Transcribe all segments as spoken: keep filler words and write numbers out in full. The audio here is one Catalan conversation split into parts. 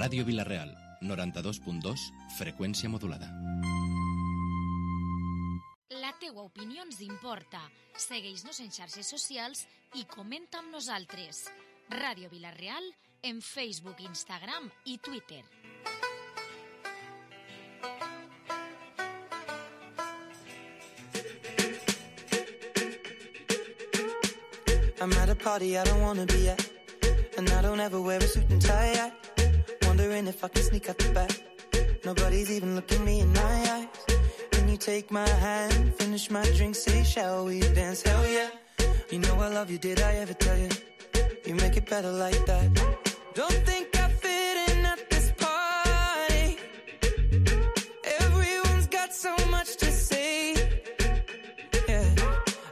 Ràdio Vila-real, noranta-dos punt dos, freqüència modulada. La teua opinió ens importa. Segueix-nos en xarxes socials i comenta amb nosaltres. Ràdio Vila-real en Facebook, Instagram i Twitter. I'm at a party I don't wanna be at, and I don't ever wear a suit and tie yet. Wondering if I can sneak out the back. Nobody's even looking me in my eyes. Can you take my hand, finish my drink, say shall we dance? Hell yeah. You know I love you, did I ever tell you? You make it better like that. Don't think I fit in at this party. Everyone's got so much to say. Yeah,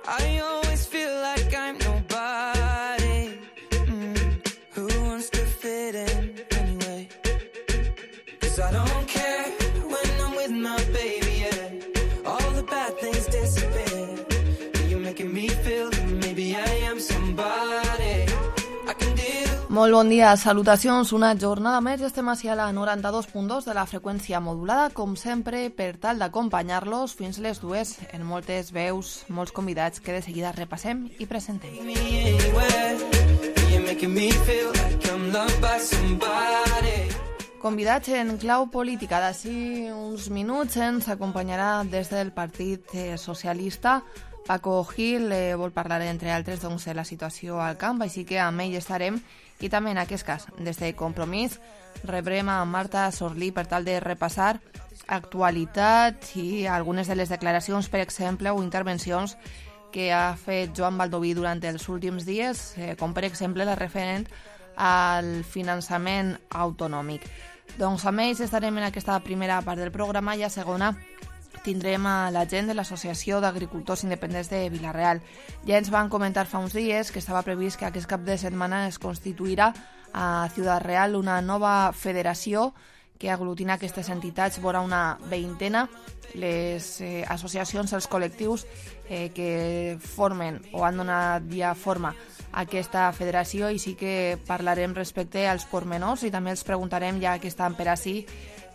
I always feel like I'm nobody. Mm. Who wants to fit in anyway? 'Cause I don't care when I'm with my baby, yeah. All the bad things disappear. You're making me feel that maybe I am somebody. I can deal. Molt bon dia, salutacions, una jornada més, estem així a la noranta-dos punt dos de la freqüència modulada, com sempre, per tal d'acompanyar-los fins les dues en moltes veus, molts convidats que de seguida repassem i presentem. Convidats en clau política, d'ací uns minuts ens acompanyarà des del Partit Socialista Paco Gil, eh, vol parlar entre altres doncs, de la situació al camp, així que amb ell estarem. I també en aquest cas, des de Compromís, rebrem a Marta Sorlí per tal de repassar actualitat i algunes de les declaracions, per exemple, o intervencions que ha fet Joan Baldoví durant els últims dies, eh, com per exemple la referent al finançament autonòmic. Doncs amb ells estarem en aquesta primera part del programa i a segona tindrem a la gent de l'Associació d'Agricultors Independents de Vila-real. Ja ens van comentar fa uns dies que estava previst que aquest cap de setmana es constituirà a Ciutat Real una nova federació que aglutina aquestes entitats, vora una veintena, les eh, associacions, els col·lectius eh, que formen o han donat ja forma a aquesta federació, i sí que parlarem respecte als pormenors i també els preguntarem, ja que estan per ací,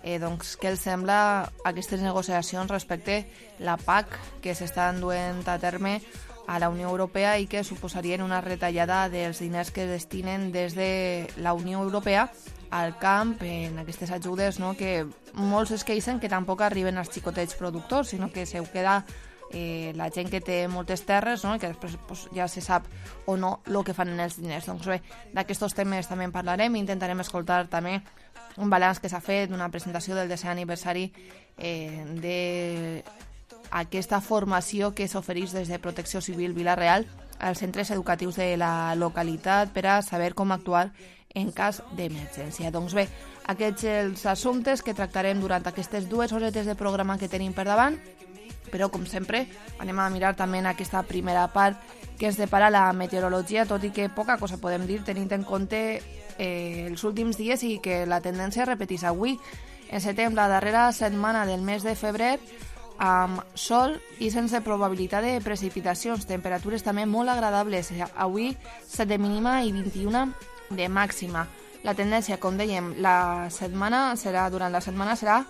Eh, doncs, què els sembla aquestes negociacions respecte la P A C que s'estan duent a terme a la Unió Europea i que suposarien una retallada dels diners que destinen des de la Unió Europea al camp en aquestes ajudes, no? Que molts es queixen que tampoc arriben als xicotets productors, sinó que se ho queda eh, la gent que té moltes terres, no? I que després pues, ja se sap o no el que fan en els diners. Doncs bé, d'aquests temes també en parlarem i intentarem escoltar també un balanç que s'ha fet d'una presentació del desè aniversari eh, d'aquesta formació que s'ofereix des de Protecció Civil Vila-real als centres educatius de la localitat per a saber com actuar en cas d'emergència. Doncs bé, aquests els assumptes que tractarem durant aquestes dues horetes de programa que tenim per davant, però com sempre anem a mirar també en aquesta primera part que ens depara la meteorologia, tot i que poca cosa podem dir tenint en compte eh, els últims dies i que la tendència es repetís avui. Encetem la darrera setmana del mes de febrer amb sol i sense probabilitat de precipitacions, temperatures també molt agradables, avui set de mínima i vint-i-una de màxima. La tendència, com dèiem, la setmana serà durant la setmana serà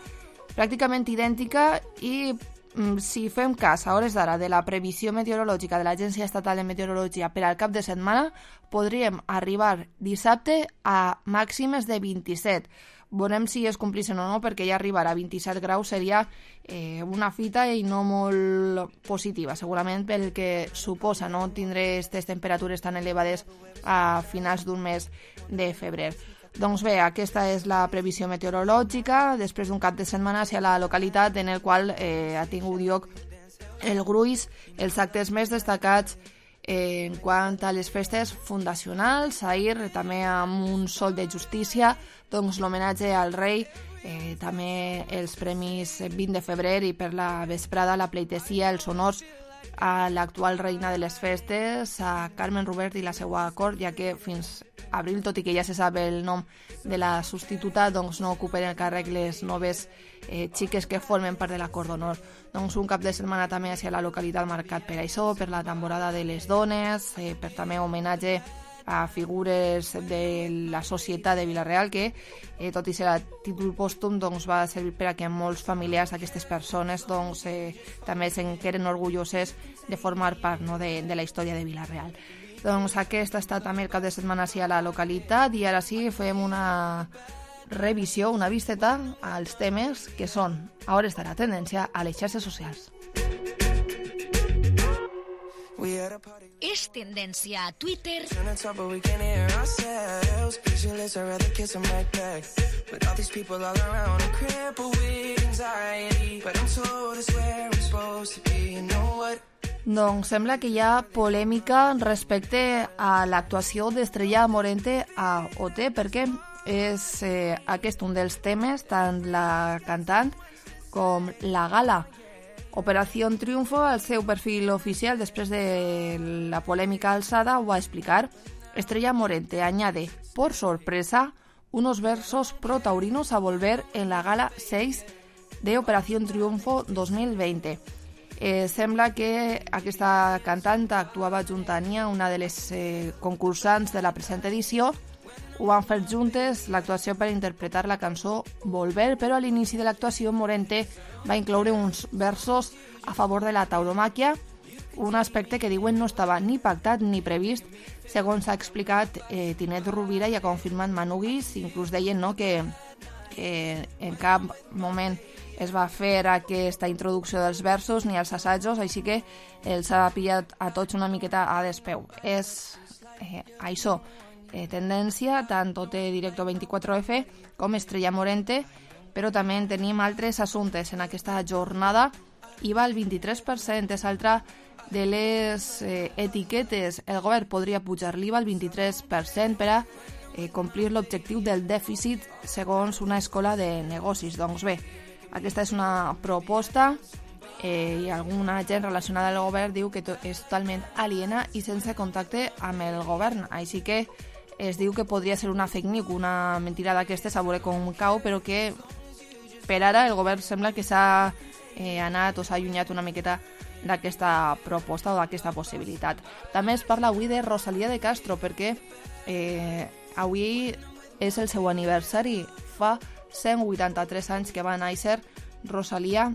pràcticament idèntica i si fem cas a hores d'ara de la previsió meteorològica de l'Agència Estatal de Meteorologia per al cap de setmana, podríem arribar dissabte a màximes de vint-i-set. Veurem si es complissin o no, perquè ja arribar a vint-i-set graus seria eh, una fita i no molt positiva, segurament pel que suposa no tindre aquestes temperatures tan elevades a finals d'un mes de febrer. Doncs bé, aquesta és la previsió meteorològica després d'un cap de setmana hacia la localitat en el qual eh, ha tingut lloc el gruix, els actes més destacats eh, en quant a les festes fundacionals, ahir també amb un sol de justícia, doncs l'homenatge al rei, eh, també els premis vint de febrer i per la vesprada la pleitesia, els honors a l'actual reina de les festes, a Carmen Rubert i la seva cort, ja que fins abril, tot i que ja se sap el nom de la substituta, doncs no ocupen el càrrec les noves eh, xiques que formen part de la cort d'honor. Doncs un cap de setmana també hacia la localitat marcat per això, per la temporada de les dones, eh, per també homenatge a figures de la societat de Vila-real que, eh, tot i ser a títol pòstum, doncs, va servir per a que molts familiars d'aquestes persones doncs, eh, també se'n queden orgulloses de formar part, no, de, de la història de Vila-real. Doncs aquest ha estat també el cap de setmana sí a la localitat i ara sí fem una revisió, una visteta als temes que són a hores d'ara tendència a les xarxes socials. És tendència a Twitter doncs sembla que hi ha polèmica respecte a l'actuació d'Estrella Morente a O T, perquè és eh, aquest un dels temes, tant la cantant com la gala. Operación Triunfo, al seu perfil oficial, després de la polèmica alçada, ho va explicar. Estrella Morente añade, por sorpresa, unos versos pro-taurinos a volver en la gala seis de Operación Triunfo dos mil veinte. Eh, sembla que aquesta cantant actuava junt a Nia, una de les eh, concursants de la present edició. Ho van fer juntes l'actuació per interpretar la cançó Volver, però a l'inici de l'actuació Morente va incloure uns versos a favor de la tauromàquia, un aspecte que diuen no estava ni pactat ni previst, segons ha explicat eh, Tinet Rovira i ha confirmat Manu Guix. Inclús deien, no, que, que en cap moment es va fer aquesta introducció dels versos ni els assajos, així que els ha pillat a tots una miqueta a despeu. És eh, això, eh, tendència, tant O T Directo vint-i-quatre F com Estrella Morente, però també en tenim altres assumptes en aquesta jornada. I va al vint-i-tres per cent, és altra de les eh, etiquetes. El govern podria pujar l'I V A al vint-i-tres per cent per a eh, complir l'objectiu del dèficit segons una escola de negocis. Doncs bé, aquesta és una proposta eh, i alguna gent relacionada al govern diu que to- és totalment aliena i sense contacte amb el govern. Així que es diu que podria ser una fake news, una mentira d'aquestes, a veure com cau, però que per ara el govern sembla que s'ha eh, anat o s'ha allunyat una miqueta d'aquesta proposta o d'aquesta possibilitat. També es parla avui de Rosalía de Castro, perquè eh, avui és el seu aniversari. Fa cent vuitanta-tres anys que va néixer Rosalía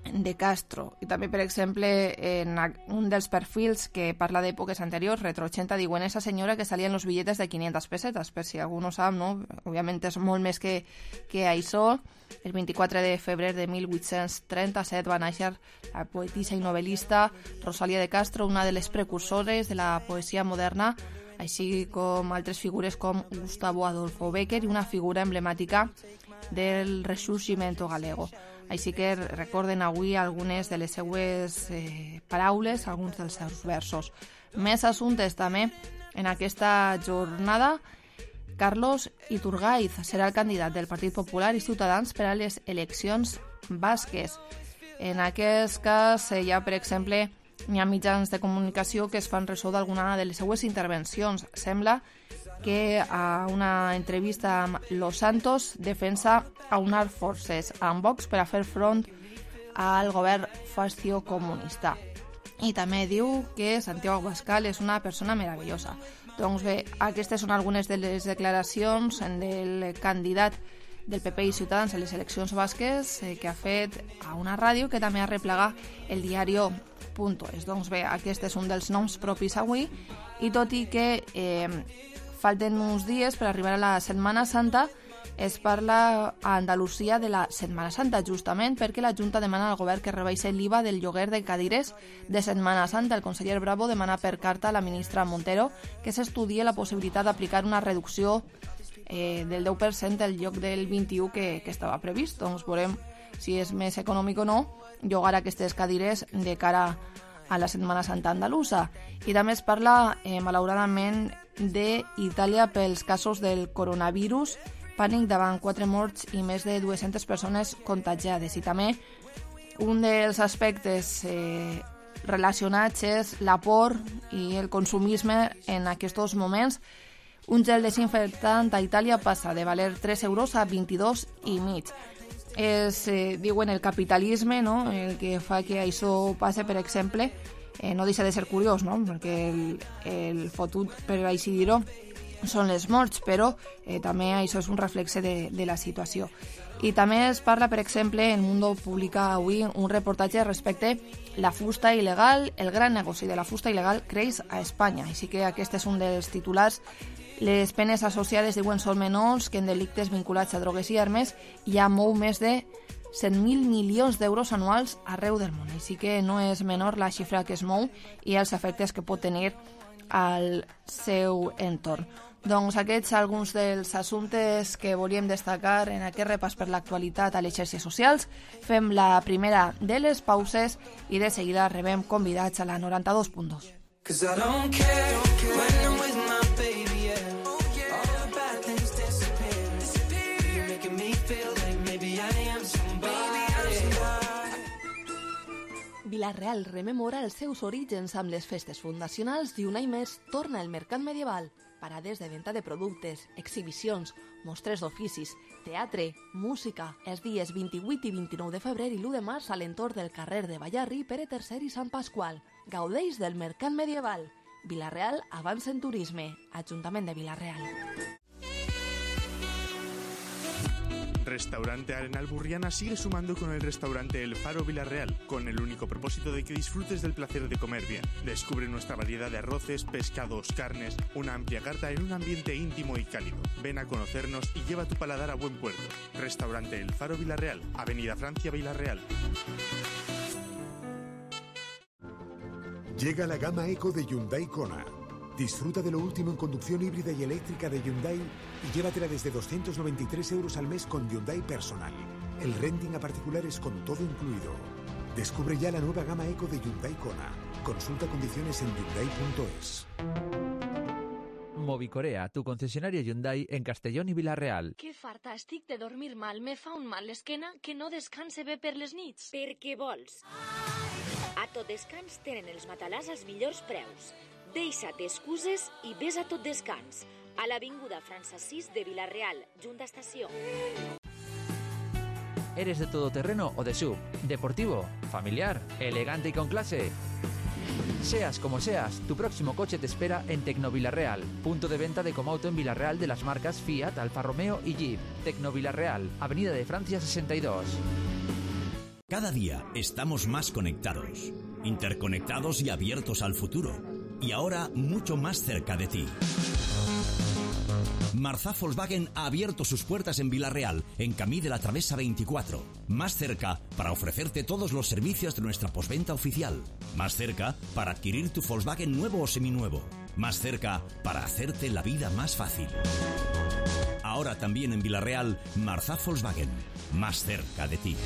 de Castro. I també, per exemple, en un dels perfils que parla d'èpoques anteriors, Retro ochenta, diuen esa senyora que salia en los billetes de quinientas pesetas, per si algú no sap, no? Òbviament és molt més que, que això. El vint-i-quatre de febrer de mil vuit-cents trenta-set va néixer la poetisa i novel·lista Rosalía de Castro, una de les precursores de la poesia moderna, així com altres figures com Gustavo Adolfo Bécquer i una figura emblemàtica del Resurgimento galego. Així que recorden avui algunes de les seues eh, paraules, alguns dels seus versos. Més assumptes també en aquesta jornada. Carlos Iturgaiz serà el candidat del Partit Popular i Ciutadans per a les eleccions basques. En aquest cas hi ha, per exemple, hi ha mitjans de comunicació que es fan ressò d'alguna de les seues intervencions. Sembla que a una entrevista amb Los Santos defensa aunar forces amb Vox per a fer front al govern fascio comunista. I també diu que Santiago Abascal és una persona meravellosa. Doncs bé, aquestes són algunes de les declaracions del candidat del P P i Ciutadans a les eleccions basques eh, que ha fet a una ràdio que també ha replegat el diario punt es. Doncs bé, aquest és un dels noms propis avui, i tot i que eh, falten uns dies per arribar a la Setmana Santa, es parla a Andalusia de la Setmana Santa, justament perquè la Junta demana al govern que rebaixi l'I V A del lloguer de cadires de Setmana Santa. El conseller Bravo demana per carta a la ministra Montero que s'estudie la possibilitat d'aplicar una reducció eh, del deu per cent del lloc del vint-i-u que, que estava previst. Doncs veurem si és més econòmic o no llogar aquestes cadires de cara a la Setmana Santa andalusa. I també es parla, eh, malauradament, d'Itàlia pels casos del coronavirus, pànic davant quatre morts i més de dues-centes persones contagiades. I també un dels aspectes eh, relacionats és la por i el consumisme en aquests moments. Un gel desinfectant a Itàlia passa de valer tres euros a vint-i-dos i mig. És, eh, diuen, el capitalisme, no?, el que fa que això passe. Per exemple, eh, no deixa de ser curiós, no? Perquè el, el fotut, per així dir-ho, són les morts, però eh, també això és un reflexe de, de la situació. I també es parla, per exemple, en Mundo publica avui un reportatge respecte la fusta il·legal, el gran negoci de la fusta il·legal creix a Espanya. Així que aquest és un dels titulars. Les penes associades, diuen, són menors que en delictes vinculats a drogues i armes i ja mou més de cent mil milions d'euros anuals arreu del món. Així que no és menor la xifra que es mou i els efectes que pot tenir al seu entorn. Doncs aquests alguns dels assumptes que volíem destacar en aquest repàs per l'actualitat a les xarxes socials. Fem la primera de les pauses i de seguida rebem convidats a la noranta-dos punt dos. Cause I don't care when I'm with my baby, yeah. All the bad things disappear. You're making me feel like maybe I am somebody. Vila-real rememora els seus orígens amb les festes fundacionals i un any més torna el mercat medieval. Parades de venda de productes, exhibicions, mostres d'oficis, teatre, música, els dies vint-i-vuit i vint-i-nou de febrer i l'u de març a l'entorn del carrer de Ballarri, Pere tercer i Sant Pasqual. Gaudeix del mercat medieval. Vila-real avança en turisme. Ajuntament de Vila-real. Restaurante Arenal Burriana sigue sumando con el restaurante El Faro Vila-real, con el único propósito de que disfrutes del placer de comer bien. Descubre nuestra variedad de arroces, pescados, carnes, una amplia carta en un ambiente íntimo y cálido. Ven a conocernos y lleva tu paladar a buen puerto. Restaurante El Faro Vila-real, Avenida Francia, Vila-real. Llega la gama Eco de Hyundai Kona. Disfruta de lo último en conducción híbrida y eléctrica de Hyundai y llévatela desde doscientos noventa y tres euros al mes con Hyundai Personal. El renting a particulares con todo incluido. Descubre ya la nueva gama Eco de Hyundai Kona. Consulta condiciones en hyundai punto es. Movicorea, tu concesionaria Hyundai en Castellón i Vila-real. Que farta estic de dormir mal. Me fa un mal l'esquena que no descanse bé per les nits. Per què vols? A Tot Descans tenen els matalàs als millors preus. Deixa't excuses i ves a Tot Descans, a l'avinguda França sis de Vila-real, junt a estació. ¿Eres de todoterreno o de sub? ¿Deportivo? ¿Familiar? ¿Elegante y con clase? Seas como seas, tu próximo coche te espera en Tecno Vila-real, punto de venta de Comauto en Vila-real de las marcas Fiat, Alfa Romeo y Jeep. Tecno Vila-real, Avenida de Francia sesenta y dos. Cada día estamos más conectados, interconectados y abiertos al futuro. Y ahora mucho más cerca de ti. Marzá Volkswagen ha abierto sus puertas en Vila-real, en Camí de la Travesa veinticuatro. Más cerca para ofrecerte todos los servicios de nuestra postventa oficial. Más cerca para adquirir tu Volkswagen nuevo o seminuevo. Más cerca para hacerte la vida más fácil. Ahora también en Vila-real, Marzá Volkswagen. Más cerca de ti.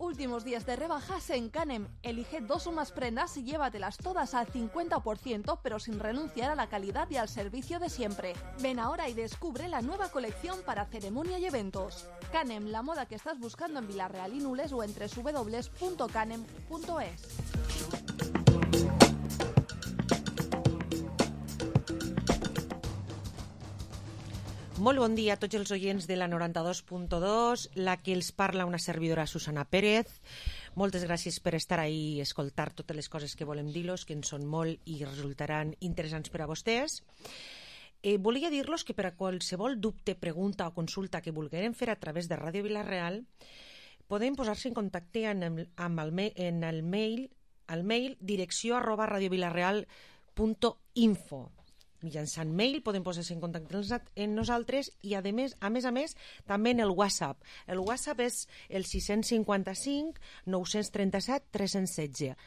Últimos días de rebajas en Canem. Elige dos o más prendas y llévatelas todas al cincuenta por ciento, pero sin renunciar a la calidad y al servicio de siempre. Ven ahora y descubre la nueva colección para ceremonia y eventos. Canem, la moda que estás buscando en Vila-real y Nules o en doble u doble u doble u punto canem punto es. Molt bon dia a tots els oients de la noranta-dos punt dos, la que els parla una servidora Susana Pérez. Moltes gràcies per estar ahí i escoltar totes les coses que volem dir-los, que en són molt i resultaran interessants per a vostès. Eh, volia dir-los que per a qualsevol dubte, pregunta o consulta que vulguem fer a través de Ràdio Vila-real, podem posar-se en contacte amb el, amb el, en el mail, al mail direcció arroba radiovilareal punt info. Mitjançant mail podem posar-se en contacte amb nosaltres i a més, a més a més també en el WhatsApp. El WhatsApp és el sis cinquanta-cinc nou trenta-set tres cents i setze.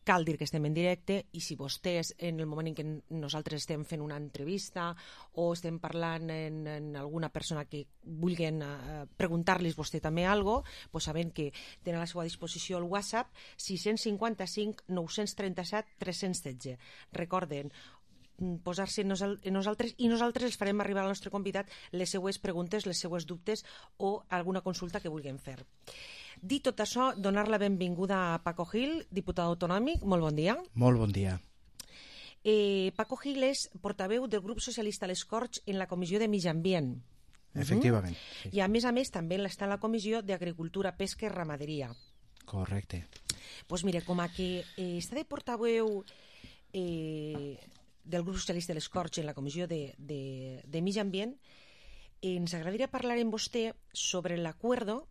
Cal dir que estem en directe i si vostès en el moment en què nosaltres estem fent una entrevista o estem parlant en, en alguna persona que vulguin uh, preguntar-los vostè també alguna cosa, pues saben que tenen a la seva disposició el WhatsApp sis cinquanta-cinc nou trenta-set tres cents i setze. Recorden posar-se en nosaltres i nosaltres els farem arribar al nostre convidat les seues preguntes, les seues dubtes o alguna consulta que vulguem fer. Dit tot això, donar la benvinguda a Paco Gil, diputat autonòmic. Molt bon dia. Molt bon dia. Eh, Paco Gil és portaveu del grup socialista a les Corts en la Comissió de Mig Ambient. Efectivament. Uh-huh. Sí. I a més a més també està a la Comissió d'Agricultura, Pesca i Ramaderia. Correcte. Pues mire, com a que eh, està de portaveu eh, del grup socialista de les Corts en la comissió de, de, de Mig Ambient, eh, ens agradaria parlar amb vostè sobre l'acuerdo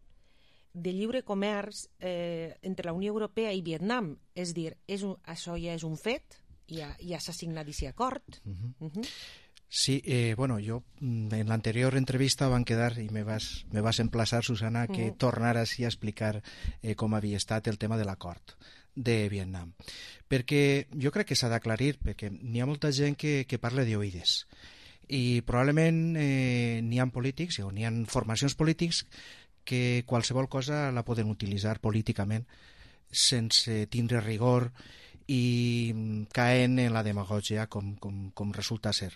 de lliure comerç eh, entre la Unió Europea i Vietnam. És dir, és un, això ja és un fet, ja, ja s'ha signat aquest acord. Uh-huh. Uh-huh. Sí, eh, bueno, yo en la anterior entrevista van quedar, y me vas, me vas a emplaçar, Susana, que uh-huh. tornaras a explicar eh, com havia estat el tema de l'acord de Vietnam. Perquè jo crec que s'ha d'aclarir, perquè n'hi ha molta gent que, que parla d'oïdes. I probablement eh, n'hi ha polítics, o n'hi ha formacions polítics que qualsevol cosa la poden utilitzar políticament sense tindre rigor i caen en la demagògia com, com, com resulta ser.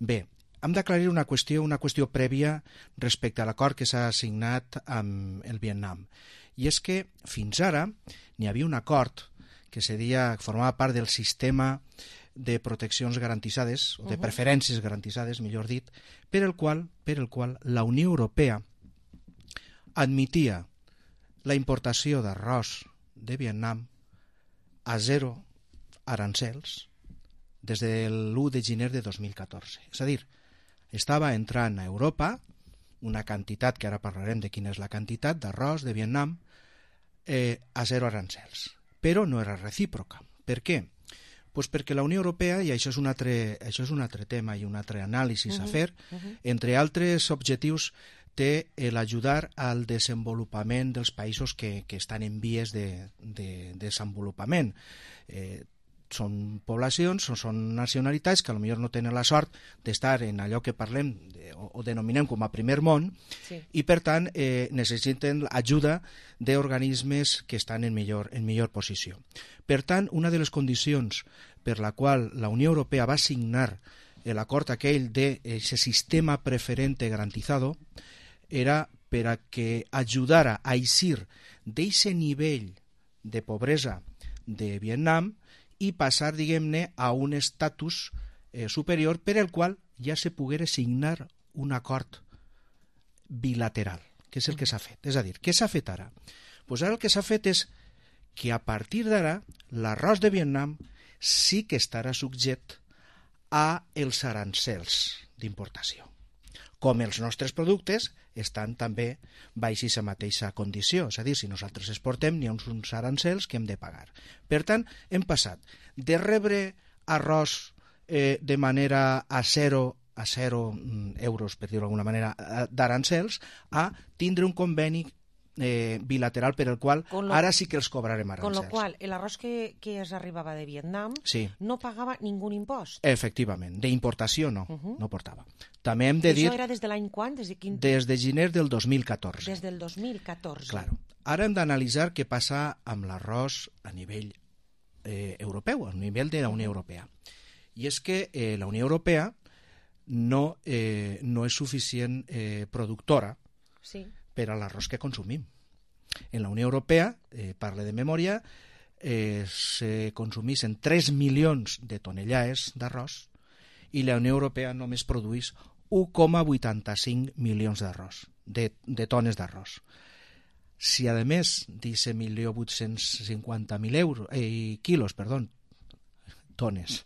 Bé, hem d'aclarir una qüestió, una qüestió prèvia respecte a l'acord que s'ha signat amb el Vietnam. I és que fins ara n'hi havia un acord que seria, formava part del sistema de proteccions garantitzades, o de preferències garantitzades, millor dit, per el qual, per el qual la Unió Europea admetia la importació d'arròs de Vietnam a zero arancels des de l'u de gener de dos mil catorze. És a dir, estava entrant a Europa una quantitat, que ara parlarem de quina és la quantitat, d'arròs de Vietnam eh, a zero arancels. Però no era recíproca. Per què? Pues perquè la Unió Europea, i això és un altre, això és un altre tema i un altre anàlisi uh-huh, a fer, uh-huh. entre altres objectius té l'ajudar al desenvolupament dels països que, que estan en vies de, de, de desenvolupament. Eh, són poblacions, o són nacionalitats que potser no tenen la sort d'estar en allò que parlem de, o, o denominem com a primer món sí. i per tant eh, necessiten ajuda d'organismes que estan en millor, en millor posició. Per tant, una de les condicions per la qual la Unió Europea va signar l'acord aquell d'aquest sistema preferente garantizado era per a que ajudara a eixir d'aquest nivell de pobresa de Vietnam i passar, diguem-ne, a un estatus eh, superior per el qual ja se poguera signar un acord bilateral, que és el que s'ha fet. És a dir, què s'ha fet ara? Pues ara el que s'ha fet és que a partir d'ara l'arròs de Vietnam sí que estarà subject a els arancels d'importació. Com els nostres productes estan també baix aquesta mateixa condició. És a dir, si nosaltres exportem, n'hi ha uns arancels que hem de pagar. Per tant, hem passat de rebre arròs eh, de manera a zero, a zero euros, per dir-ho d'alguna manera, d'arancels, a tindre un conveni eh, bilateral per el qual lo, ara sí que els cobrarem arancels. Con lo qual, l'arròs que, que es arribava de Vietnam sí. no pagava ningú impost. Efectivament, d'importació no, uh-huh. no portava. També hem de I dir... això era des de l'any quan? Des de, quin... des de gener del dos mil catorze. Des del dos mil catorze. Claro. Ara hem d'analitzar què passa amb l'arròs a nivell eh, europeu, a nivell de la Unió Europea. I és que eh, la Unió Europea no, eh, no és suficient eh, productora sí. per a l'arròs que consumim. En la Unió Europea, eh, parle de memòria, eh, se consumeixen tres milions de tonelades d'arròs i la Unió Europea només produeix u coma vuitanta-cinc milions d'arròs, de, de tones d'arròs. Si, a més, d'aquest milió vuit-cents cinquanta mil euros, eh, quilos, perdó, tones,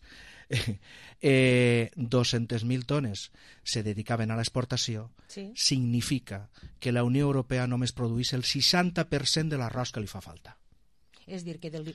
eh, dos-centes mil tones se dedicaven a l'exportació, sí. significa que la Unió Europea només produeix el seixanta per cent de l'arròs que li fa falta. És dir, que del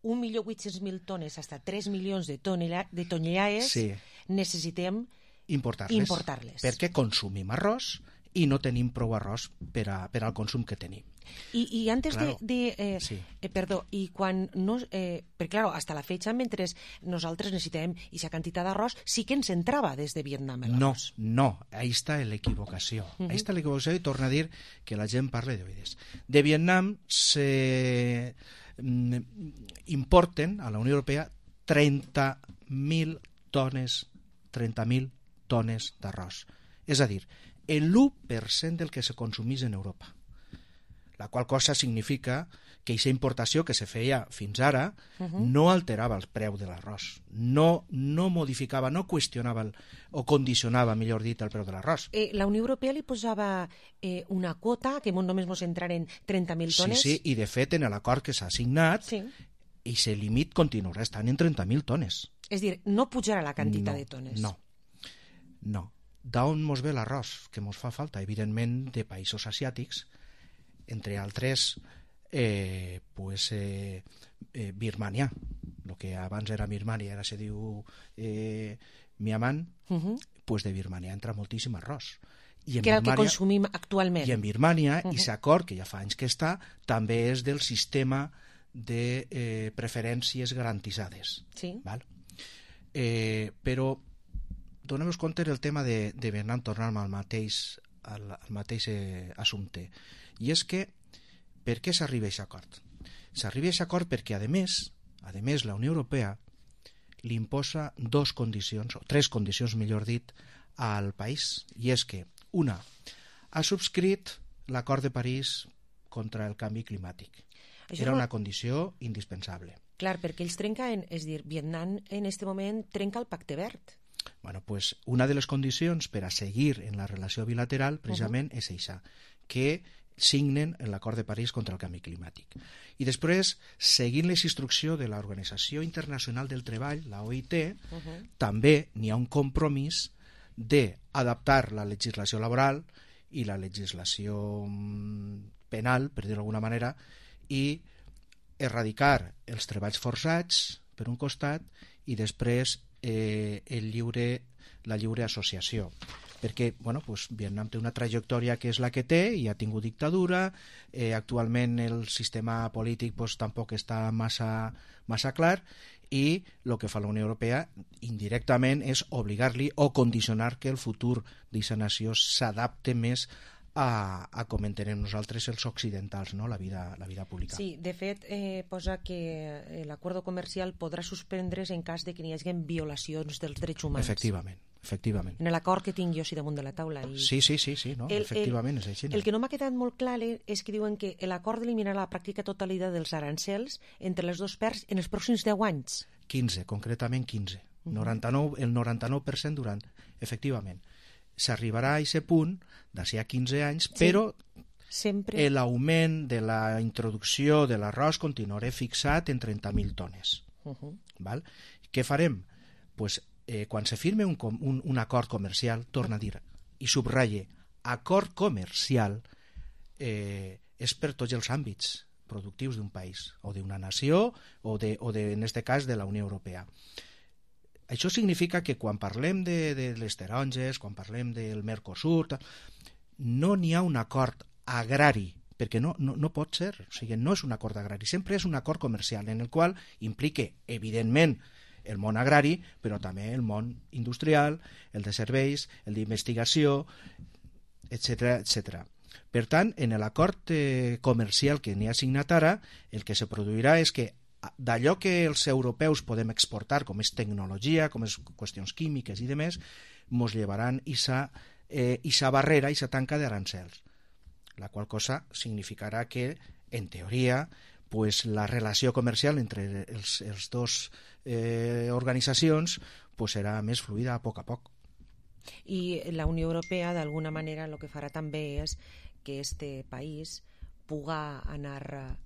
un milió vuit-cents mil tones fins a tres milions de, tonela, de tonellades sí. necessitem importar-les, importar-les. Perquè consumim arròs i no tenim prou arròs per, a, per al consum que tenim. I, i antes claro. de... de eh, sí. eh, perdó, i quan no... Eh, perquè, claro, hasta la fecha, mentre nosaltres necessitem aquesta quantitat d'arròs, sí que ens entrava des de Vietnam l'arròs. No, no, ahí està l'equivocació. Uh-huh. Ahí està l'equivocació i torna a dir que la gent parla d'oïdes. De Vietnam se importen a la Unió Europea trenta mil tones, trenta mil tones d'arròs. És a dir, l'u per cent del que se consumís en Europa. la qual cosa significa que aquesta importació que se feia fins ara Uh -huh. no alterava el preu de l'arròs, no, no modificava, no qüestionava el, o condicionava, millor dit, el preu de l'arròs. Eh, la Unió Europea li posava eh, una quota que només ens entraren trenta mil tones. Sí, sí, i de fet en l'acord que s'ha signat, sí. i el límit continuarà estant en trenta mil tones. És dir, no pujarà la quantitat no, de tones. No, no. D'on mos ve l'arròs? Que mos fa falta, evidentment, de països asiàtics, entre altres, eh, pues, eh, eh, Birmania. El que abans era Birmania, ara se diu eh, Myanmar, uh -huh. pues de Birmania entra moltíssim arròs. I en que és el Birmania, que consumim actualment. I en Birmania, uh -huh. i l'acord, que ja fa anys que està, també és del sistema de eh, preferències garantitzades. Sí. Val? Eh, però donem-nos compte del tema de, de Vietnam, tornar al mateix, al, al mateix eh, assumpte. I és que, per què s'arriba a aquest acord? S'arriba a aquest acord perquè, a més, a més, la Unió Europea li imposa dos condicions, o tres condicions, millor dit, al país. I és que, una, ha subscrit l'acord de París contra el canvi climàtic. Això Era no... una condició indispensable. Clar, perquè ells trenquen, és dir, Vietnam en aquest moment trenca el pacte verd. Bueno, pues una de les condicions per a seguir en la relació bilateral precisament uh -huh. és eixa, que signen l'acord de París contra el canvi climàtic. I després, seguint les instruccions de l'Organització Internacional del Treball, la O I T, uh -huh. també n'hi ha un compromís d'adaptar la legislació laboral i la legislació penal, per dir-ho d'alguna manera, i erradicar els treballs forçats, per un costat, i després eh, el lliure, la lliure associació. Perquè bueno, pues, Vietnam té una trajectòria que és la que té i ha tingut dictadura, eh, actualment el sistema polític pues, tampoc està massa, massa clar, i el que fa la Unió Europea indirectament és obligar-li o condicionar que el futur d'aquesta nació s'adapte més a, a com entenem nosaltres els occidentals, no? la, vida, la vida pública. Sí, de fet, eh, posa que l'acord comercial podrà suspendre's en cas de que n'hi hagi violacions dels drets humans. Efectivament. Efectivament. En l'acord que tinc jo així damunt de la taula. I... Sí, sí, sí, sí no? el, efectivament el, és així. El que no m'ha quedat molt clar és que diuen que l'acord eliminarà la pràctica totalitat dels arancels entre les dues parts en els pròxims deu anys. quinze, concretament quinze. Uh-huh. noranta-nou, el noranta-nou per cent durant. Efectivament. S'arribarà a aquest punt d'ací a quinze anys, sí. però sempre l'augment de la introducció de l'arròs continuarà fixat en trenta mil tones. Uh-huh. Val? Què farem? Pues, eh, quan se firme un, un, un acord comercial, torna a dir, i subratlle, acord comercial eh, és per tots els àmbits productius d'un país, o d'una nació, o, de, o de, en aquest cas de la Unió Europea. Això significa que quan parlem de, de les taronges, quan parlem del Mercosur, no n'hi ha un acord agrari, perquè no, no, no pot ser, o sigui, no és un acord agrari, sempre és un acord comercial en el qual implique, evidentment, el món agrari, però també el món industrial, el de serveis, el d'investigació, etcètera, etcètera. Per tant, en l'acord eh, comercial que n'hi ha signat ara, el que se produirà és que d'allò que els europeus podem exportar, com és tecnologia, com és qüestions químiques i demés, mos llevaran aquesta eh, barrera, aquesta tanca d'arancels, la qual cosa significarà que, en teoria, pues, la relació comercial entre els, els dos eh, organitzacions pues, serà més fluida a poc a poc. I la Unió Europea, d'alguna manera, el que farà també és que este país puga anar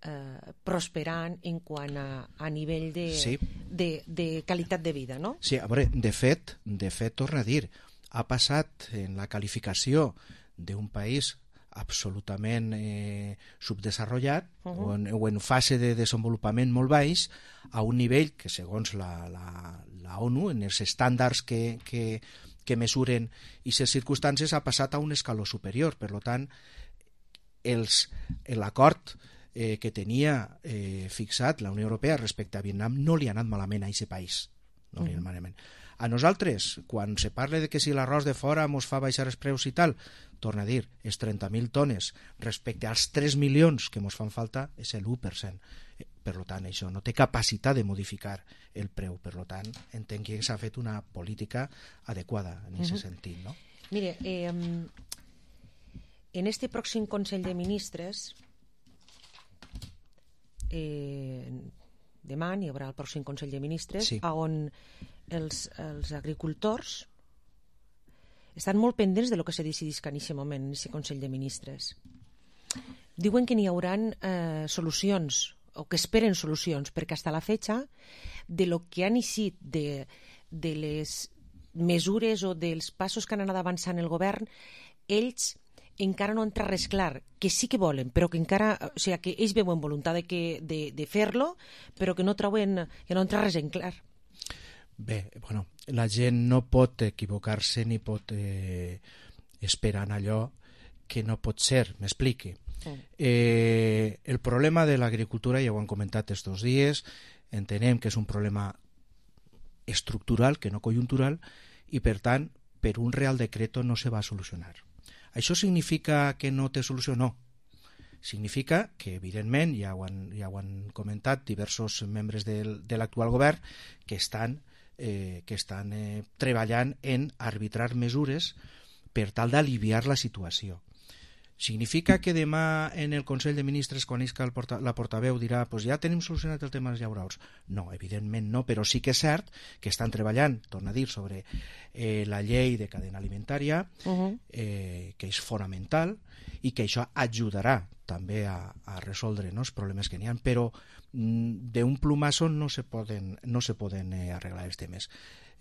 eh, prosperant en quant a, a nivell de, sí. de, de qualitat de vida, no? Sí, a veure, de fet, de fet, torna a dir, ha passat en la qualificació d'un país absolutament eh, subdesenvolupat uh -huh. o, en, o en fase de desenvolupament molt baix a un nivell que, segons la, la, la ONU, en els estàndards que, que, que mesuren aquestes circumstàncies, ha passat a un escaló superior. Per tant, l'acord eh, que tenia eh, fixat la Unió Europea respecte a Vietnam no li ha anat malament a aquest país. No li ha anat malament. A nosaltres, quan se parla de que si l'arròs de fora mos fa baixar els preus i tal, torna a dir, és trenta mil tones respecte als tres milions que mos fan falta, és l'u per cent. Per tant, això no té capacitat de modificar el preu. Per tant, entenc que s'ha fet una política adequada en aquest uh -huh. sentit, no? Mire, eh, en este pròxim Consell de Ministres, eh, demà hi haurà el pròxim Consell de Ministres, sí. on els, els agricultors estan molt pendents de lo que se decidisca en aquest moment, en aquest Consell de Ministres. Diuen que n'hi haurà eh, solucions, o que esperen solucions, perquè fins a la fecha de lo que han eixit de, de les mesures o dels passos que han anat avançant el govern, ells encara no entra res clar, que sí que volen, però que encara, o sigui, que ells veuen voluntat de, que, de, de fer-lo, però que no troben, que no entra res en clar. Bé, bueno, la gent no pot equivocar-se ni pot eh, esperar en allò que no pot ser, m'expliqui. Mm. Eh, el problema de l'agricultura, ja ho han comentat estos dies, entenem que és un problema estructural, que no conjuntural, i per tant, per un Real Decreto no se va a solucionar. Això significa que no té solució? No. Significa que, evidentment, ja ho han, ja ho han comentat diversos membres del, de l'actual govern, que estan, eh, que estan eh, treballant en arbitrar mesures per tal d'aliviar la situació. Significa que demà en el Consell de Ministres, quan isca el porta, la portaveu, dirà pues ja tenim solucionat el tema dels llauraus? No, evidentment no, però sí que és cert que estan treballant, torna a dir, sobre eh, la llei de cadena alimentària, uh-huh. eh, que és fonamental i que això ajudarà també a, a resoldre, no, els problemes que n'hi ha, però mm, d'un plumazo no se poden, no se poden eh, arreglar els temes.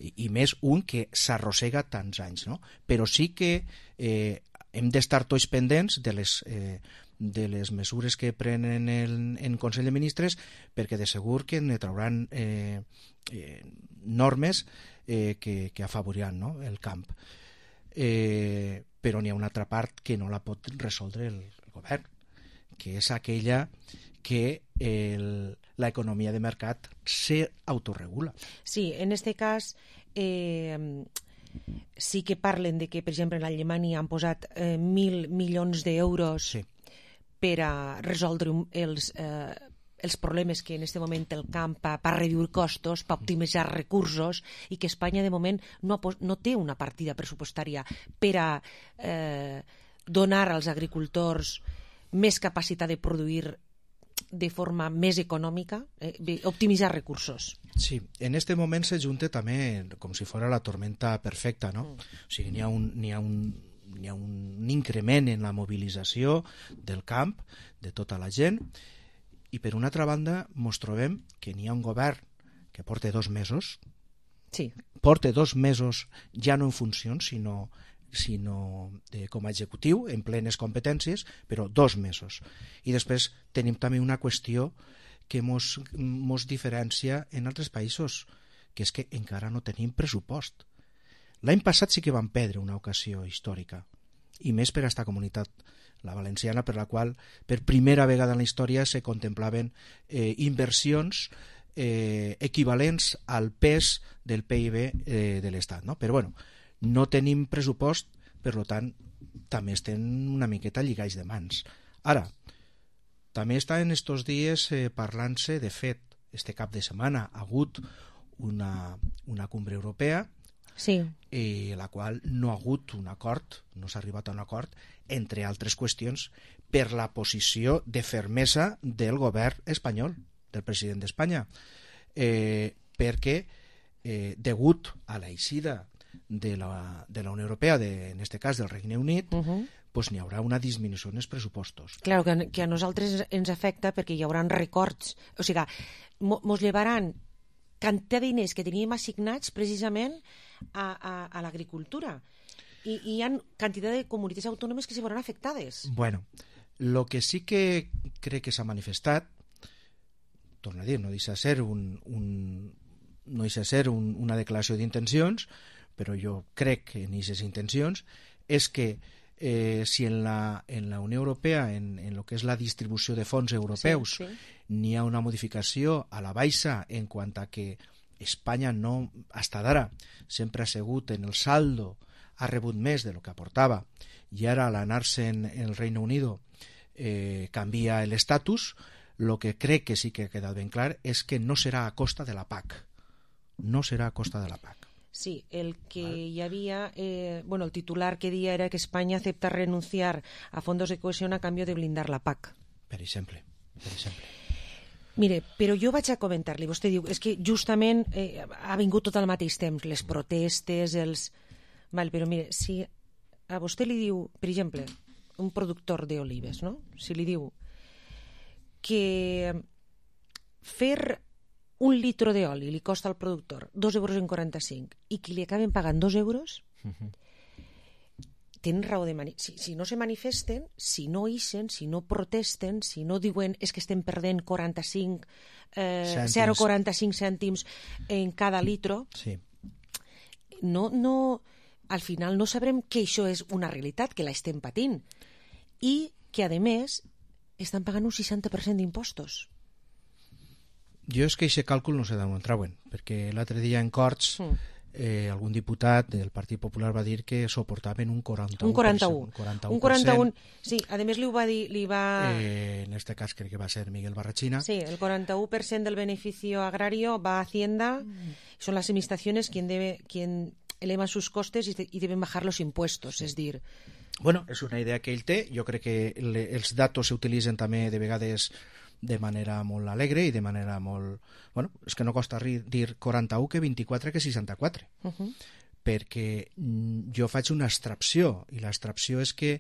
I, i més un que s'arrossega tants anys, no? Però sí que eh, hem d'estar tots pendents de les, eh, de les mesures que prenen el, en Consell de Ministres, perquè de segur que ne trauran eh, eh, normes eh, que, que afavoriran, no?, el camp. Eh, però n'hi ha una altra part que no la pot resoldre el, el govern, que és aquella que el, la economia de mercat se autorregula. Sí, en este cas... Eh... sí que parlen de que, per exemple, en Alemanya han posat eh, mil milions d'euros sí. per a resoldre els, eh, els problemes que en aquest moment el camp per reduir costos, per optimitzar recursos, i que Espanya de moment no, no té una partida pressupostària per a eh, donar als agricultors més capacitat de produir de forma més econòmica, eh, optimitzar recursos. Sí, en este moment se junta també com si fos la tormenta perfecta, no? Mm. O sigui, n'hi ha un, n'hi ha un, n'hi ha un increment en la mobilització del camp, de tota la gent, i per una altra banda mos trobem que n'hi ha un govern que porta dos mesos, sí. porta dos mesos ja no en funcions, sinó sinó de, com a executiu, en plenes competències, però dos mesos. I després tenim també una qüestió que mos, mos diferencia en altres països, que és que encara no tenim pressupost. L'any passat sí que vam perdre una ocasió històrica, i més per a esta comunitat, la valenciana, per la qual per primera vegada en la història se contemplaven eh, inversions eh, equivalents al pes del P I B eh, de l'Estat, no? Però bueno, no tenim pressupost, per tant, també estem una miqueta lligats de mans. Ara, també està en estos dies eh, parlant-se, de fet, este cap de setmana ha hagut una, una cumbre europea, sí. eh, la qual no ha hagut un acord, no s'ha arribat a un acord, entre altres qüestions, per la posició de fermesa del govern espanyol, del president d'Espanya, eh, perquè, eh, degut a la eixida de la, de la Unió Europea, de, en este cas del Regne Unit, uh-huh. pues n'hi haurà una disminució en els pressupostos. Claro, que, que a nosaltres ens afecta perquè hi haurà records, o sigui, mos llevaran quantitat de diners que teníem assignats precisament a, a, a l'agricultura, i, i hi ha quantitat de comunitats autònomes que se veuran afectades. Bueno, lo que sí que crec que s'ha manifestat, torno a dir, no deixa ser un, un, no deixa ser un, una declaració d'intencions, però jo crec que en aquestes intencions és que eh, si en la, en la Unió Europea, en, en lo que és la distribució de fons europeus, sí, sí. n'hi ha una modificació a la baixa en quant a que Espanya no, hasta d'ara, sempre ha segut en el saldo, ha rebut més de lo que aportava, i ara al anar-se en, en el Reino Unido eh, canvia l'estatus, lo que crec que sí que ha quedat ben clar és que no serà a costa de la P A C. No serà a costa de la P A C. Sí, el que vale. hi havia, eh, bueno, el titular que dia era que Espanya acepta renunciar a fondos de cohesión a cambio de blindar la P A C. Per exemple, per exemple. Mire, però jo vaig a comentar-li, vostè diu, és que justament eh, ha vingut tot al mateix temps, les protestes, els... Val, però mire, si a vostè li diu, per exemple, un productor d'olives, no? Si li diu que fer un litro d'oli li costa al productor dos euros en quaranta-cinc i que li acaben pagant dos euros, uh-huh. tenen raó de... Mani... Si, si no se manifesten, si no ixen, si no protesten, si no diuen és que estem perdent quaranta-cinc, eh, zero coma quaranta-cinc cèntims en cada litro, sí. no, no, al final no sabrem que això és una realitat, que la estem patint i que, a més, estan pagant un seixanta per cent d'impostos. Jo és que aquest càlcul no sé d'on trauen, perquè l'altre dia en Corts mm. eh, algun diputat del Partit Popular va dir que soportaven un quaranta-u. Un quaranta-u. Un quaranta-u. Un quaranta-u. Sí, a més li ho va dir... Li va... Eh, en este cas crec que va ser Miguel Barrachina. Sí, el quaranta-u per cent del beneficio agrario va a Hacienda, mm. son las administraciones quien, debe, quien elevan sus costes y, de, y deben bajar los impuestos, sí. És dir... Bueno, és una idea que ell té, jo crec que le, els datos s'utilitzen també de vegades de manera molt alegre i de manera molt... Bueno, és que no costa rir, dir quaranta-u que vint-i-quatre que seixanta-quatre. Uh-huh. Perquè jo faig una extracció, i l'extracció és que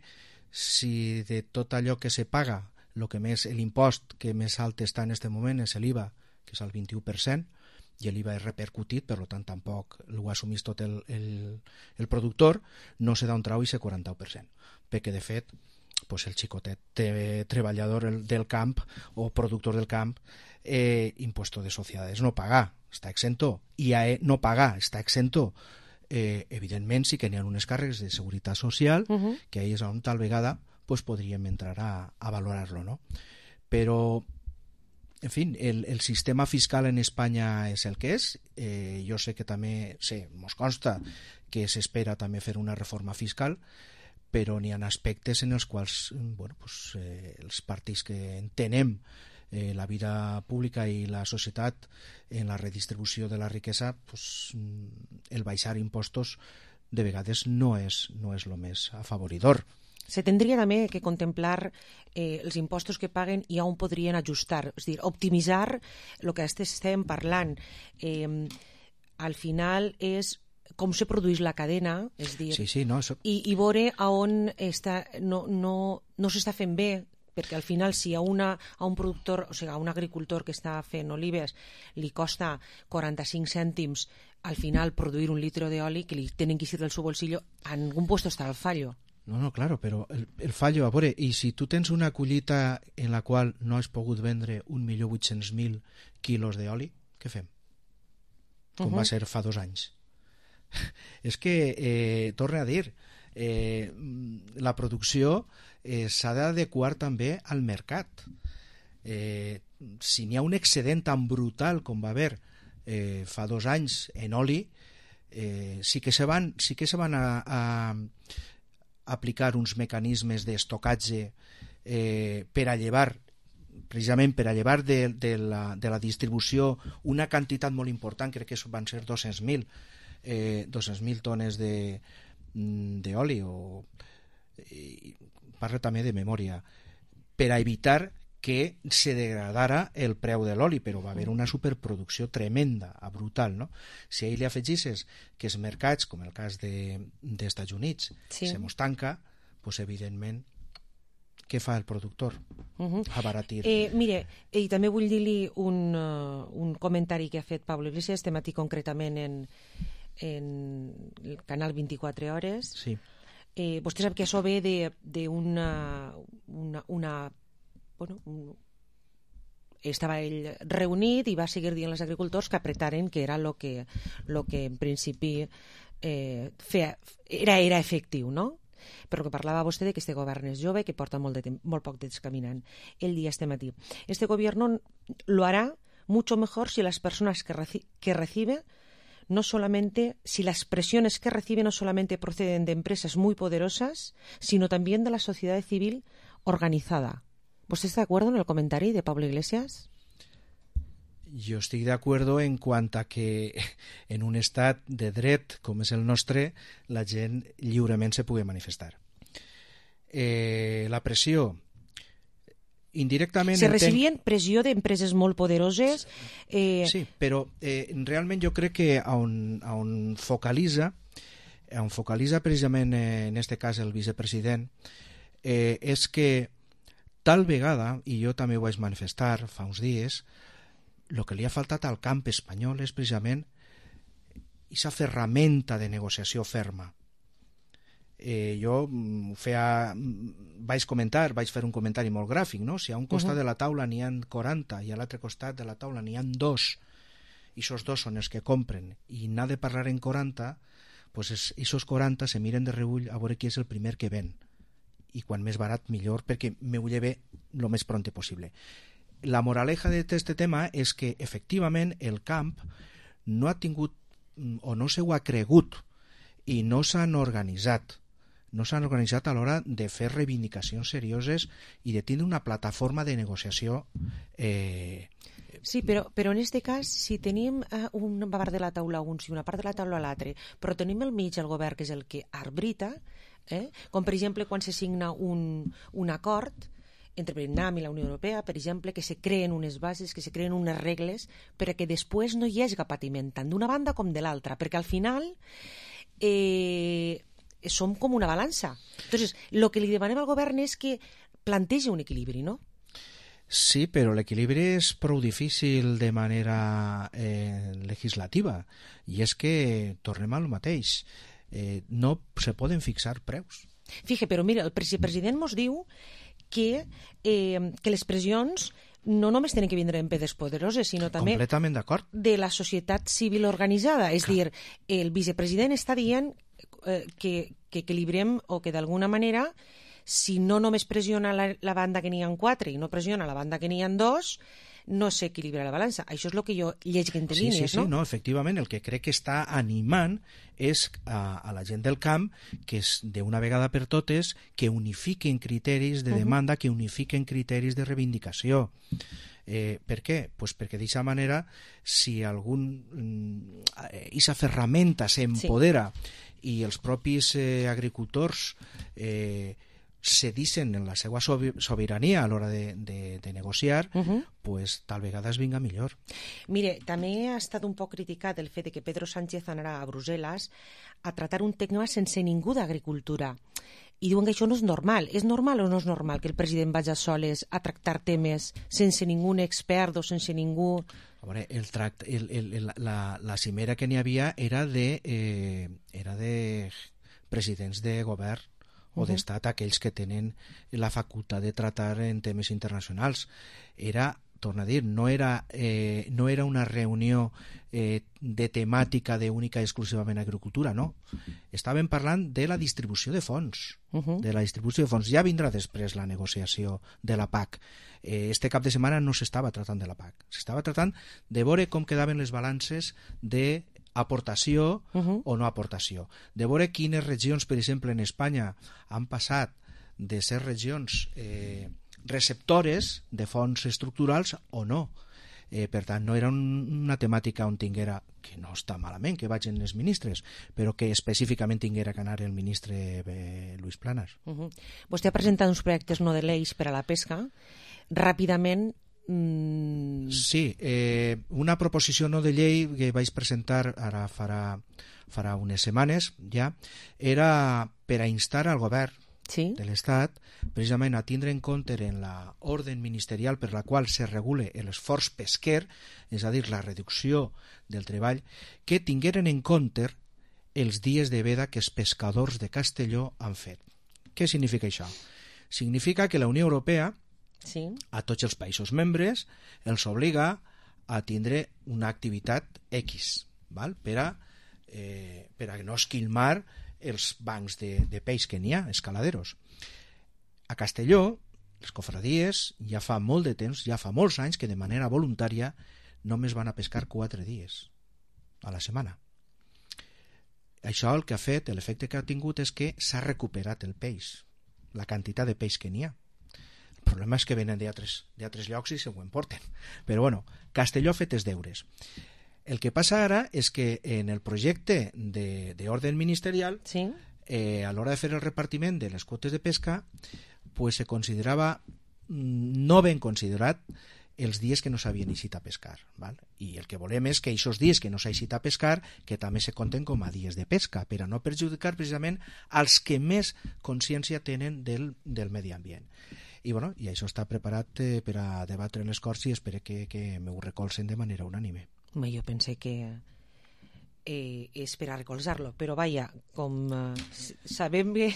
si de tot allò que se paga, lo que més, l'impost que més alt està en aquest moment és l'I V A, que és el vint-i-u per cent, i l'I V A és repercutit, per tant tampoc ho assumís tot el, el, el productor, no se da un trau i se quaranta-u per cent. Perquè de fet pues el xicotet de treballador del camp o productor del camp, eh, impuesto de sociedades no pagar, està exento, i a no pagar està exento, eh, evidentment sí que n'hi ha unes càrregues de seguretat social, uh-huh. que ahí és on tal vegada pues, podríem entrar a, a valorar-lo, no? Però en fi, el, el sistema fiscal en Espanya és el que és. Eh, jo sé que també, sé, mos consta que s'espera també fer una reforma fiscal, però n'hi ha aspectes en els quals bueno, pues, eh, els partits que entenem eh, la vida pública i la societat en la redistribució de la riquesa, pues, el baixar impostos de vegades no és, no és lo més afavoridor. Se tendria també que contemplar eh, els impostos que paguen i on podrien ajustar, és dir, optimitzar el que estem parlant. Eh, al final és com se produeix la cadena, és dir, sí, sí, no, eso... i, i veure a on està, no, no, no s'està fent bé, perquè al final si a, una, a un productor, o sigui, a un agricultor que està fent olives li costa quaranta-cinc cèntims al final produir un litro d'oli que li tenen que eixir del seu bolsillo, en algun puesto està el fallo. No, no, claro, però el, el fallo, a veure, i si tu tens una collita en la qual no has pogut vendre un milió vuit-cents mil quilos d'oli, què fem? Com uh-huh. va ser fa dos anys. És que, eh, torne a dir, eh, la producció eh, s'ha d'adequar també al mercat. Eh, si n'hi ha un excedent tan brutal com va haver eh, fa dos anys en oli, eh, sí que se van, sí que se van a, a aplicar uns mecanismes d'estocatge eh, per a llevar precisament per a llevar de, de, la, de la distribució una quantitat molt important, crec que van ser dos-cents mil eh, dos-cents mil tones d'oli o eh, parla també de memòria, per a evitar que se degradara el preu de l'oli, però va haver una superproducció tremenda, brutal, no? Si a ell li afegisses que els mercats, com el cas de, dels Estats Units, sí. se mos tanca, doncs evidentment què fa el productor? Uh-huh. Abaratir. Eh, mire, i també vull dir-li un, uh, un comentari que ha fet Pablo Iglesias, este matí concretament en, en el canal vint-i-quatre hores. Sí. Eh, vostè sap que això ve d'una una, una bueno, un, estava ell reunit i va seguir dient als agricultors que apretaren que era el que, lo que en principi eh, feia, era, era efectiu, no? Però que parlava vostè de que este govern és jove, que porta molt, de molt poc temps caminant. Ell dia este matí, este gobierno lo hará mucho mejor si las personas que, reci que recibe no solamente, si las presiones que recibe no solamente proceden de empresas muy poderosas, sino también de la sociedad civil organizada. ¿Vostè està d'acord en el comentari de Pablo Iglesias? jo estic d'acord en quant a que en un estat de dret com és el nostre la gent lliurement se pugui manifestar. Eh, la pressió indirectament... Se recibien pressió d'empreses molt poderoses... Eh... Sí, però eh, realment jo crec que on, on focalitza on focalitza precisament eh, en este cas el vicepresident eh, és que tal vegada, i jo també ho vaig manifestar fa uns dies, el que li ha faltat al camp espanyol és precisament aquesta ferramenta de negociació ferma. Eh, jo feia, vaig comentar, vaig fer un comentari molt gràfic, no? Si a un costat uh-huh. de la taula n'hi ha quaranta i a l'altre costat de la taula n'hi ha dos, i aquests dos són els que compren, i n'ha de parlar en quaranta, pues aquests quaranta se miren de reull a veure qui és el primer que ven, i quan més barat millor, perquè me ho lleve el més pront possible. La moraleja d'aquest tema és que efectivament el camp no ha tingut o no se ho ha cregut i no s'han organitzat no s'han organitzat a l'hora de fer reivindicacions serioses i de tindre una plataforma de negociació eh... Sí, però, però en aquest cas, si tenim eh, una part de la taula uns i una part de la taula l'altre, però tenim al mig el govern que és el que arbrita, eh? Com per exemple quan se signa un, un acord entre Vietnam i la Unió Europea, per exemple, que se creen unes bases, que se creen unes regles perquè després no hi hagi patiment tant d'una banda com de l'altra, perquè al final eh, som com una balança. Entonces, el que li demanem al govern és que plantegi un equilibri, no? Sí, però l'equilibri és prou difícil de manera eh, legislativa, i és que tornem al mateix. Eh, no se poden fixar preus. Fija, però mira, el president mos diu que, eh, que les pressions no només tenen que vindre d'empreses poderoses, sinó també completament d'acord de la societat civil organitzada. És Clar. dir, el vicepresident està dient eh, que, que equilibrem o que d'alguna manera, si no només pressiona la, la banda que n'hi ha quatre i no pressiona la banda que n'hi ha dos, no s'equilibra la balança. Això és el que jo lleig entre sí, línies, sí, sí, no? no? Efectivament, el que crec que està animant és a, a la gent del camp que és d'una vegada per totes que unifiquen criteris de demanda, uh-huh. que unifiquen criteris de reivindicació. Eh, per què? Pues perquè d'aquesta manera, si algun aquesta ferramenta s'empodera sí. i els propis eh, agricultors eh, se dicen en la seva sobirania a l'hora de, de, de negociar, uh-huh. pues tal vegada es vinga millor. Mire, també ha estat un poc criticat el fet de que Pedro Sánchez anarà a Brussel·les a tratar un tema sense ningú d'agricultura. I diuen que això no és normal. És normal o no és normal que el president vagi a soles a tractar temes sense ningú expert o sense ningú... A veure, el tract, el, el, el, la, la cimera que n'hi havia era de, eh, era de presidents de govern o d'estat, aquells que tenen la facultat de tratar en temes internacionals. Era, torno a dir, no era, eh, no era una reunió eh, de temàtica d'única i exclusivament agricultura, no. Estàvem parlant de la distribució de fons, uh-huh. de la distribució de fons. Ja vindrà després la negociació de la P A C. Eh, este cap de setmana no s'estava tratant de la P A C. S'estava tratant de veure com quedaven les balances de aportació uh-huh. o no aportació. De veure quines regions, per exemple, en Espanya han passat de ser regions eh, receptores de fons estructurals o no. Eh, per tant, no era un, una temàtica on tinguera, que no està malament que vagin els ministres, però que específicament tinguera que anar el ministre eh, Luis Planas. Uh-huh. Vostè ha presentat uns projectes no de lleis per a la pesca. Ràpidament, Mm. Sí, eh, una proposició no de llei que vaig presentar ara farà, farà unes setmanes ja, era per a instar al govern sí. de l'Estat precisament a tindre en compte en la orden ministerial per la qual se regule l'esforç pesquer, és a dir, la reducció del treball, que tingueren en compte els dies de veda que els pescadors de Castelló han fet. Què significa això? Significa que la Unió Europea sí. a tots els països membres els obliga a tindre una activitat X, val? Per a, eh, per a no esquilmar els bancs de, de peix que n'hi ha, escaladeros. A Castelló, les cofradies, ja fa molt de temps, ja fa molts anys que de manera voluntària només van a pescar quatre dies a la setmana. Això el que ha fet, l'efecte que ha tingut és que s'ha recuperat el peix, la quantitat de peix que n'hi ha. El problema és que venen d'altres llocs i se ho emporten. Però bueno, Castelló ha fet els deures. El que passa ara és que en el projecte d'ordre ministerial, sí. eh, a l'hora de fer el repartiment de les quotes de pesca, pues se considerava no ben considerat els dies que no s'havien eixit a pescar, val? I el que volem és que aquests dies que no s'ha eixit a pescar que també se compten com a dies de pesca, per a no perjudicar precisament als que més consciència tenen del, del medi ambient. I, bueno, i això està preparat eh, per a debatre en les Corts i espero que, que m'ho recolzen de manera unànime. Home, jo pensé que eh, és per a recolzar-lo, però vaja, com eh, sabem que,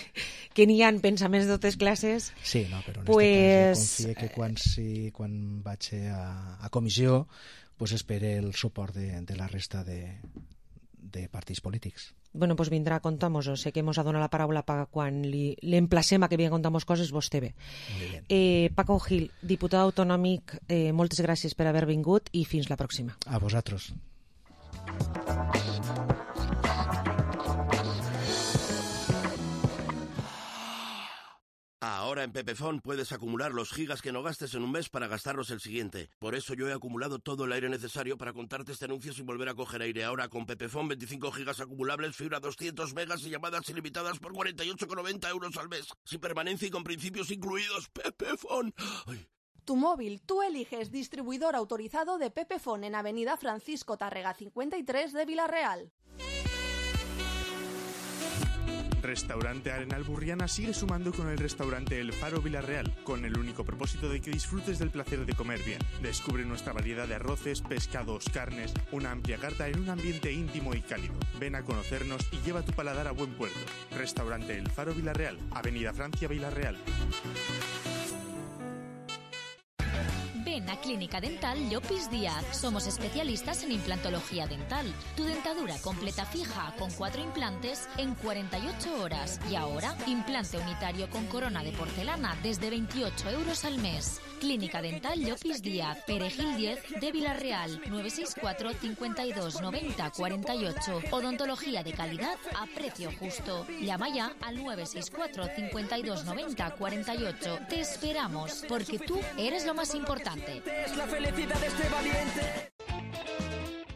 que n'hi ha pensaments de totes classes... Sí, no, però en pues, este cas confio que quan, si, quan vaig a, a comissió pues espere el suport de, de la resta de, de partits polítics. Bueno, pues vindrà a contar-nos-ho. Sé que mos ha donat la paraula per quan li, l'emplacem a que vinga a contar-nos coses, vostè ve. Eh, Paco Gil, diputat autonòmic, eh, moltes gràcies per haver vingut i fins la pròxima. A vosaltres. Ahora en Pepefon puedes acumular los gigas que no gastes en un mes para gastarlos el siguiente. Por eso yo he acumulado todo el aire necesario para contarte este anuncio sin volver a coger aire. Ahora con Pepefon veinticinco gigas acumulables, fibra doscientos megas y llamadas ilimitadas por cuarenta y ocho con noventa euros al mes. Sin permanencia y con principios incluidos. Pepefon. Ay. Tu móvil, tú eliges distribuidor autorizado de Pepefon en Avenida Francisco Tárrega cincuenta y tres de Villarreal. Restaurante Arenal Burriana sigue sumando con el restaurante El Faro Villarreal, con el único propósito de que disfrutes del placer de comer bien. Descubre nuestra variedad de arroces, pescados, carnes, una amplia carta en un ambiente íntimo y cálido. Ven a conocernos y lleva tu paladar a buen puerto. Restaurante El Faro Villarreal, Avenida Francia Villarreal. Ven a Clínica Dental Llopis Díaz. Somos especialistas en implantología dental. Tu dentadura completa fija con cuatro implantes en cuarenta y ocho horas. Y ahora, implante unitario con corona de porcelana desde veintiocho euros al mes. Clínica Dental Llopis Díaz, Perejil diez de Villarreal, nueve seis cuatro, cincuenta y dos, noventa, cuarenta y ocho. Odontología de calidad a precio justo. Llama ya al nueve seis cuatro, cincuenta y dos, noventa, cuarenta y ocho. Te esperamos, porque tú eres lo más importante. Es la felicidad de este valiente.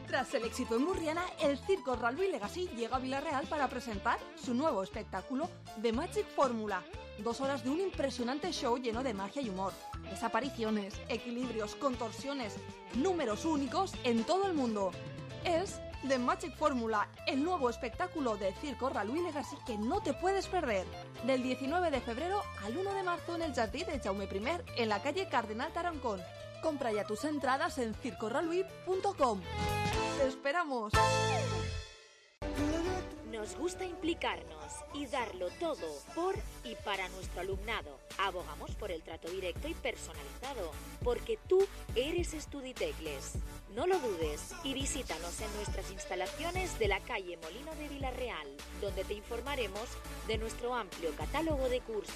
Tras el éxito en Burriana, el Circo Ralby Legacy llega a Villarreal para presentar su nuevo espectáculo The Magic Formula. Dos horas de un impresionante show lleno de magia y humor. Desapariciones, equilibrios, contorsiones, números únicos en todo el mundo. Es The Magic Formula, el nuevo espectáculo de Circo Ralby Legacy que no te puedes perder. Del diecinueve de febrero al uno de marzo en el Jardí de Jaume primer, en la calle Cardenal Tarancón. Compra ya tus entradas en circo ralby punto com. ¡Te esperamos! Nos gusta implicarnos y darlo todo por y para nuestro alumnado. Abogamos por el trato directo y personalizado, porque tú eres Estuditecles. No lo dudes y visítanos en nuestras instalaciones de la calle Molino de Villarreal, donde te informaremos de nuestro amplio catálogo de cursos.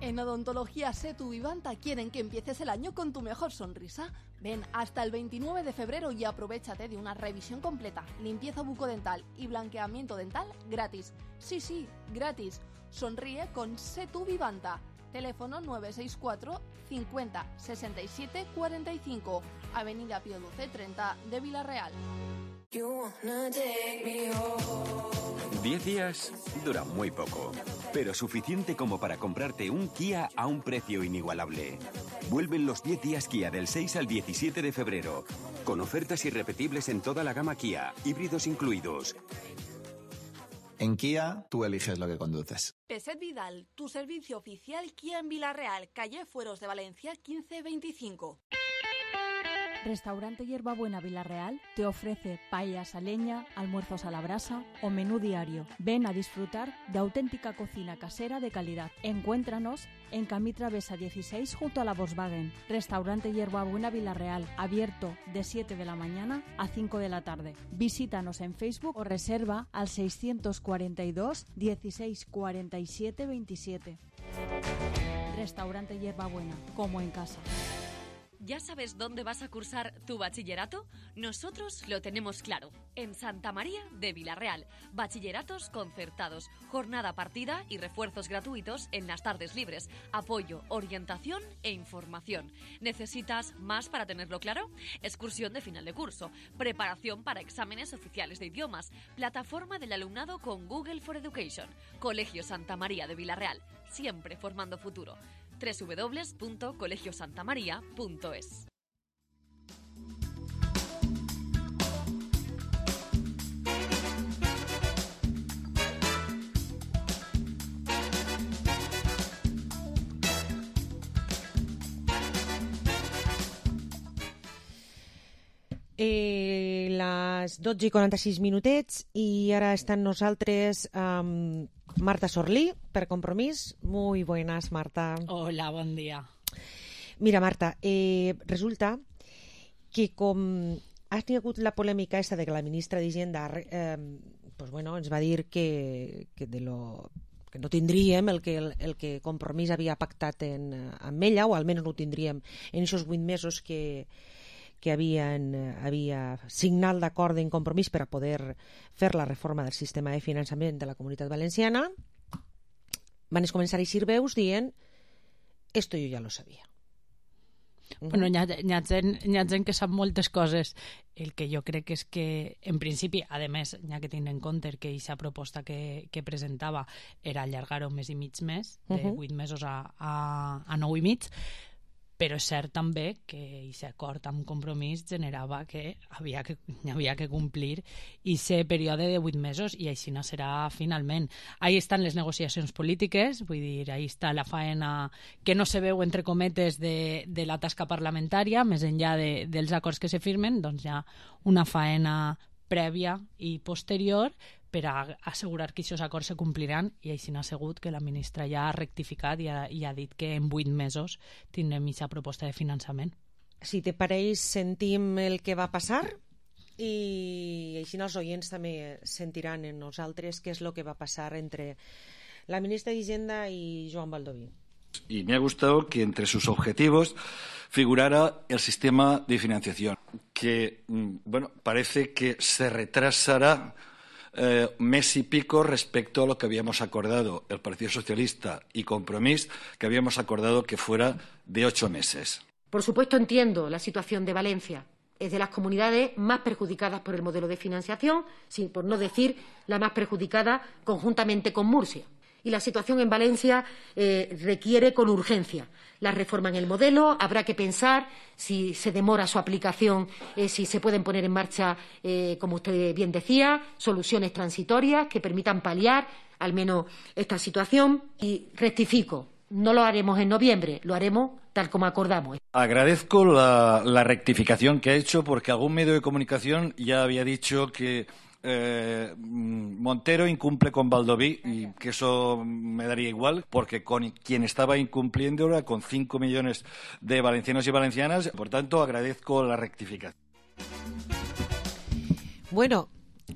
En Odontología Setu Vivanta quieren que empieces el año con tu mejor sonrisa. Ven hasta el veintinueve de febrero y aprovéchate de una revisión completa, limpieza bucodental y blanqueamiento dental gratis. Sí, sí, gratis. Sonríe con Setu Vivanta. Teléfono nueve seis cuatro, cincuenta, sesenta y siete, cuarenta y cinco. Avenida Pío Luce treinta de Villarreal. Diez días dura muy poco, pero suficiente como para comprarte un Kia a un precio inigualable. Vuelven los diez días Kia del seis al diecisiete de febrero, con ofertas irrepetibles en toda la gama Kia, híbridos incluidos. En Kia, tú eliges lo que conduces. Peset Vidal, tu servicio oficial Kia en Villarreal, calle Fueros de Valencia quince veinticinco. Restaurante Hierbabuena Villarreal te ofrece paellas a leña, almuerzos a la brasa o menú diario. Ven a disfrutar de auténtica cocina casera de calidad. Encuéntranos en Camí Travesa dieciséis junto a la Volkswagen. Restaurante Hierbabuena Villarreal, abierto de siete de la mañana a cinco de la tarde. Visítanos en Facebook o reserva al seiscientos cuarenta y dos, dieciséis cuarenta y siete, veintisiete. Restaurante Hierbabuena, como en casa. ¿Ya sabes dónde vas a cursar tu bachillerato? Nosotros lo tenemos claro. En Santa María de Vilarreal. Bachilleratos concertados, jornada partida y refuerzos gratuitos en las tardes libres. Apoyo, orientación e información. ¿Necesitas más para tenerlo claro? Excursión de final de curso. Preparación para exámenes oficiales de idiomas. Plataforma del alumnado con Google for Education. Colegio Santa María de Vilarreal. Siempre formando futuro. doble u doble u doble u punto colegio santa maría punto es. Eh, les dotze i quaranta-sis minutets i ara estan nosaltres amb Marta Sorlí, per Compromís. Muy buenas, Marta. Hola, bon dia. Mira, Marta, eh, resulta que com has tingut la polèmica esta de que la ministra d'Hisenda eh, pues bueno, ens va dir que, que, de lo, que no tindríem el que, el, el que Compromís havia pactat en, amb ella, o almenys no ho tindríem en aquests vuit mesos que que havien, havia signat d'acord en Compromís per a poder fer la reforma del sistema de finançament de la Comunitat Valenciana, van començar a eixir veus dient esto yo ya lo sabía. Bueno, hi ha, hi, ha gent, hi ha gent que sap moltes coses. El que jo crec és que, en principi, a més, hi ha que tenir en compte que aquesta proposta que, que presentava era allargar-ho un mes i mig més, de vuit mesos a, a, a nou i mig, però és cert també que aquest acord amb Compromís generava que havia que, havia que complir aquest període de vuit mesos i així no serà finalment. Ahí estan les negociacions polítiques, vull dir, ahí està la faena que no se veu entre cometes de, de la tasca parlamentària, més enllà de, dels acords que se firmen, doncs hi ha una faena prèvia i posterior per a assegurar que aquests acords se compliran, i així n'ha sigut que la ministra ja ha rectificat i ha, i ha dit que en vuit mesos tindrem aquesta proposta de finançament. Si te pareix, sentim el que va passar i així els oients també sentiran en nosaltres què és el que va passar entre la ministra d'Hisenda i Joan Baldoví. Y me ha gustado que entre sus objetivos figurara el sistema de financiación, que, bueno, parece que se retrasará eh, mes y pico respecto a lo que habíamos acordado el Partido Socialista y Compromís, que habíamos acordado que fuera de ocho meses. Por supuesto, entiendo la situación de Valencia. Es de las comunidades más perjudicadas por el modelo de financiación, sin, por no decir la más perjudicada conjuntamente con Murcia. Y la situación en Valencia eh, requiere con urgencia la reforma en el modelo. Habrá que pensar si se demora su aplicación, eh, si se pueden poner en marcha, eh, como usted bien decía, soluciones transitorias que permitan paliar al menos esta situación. Y rectifico, no lo haremos en noviembre, lo haremos tal como acordamos. Agradezco la, la rectificación que ha hecho, porque algún medio de comunicación ya había dicho que Eh, Montero incumple con Baldoví, y que eso me daría igual, porque con quien estaba incumpliendo era con cinco millones de valencianos y valencianas. Por tanto, agradezco la rectificación. Bueno,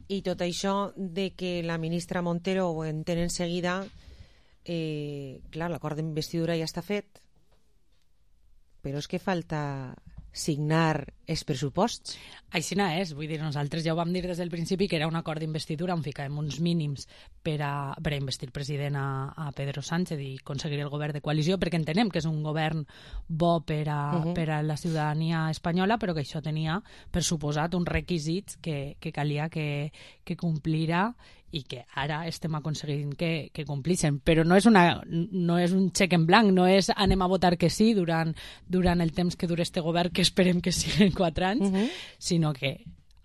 i tot això de que la ministra Montero ho entén en seguida, eh, clar, l'acord d'investidura ja està fet, però és que falta signar els pressuposts. Així no és, vull dir, nosaltres ja ho vam dir des del principi que era un acord d'investidura on ficàvem uns mínims per a, per a investir president a, a Pedro Sánchez i aconseguir el govern de coalició, perquè entenem que és un govern bo per a, uh-huh. per a la ciutadania espanyola, però que això tenia, per suposat, uns requisits que, que calia que, que complira i que ara estem aconseguint que, que complixen. Però no és, una, no és un xec en blanc, no és anem a votar que sí durant, durant el temps que dura este govern, que esperem que siguin quatre anys, uh-huh. sinó que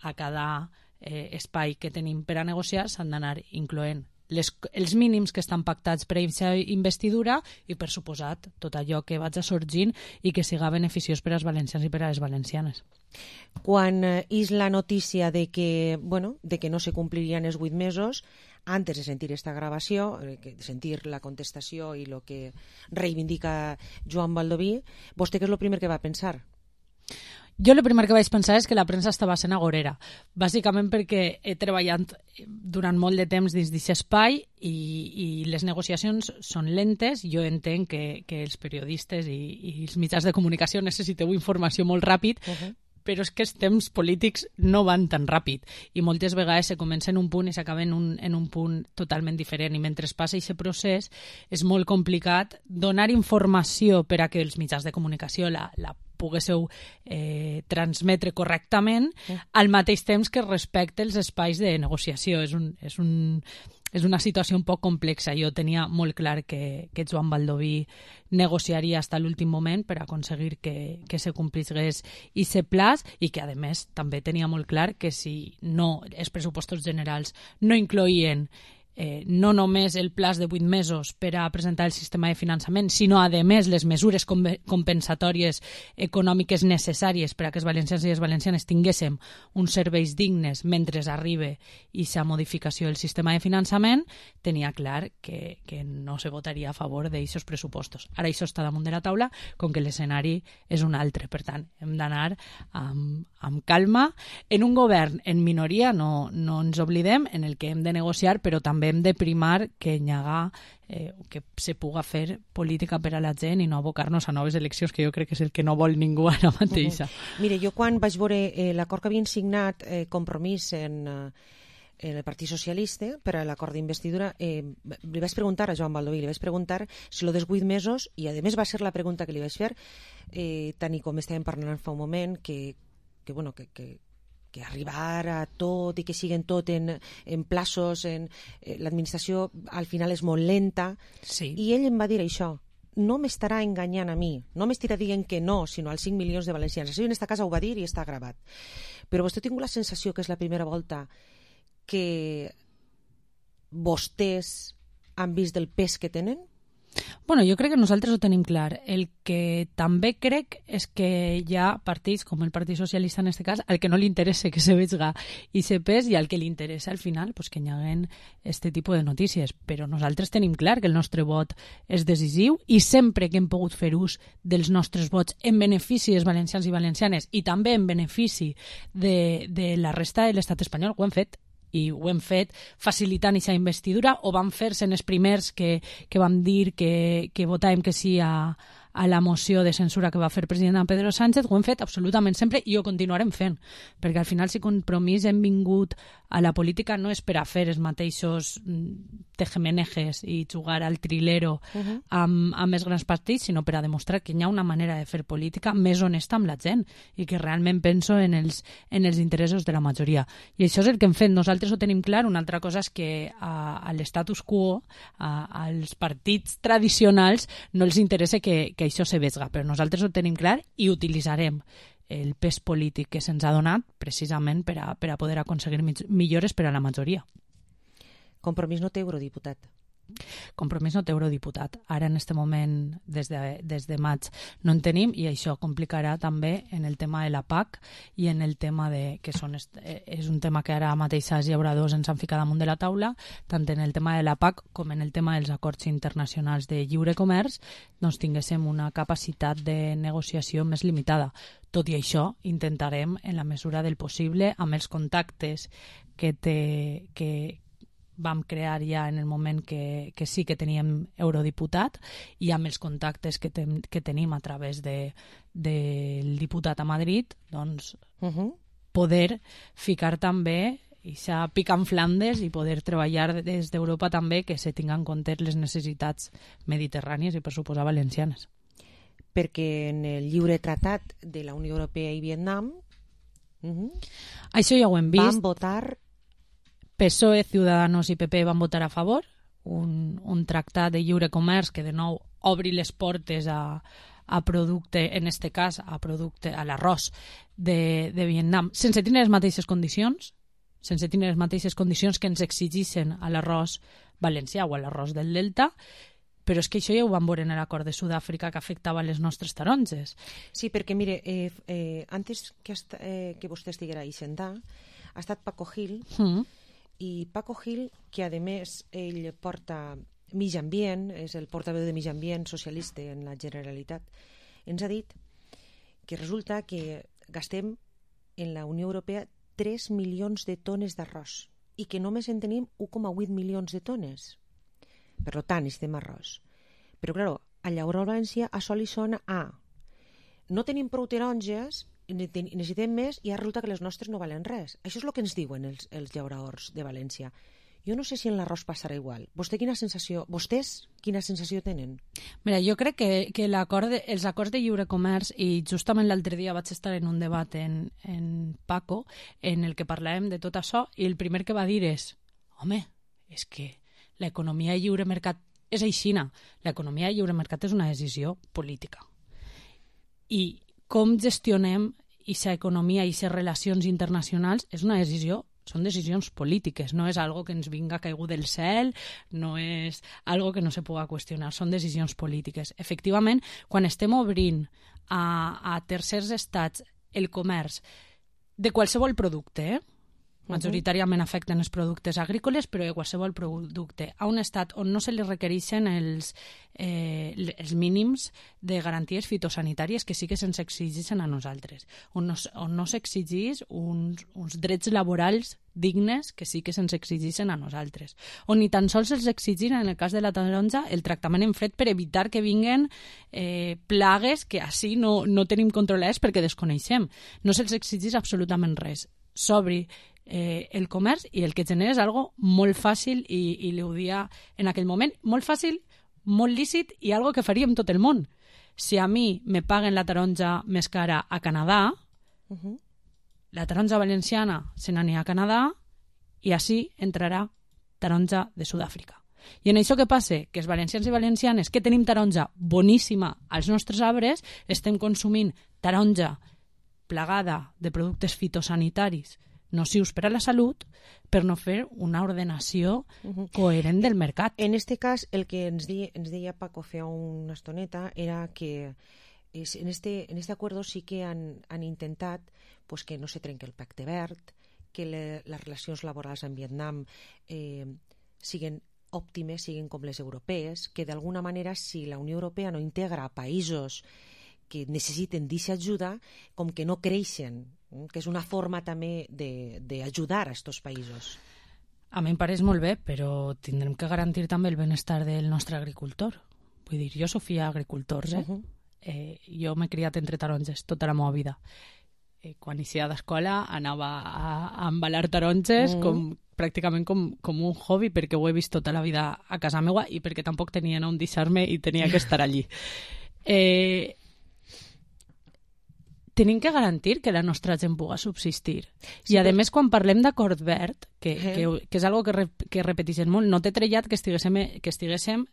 a cada eh, espai que tenim per a negociar s'han d'anar incloent les, els mínims que estan pactats per a aquesta investidura i, per suposat, tot allò que vaig a sorgint i que siga beneficiós per als valencians i per a les valencianes. Quan és la notícia de que, bueno, de que no se complirien els vuit mesos, antes de sentir esta gravació, de sentir la contestació i el que reivindica Joan Baldoví, vostè què és el primer que va pensar? Jo el primer que vaig pensar és que la premsa estava sent agorera, bàsicament perquè he treballat durant molt de temps dins d'aquest espai i, i les negociacions són lentes. Jo entenc que, que els periodistes i, i els mitjans de comunicació necessiteu informació molt ràpid, uh-huh. però és que els temps polítics no van tan ràpid i moltes vegades se comença en un punt i s'acaba en, un, en un punt totalment diferent, i mentre passa aquest procés és molt complicat donar informació per a que els mitjans de comunicació la, la poguéssiu eh, transmetre correctament sí. al mateix temps que respecte els espais de negociació. És, un, és, un, és una situació un poc complexa. Jo tenia molt clar que, que Joan Baldoví negociaria fins a l'últim moment per aconseguir que, que se complís aquest plaç i que, a més, també tenia molt clar que si no els pressupostos generals no incloïen Eh, no només el plaç de vuit mesos per a presentar el sistema de finançament, sinó, a més, les mesures com compensatòries econòmiques necessàries per a que els valencians i les valencianes tinguéssim uns serveis dignes mentre arriba aquesta modificació del sistema de finançament, tenia clar que, que no se votaria a favor d'aquests pressupostos. Ara això està damunt de la taula, com que l'escenari és un altre. Per tant, hem d'anar amb, amb calma. En un govern en minoria, no, no ens oblidem, en el que hem de negociar, però també hem de primar que hi haga, eh, que se puga fer política per a la gent i no abocar-nos a noves eleccions, que jo crec que és el que no vol ningú ara mateixa. Uh-huh. Mire, jo quan vaig veure eh, l'acord que havien signat eh, Compromís en, eh, en el Partit Socialista per a l'acord d'investidura, eh, li vaig preguntar a Joan Baldoví, li vaig preguntar si lo dels vuit mesos, i a més va ser la pregunta que li vaig fer, eh, tant i com estàvem parlant fa un moment, que, que bueno, que, que que arribar a tot i que siguen tot en, en plaços, en, eh, l'administració al final és molt lenta, sí. I ell em va dir això, no m'estarà enganyant a mi, no m'estarà dient que no, sinó als cinc milions de valencians. Això en esta casa ho va dir i està gravat. Però vostè ha tingut la sensació que és la primera volta que vostès han vist el pes que tenen? Bueno, jo crec que nosaltres ho tenim clar. El que també crec és que hi ha partits, com el Partit Socialista en aquest cas, al que no li interessa que se vegi i se pes, i al que li interessa al final pues, que hi haguen aquest tipus de notícies. Però nosaltres tenim clar que el nostre vot és decisiu i sempre que hem pogut fer ús dels nostres vots en benefici dels valencians i valencianes i també en benefici de, de la resta de l'estat espanyol, ho hem fet. I ho hem fet facilitant aquesta investidura, o vam fer-se en els primers que, que vam dir que, que votàvem que sí a, a la moció de censura que va fer el president Pedro Sánchez. Ho hem fet absolutament sempre i ho continuarem fent, perquè al final si Compromís hem vingut a la política no és per a fer els mateixos tejemenejes i jugar al trilero uh-huh. amb, amb els grans partits, sinó per a demostrar que hi ha una manera de fer política més honesta amb la gent i que realment penso en els, en els interessos de la majoria. I això és el que hem fet. Nosaltres ho tenim clar. Una altra cosa és que a, a l'estatus quo, a, als partits tradicionals, no els interessa que, que això se vegi, però nosaltres ho tenim clar i utilitzarem el pes polític que se'ns ha donat precisament per a, per a poder aconseguir millores per a la majoria. Compromís no té eurodiputat. Compromís no té eurodiputat. Ara, en aquest moment, des de, des de maig, no en tenim, i això complicarà també en el tema de la P A C i en el tema de... que són, és un tema que ara mateix els llauradors ens han ficat damunt de la taula, tant en el tema de la P A C com en el tema dels acords internacionals de lliure comerç, doncs tinguéssim una capacitat de negociació més limitada. Tot i això, intentarem, en la mesura del possible, amb els contactes que té... que vam crear ja en el moment que, que sí que teníem eurodiputat i amb els contactes que, ten, que tenim a través de, del diputat a Madrid, doncs uh-huh. poder ficar també i s'ha picat en Flandes i poder treballar des d'Europa també que se tinguin en compte les necessitats mediterrànies i per suposar valencianes. Perquè en el lliure tratat de la Unió Europea i Vietnam uh-huh, això ja ho hem vist. Van votar P S O E, Ciudadanos i P P van votar a favor, un, un tractat de lliure comerç que de nou obri les portes a, a producte, en este cas a producte, a l'arròs de, de Vietnam, sense tenir les mateixes condicions, sense tenir les mateixes condicions que ens exigissin a l'arròs valencià o a l'arròs del Delta, però és que això ja ho vam veure en l'acord de Sud-àfrica que afectava les nostres taronges. Sí, perquè mire, eh, eh, antes que, hasta, eh, que vostè estiguera a Ixentà, ha estat Paco Gil, mm. i Paco Gil, que a més ell porta Mig Ambient, és el portaveu de Mig Ambient socialista en la Generalitat, ens ha dit que resulta que gastem en la Unió Europea tres milions de tones d'arròs i que només en tenim un coma vuit milions de tones. Per tant, necessitem arròs. Però, clar, a llaurar a València això li sona a no tenim prou taronges, necessitem més i ara resulta que les nostres no valen res. Això és el que ens diuen els, els llauradors de València. Jo no sé si en l'arròs passarà igual. Vostè quina sensació, vostès quina sensació tenen? Mira, jo crec que, que l'acord de, els acords de lliure comerç, i justament l'altre dia vaig estar en un debat en, en Paco, en el que parlàvem de tot això, i el primer que va dir és, home, és que l'economia de lliure mercat és aixina. L'economia de lliure mercat és una decisió política. I com gestionem aquesta economia i aquestes relacions internacionals és una decisió, són decisions polítiques, no és algo que ens vinga caigut del cel, no és algo que no se pugui qüestionar, són decisions polítiques. Efectivament, quan estem obrint a, a tercers estats el comerç de qualsevol producte, eh? majoritàriament afecten els productes agrícoles, però de qualsevol producte, a un estat on no se li requereixen els, eh, els mínims de garanties fitosanitàries que sí que se'ns exigeixen a nosaltres, on no, on no s'exigeix uns, uns drets laborals dignes que sí que se'ns exigeixen a nosaltres, on ni tan sols se'ls exigeix, en el cas de la taronja, el tractament en fred per evitar que vinguen eh, plagues que així no, no tenim controlades perquè desconeixem. No se'ls exigeix absolutament res. S'obri eh, el comerç i el que genera és algo molt fàcil i, i li ho dia en aquell moment, molt fàcil, molt lícit i algo que faríem tot el món. Si a mi me paguen la taronja més cara a Canadà, uh-huh. la taronja valenciana se n'anirà a Canadà i així entrarà taronja de Sud-àfrica. I en això què passa? Que els valencians i valencianes que tenim taronja boníssima als nostres arbres estem consumint taronja plagada de productes fitosanitaris nocius per a la salut per no fer una ordenació uh-huh. coherent del mercat. En este cas, el que ens, di, ens deia Paco fa una estoneta era que es, en, este, en este acuerdo sí que han, han intentat pues, que no se trenqui el pacte verd, que le, les relacions laborals amb Vietnam eh, siguin òptimes, siguin com les europees, que d'alguna manera si la Unió Europea no integra països que necessiten d'aquesta ajuda, com que no creixen, que és una forma també d'ajudar a aquests països. A mi em pareix molt bé, però tindrem que garantir també el benestar del nostre agricultor. Vull dir, jo sóc filla d'agricultors, eh? Uh-huh. eh? Jo m'he criat entre taronges tota la meva vida. Eh, quan inicia d'escola anava a, a embalar taronges uh-huh. com, pràcticament com, com un hobby, perquè ho he vist tota la vida a casa meva i perquè tampoc tenien on deixar-me i tenia que estar allí. Eh... Tenim que garantir que la nostra gent pugui subsistir. Sí, I, a més, quan parlem d'acord verd, que, eh. que, que és algo que, re, que repeteixen molt, no té trellat que estiguéssim, que estiguéssim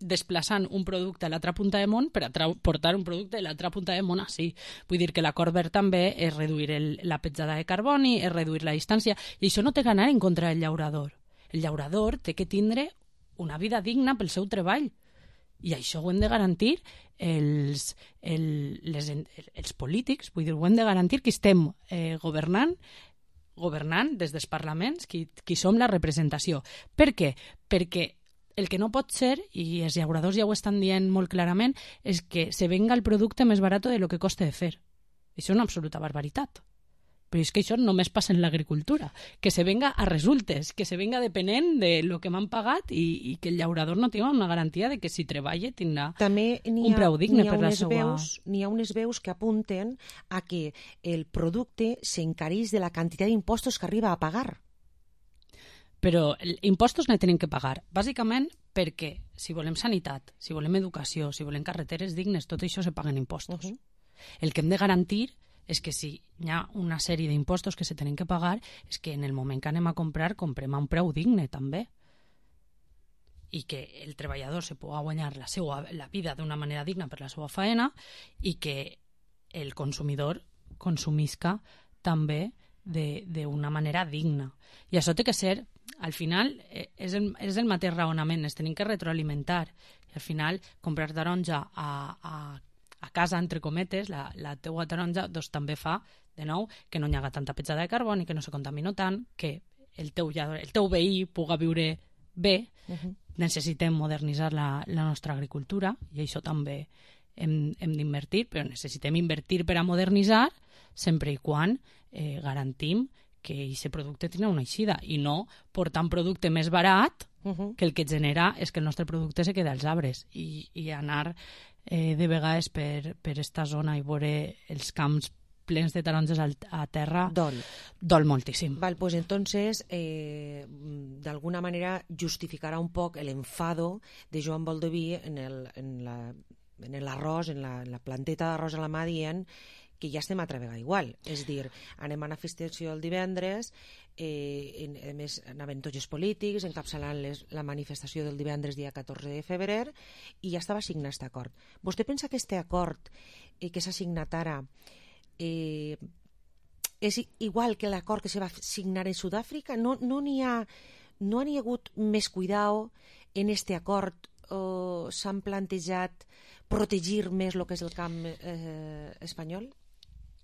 desplaçant un producte a l'altra punta de món per a portar un producte a l'altra punta de món així. Vull dir que l'acord verd també és reduir el, la petjada de carboni, és reduir la distància, i això no té que anar en contra del llaurador. El llaurador té que tindre una vida digna pel seu treball. I això ho hem de garantir els, el, les, els polítics, vull dir, ho hem de garantir que estem eh, governant, governant des dels parlaments, qui, qui som la representació. Per què? Perquè el que no pot ser, i els llauradors ja ho estan dient molt clarament, és que se venga el producte més barat de lo que costa de fer. Això és una absoluta barbaritat. Però és que això només passa en l'agricultura, que se venga a resultes, que se venga depenent de lo que m'han pagat i, i que el llaurador no tingui una garantia de que si treballa tindrà també un preu digne per la seva... N'hi ha unes veus que apunten a que el producte s'encareix de la quantitat d'impostos que arriba a pagar. Però impostos no tenim que pagar, bàsicament perquè si volem sanitat, si volem educació, si volem carreteres dignes, tot això se paguen impostos. Uh-huh. El que hem de garantir és que si hi ha una sèrie d'impostos que se tenen que pagar, és que en el moment que anem a comprar, comprem a un preu digne, també. I que el treballador se pugui guanyar la, seva, la vida d'una manera digna per la seva faena i que el consumidor consumisca també d'una manera digna. I això té que ser, al final, és el, és el mateix raonament, es tenim que retroalimentar. I al final, comprar taronja a, a a casa, entre cometes, la, la teua taronja doncs, també fa, de nou, que no hi haga tanta petjada de carboni, que no se contamina tant, que el teu, el teu veí puga viure bé. Uh-huh. Necessitem modernitzar la, la nostra agricultura i això també hem, hem d'invertir, però necessitem invertir per a modernitzar sempre i quan eh, garantim que aquest producte tindrà una eixida i no portar un producte més barat uh-huh. que el que genera és que el nostre producte se queda als arbres i, i anar eh, de vegades per, per esta zona i veure els camps plens de taronges a terra dol, dol moltíssim. Val, pues entonces eh, d'alguna manera justificarà un poc el enfado de Joan Baldoví en el, en la, en l'arròs, en la, en la planteta d'arròs a la mà dient que ja estem altra vegada igual. És dir, anem a manifestació el divendres, eh, en, a més anaven tots els polítics encapçalant les, la manifestació del divendres dia catorze de febrer i ja estava signat aquest acord. Vostè pensa que aquest acord eh, que s'ha signat ara Eh, és igual que l'acord que se va signar en Sud-àfrica? No n'hi no ha, no ha hagut més cuidado en este acord? O s'han plantejat protegir més el que és el camp eh, espanyol?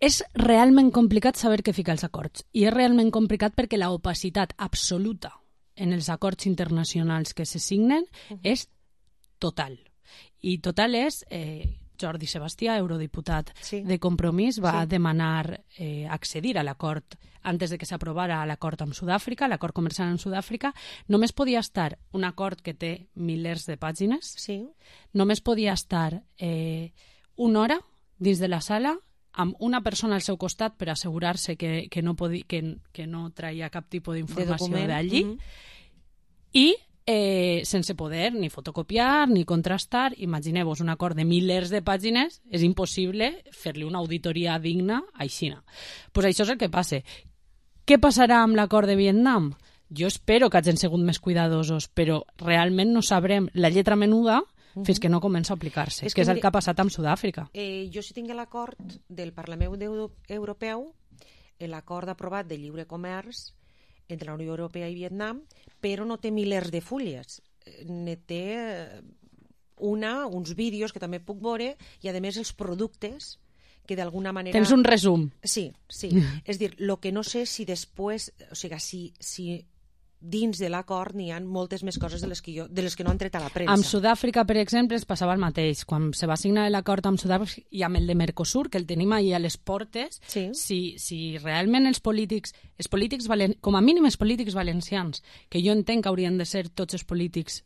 És realment complicat saber què fica els acords i és realment complicat perquè la opacitat absoluta en els acords internacionals que se signen uh-huh. és total. I total és... Eh, Jordi Sebastià, eurodiputat sí. de Compromís, va sí. demanar eh, accedir a l'acord antes de que s'aprovara l'acord amb Sud-àfrica, l'acord comercial amb Sud-àfrica. Només podia estar un acord que té milers de pàgines, sí. només podia estar eh, una hora dins de la sala amb una persona al seu costat per assegurar-se que, que, no, podi, que, que no traia cap tipus d'informació d'allí uh-huh. i Eh, sense poder ni fotocopiar ni contrastar. Imagineu-vos un acord de milers de pàgines, és impossible fer-li una auditoria digna a Xina. Pues això és el que passa. Què passarà amb l'acord de Vietnam? Jo espero que hagin sigut més cuidadosos, però realment no sabrem la lletra menuda uh-huh. fins que no comença a aplicar-se, és que, que és el que ha passat amb Sud-àfrica. Eh, jo sí tinc l'acord del Parlament Europeu, l'acord aprovat de lliure comerç entre la Unió Europea i Vietnam, però no té milers de fulles. Ne té una, uns vídeos que també puc veure, i a més els productes que d'alguna manera... Tens un resum. Sí, sí. És dir, el que no sé si després, o sigui, si, si dins de l'acord n'hi ha moltes més coses de les que, jo, de les que no han tret a la premsa. Amb Sud-àfrica, per exemple, es passava el mateix. Quan se va signar l'acord amb Sud-àfrica i amb el de Mercosur, que el tenim ahir a les portes, sí. si, si realment els polítics, els polítics valen, com a mínim els polítics valencians, que jo entenc que haurien de ser tots els polítics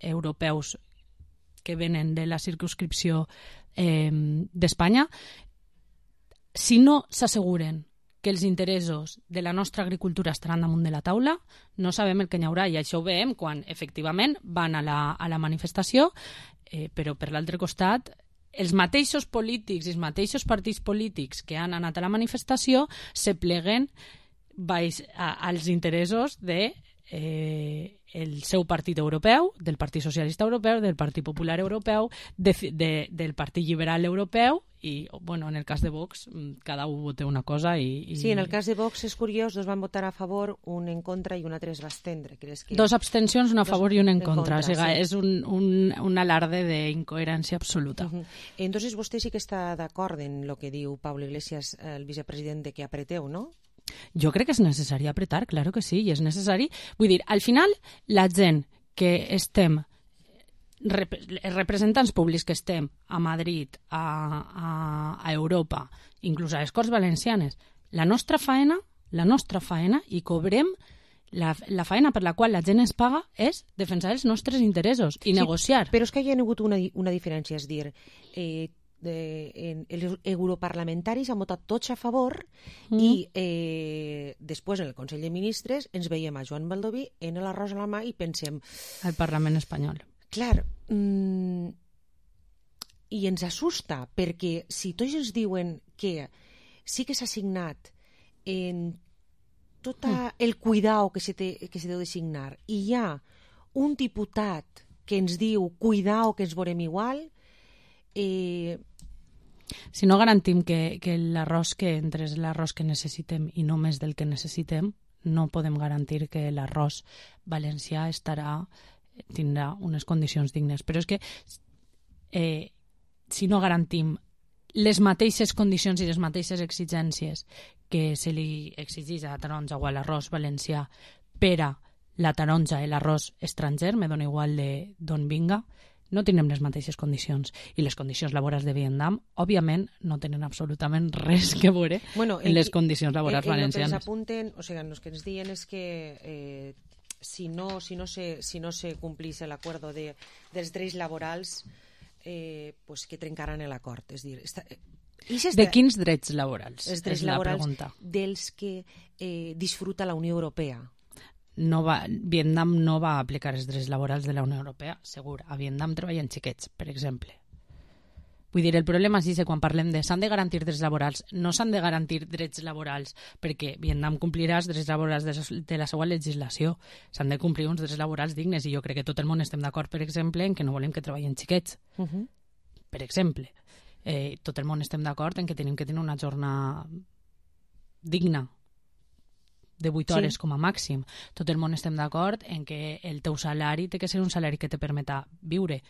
europeus que venen de la circunscripció eh, d'Espanya, si no s'asseguren que els interessos de la nostra agricultura estaran damunt de la taula, no sabem el que hi haurà, i això ho veiem quan efectivament van a la, a la manifestació, eh, però per l'altre costat els mateixos polítics i els mateixos partits polítics que han anat a la manifestació se pleguen baix a, als interessos de eh, el seu partit europeu, del Partit Socialista Europeu, del Partit Popular Europeu, de, de, del Partit Liberal Europeu, i, bueno, en el cas de Vox, cada un vota una cosa i... i... Sí, en el cas de Vox és curiós, dos van votar a favor, un en contra i un altre es va estendre. Creus que... Dos abstencions, una a favor i un en, en contra. contra o sigui, sí. És un, un, un alarde d'incoherència absoluta. Uh-huh. Entonces vostè sí que està d'acord en el que diu Pablo Iglesias, el vicepresident, de que apreteu, no? Jo crec que és necessari apretar, claro que sí, i és necessari. Vull dir, al final, la gent que estem, rep els representants públics que estem a Madrid, a, a, a Europa, inclús a les Corts Valencianes, la nostra faena, la nostra faena, i cobrem la, la faena per la qual la gent es paga és defensar els nostres interessos i sí, negociar. Però és que hi ha hagut una, una diferència, és dir... Eh, De, en, els europarlamentaris han votat tots a favor mm. i eh, després en el Consell de Ministres ens veiem a Joan Baldoví en l'arròs a la mà i pensem... Al Parlament espanyol. Clar, mmm, i ens assusta perquè si tots ens diuen que sí que s'ha signat en tot mm. el cuidao que se, té, que se deu de signar i hi ha un diputat que ens diu cuidao que ens veurem igual... Eh, Si no garantim que, que l'arròs que entra és l'arròs que necessitem i no més del que necessitem, no podem garantir que l'arròs valencià estarà, tindrà unes condicions dignes. Però és que eh, si no garantim les mateixes condicions i les mateixes exigències que se li exigeix a la taronja o a l'arròs valencià per a la taronja i l'arròs estranger, me dona igual d'on vinga, no tenen les mateixes condicions. I les condicions laborals de Vietnam, òbviament, no tenen absolutament res que veure bueno, en les condicions laborals en, en valencianes. El que ens apunten, o sigui, el que ens diuen és que eh, si, no, si, no se, si no se complís l'acord de, dels drets laborals, eh, pues que trencaran l'acord. És dir, està, Esta... De quins drets laborals? Els drets és la laborals pregunta. Dels que eh, disfruta la Unió Europea. No va, Vietnam no va aplicar els drets laborals de la Unió Europea, segur. A Vietnam treballen xiquets, per exemple. Vull dir, el problema és que quan parlem de s'han de garantir drets laborals, no s'han de garantir drets laborals perquè Vietnam complirà els drets laborals de, de la seva legislació. S'han de complir uns drets laborals dignes i jo crec que tot el món estem d'acord, per exemple, en que no volem que treballen xiquets. Uh -huh. Per exemple. Eh, tot el món estem d'acord en que tenim que tenir una jornada digna de vuit hores sí. com a màxim. Tot el món estem d'acord en que el teu salari té que ser un salari que te permeta viure.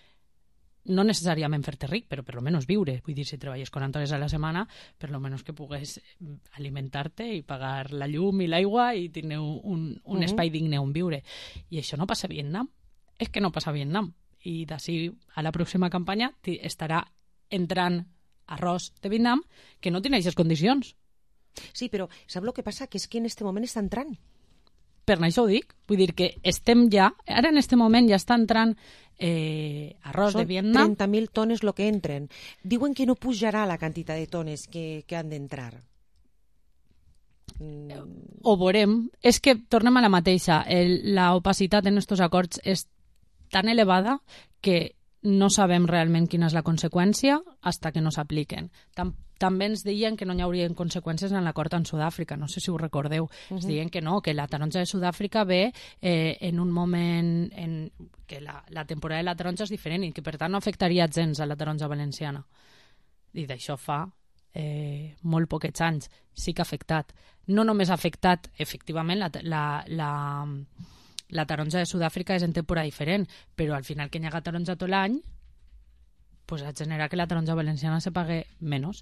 No necessàriament fer-te ric, però per lo menos viure. Vull dir, si treballes quaranta hores a la setmana, per lo menos que pugues alimentar-te i pagar la llum i l'aigua i tenir un, un uh-huh. espai digne on viure. I això no passa a Vietnam. És que no passa a Vietnam. I d'ací a la pròxima campanya estarà entrant arròs de Vietnam que no té aquestes condicions. Sí, però sap el que passa? Que és que en aquest moment està entrant. Per això ho dic. Vull dir que estem ja, ara en aquest moment ja està entrant eh, arròs Són de Vietnam. trenta mil tones el que entren. Diuen que no pujarà la quantitat de tones que, que han d'entrar. Mm. Ho veurem. És que tornem a la mateixa. L'opacitat en aquests acords és tan elevada que no sabem realment quina és la conseqüència hasta que no s'apliquen. Tam també ens deien que no hi haurien conseqüències en l'acord en Sud-àfrica, no sé si ho recordeu. Uh-huh. Ens deien que no, que la taronja de Sud-àfrica ve eh, en un moment en que la, la temporada de la taronja és diferent i que per tant no afectaria gens a la taronja valenciana. I d'això fa eh, molt poquets anys. Sí que ha afectat. No només ha afectat, efectivament, la... la, la La taronja de Sud-àfrica és en temporada diferent, però al final que hi ha taronja tot l'any, pues ha generat que la taronja valenciana se pague menys.